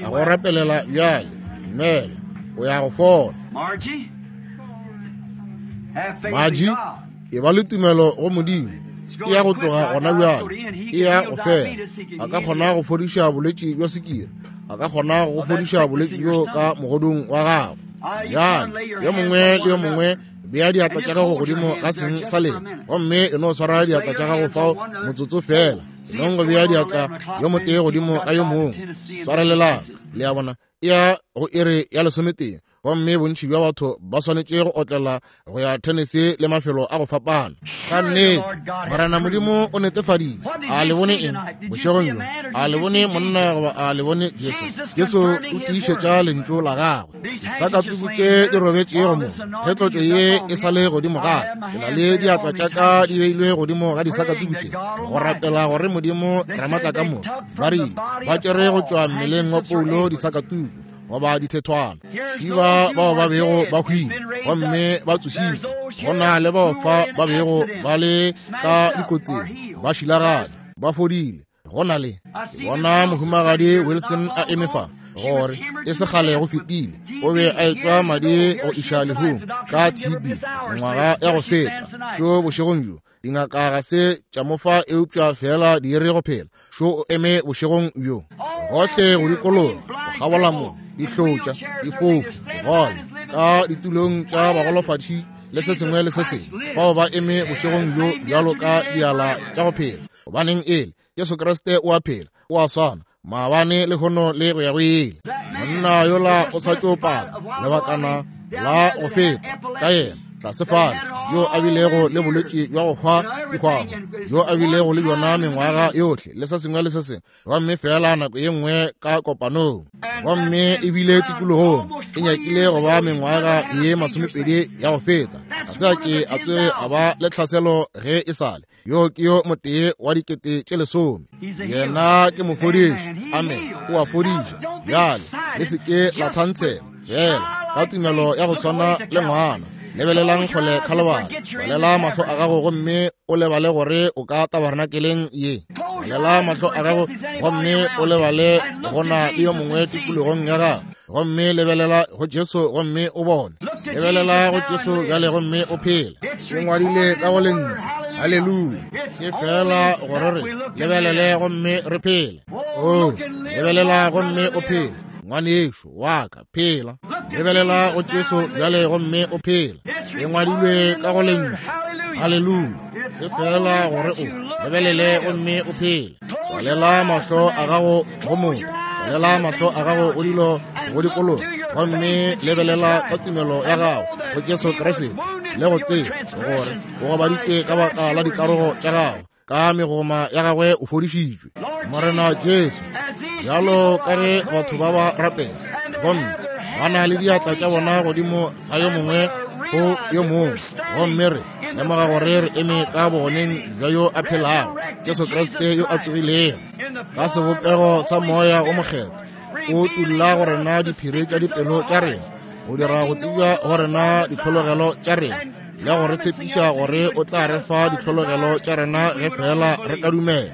A go rapelela bjale. Dumela, o ya go fola. Margie, have faith Margie, in God. e ba le tumelo go Modimo. E ya go tloga gona bjale, e ya go fela. A ka kgona go fodiša bolwetši bja sukiri. A ka kgona go fodiša bolwetši bjo ka mogodung wa gago. Bjale, yo mongwe le yo mongwe bea diatla tša gago godimo ga seng sa lena, gomme e no swara diatla tša gago fao motsotso fela. E nong go bea diatla yo motee godimo ga yo mongwe. Swarelelang. Le a bona, e ya go iri ya lesometee, gomme bontši bja batho ba swanetše go otlela go ya Tennessee le mafelo a go fapana. Ka nnete, Morena Modimo o netefaditše. A le bone eng bošegong bjo? A le bone monna goba a le bone Jesu? Jesu o tiišetša lentšu la gagwe. Disakatuku tše di robetšego mo, ge tlotšo ye e sa le godimo ga ka, ke na le diatla tša ka di beilwe godimo ga disakatuku tše, go rapela gore Modimo Ramatla ka moka. Ba rile ba tšere go tšwa mmeleng wa Paulo disakatuku goba dithethwana, šiba bao ba bego ba hwile gomme ba tsošitšwe. Go na le bao fa ba bego ba le ka dikotsing, ba šilagane, ba fodile. Go na le bona mohumagadi Wilson a eme fa, gore e se kgale go fetile o be a etšwa madi go iša lehung ka T B mengwaga ya go feta. Šo bošegong bjo dingaka ga se tša mo fa eupša fela di re go phela. Šo o eme bošegong bjo. Gohle go dikologa, go kgabola mo, dihlotša, difofu, digole, ka ditulong tša bagolofadi le se sengwe le se sengwe, bao ba eme bošegong bjo bjalo ka diala tša go phela. Gobaneng ele Jesu Kriste o a phela, o a swana maabane le lehono le go ya go ile. Monna yola o sa tšo paka lebakana la go feta ka yena tlase fale, yo a bilego le bolwetši bja go hwa dihwago, yo a bilego le bjona mengwaga yohle le se sengwe le se sengwe, gomme fela nako ye nngwe ka kopanong, gomme ebile tikologong e nyakile go ba mengwaga ye masomepedi ya go feta, ga se a ke a tsoge a ba le tlhaselo ge e sale. Yo ke yo motee wa dikete tše lesome. Yena ke mofodiši. Amen. O a fodiša. Bjale le se ke la thantshela fela ka tumelo ya go swana le ngwana. Lebelelang kgole Khalibari, balela mahlo a gago gomme o lebale gore o ka tabernakeleng ye. Balela mahlo a gago gomme o lebale go na le yo mongwe tikologong ya gago, gomme lebelela go Jesu gomme o bone. Lebelela go Jesu bjale gomme o phele. E ngwadile ka go lentšu. Haleluya. Ke fela gore re lebelele gomme re phele. Oh, lebelela gomme o phele. Ngwanešo wa ka, phela. Lebelela go Jesu bjale gomme o phele. E ngwadilwe ka go lentšu. Haleluya. Ke fela gore o lebelele gomme o phele. Tswalela mahlo a gago go motho, tswalela mahlo a gago go dilo go dikologa, gomme lebelela ka tumelo ya gago go Jesu Kriste, le go tseba gore o gobaditšwe ka baka la dikarogo tša gago, ka megoma ya gagwe o fodišitšwe. Morena Jesu, bjalo ka ge batho ba ba rapela gomme ba na le diatla tša bona godimo ga yo mongwe go yo mongwe, gomme re lemoga gore re eme ka bogoneng bja yo a phelago, Jesu Kriste yo a tsogilego ka sebopego sa Moya o Mokgethwa, o tulla go rena diphiri tša dipelo tša rena, go dira go tsebja go rena ditlhologelo tša rena, le go re tshepiša gore o tla re fa ditlhologelo tša rena ge fela re ka dumela.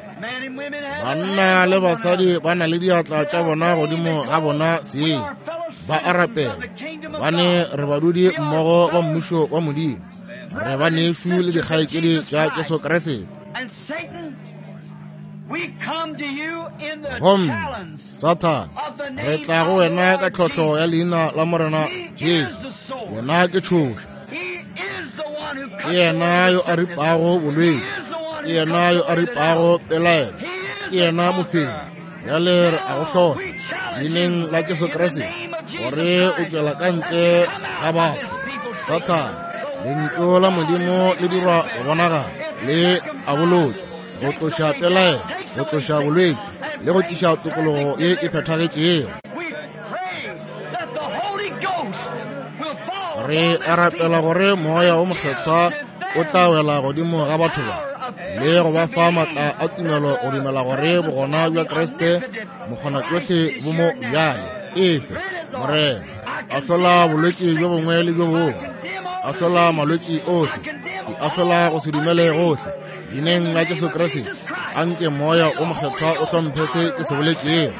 Banna le basadi ba na le diatla tša bona godimo ga bona seng, ba a rapela, bane re badudi mmogo ba mmušo wa Modimo, re ba nešu le dikgaetšedi tša Jesu Kriste. Gomme Sathane, re tla go wena ka tlhohlo ya leina la Morena Jesu. Yena ke tšhoša, ke yena yo a ripago bolwetši, ke yena yo a ripago pelaelo, ke yena mofenyi. Bjale re a go hlohla leineng la Jesu Kriste gore o tšwela ka ntle ga batho. Sathane, lentšu la Modimo le dirwa go bonagala, le a bolotša, go tloša pelaelo, go tloša bolwetši, le go tliša tokologo ye e phethagetšego. Re a rapela gore Moya o Mokgethwa o tla wela godimo ga batho ba, le go ba fa maatla a tumelo go dumela gore bogona bja Kriste mokgonatšohle bo mo bjale. Efe Morena, a hlola bolwetši bjo bongwe le bjo bongwe, a hlola malwetši ohle, di a hlola go se dumele gohle, leineng la Jesu Kriste. Anke Moya o Mokgethwa o hlomphe se ke se boletšego,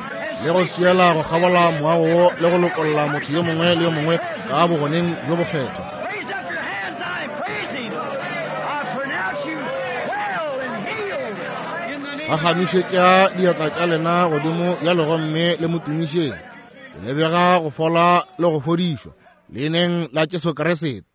le go swiela go kgabola moago wo, le go lokolla motho yo mongwe le yo mongwe ka bogoneng bjo bokgethwa. Phagamišetša diatla tša lena godimo bjalo gomme le mo tumišeng. Le bega go fola le go fodišwa leineng la Jesu Kriste.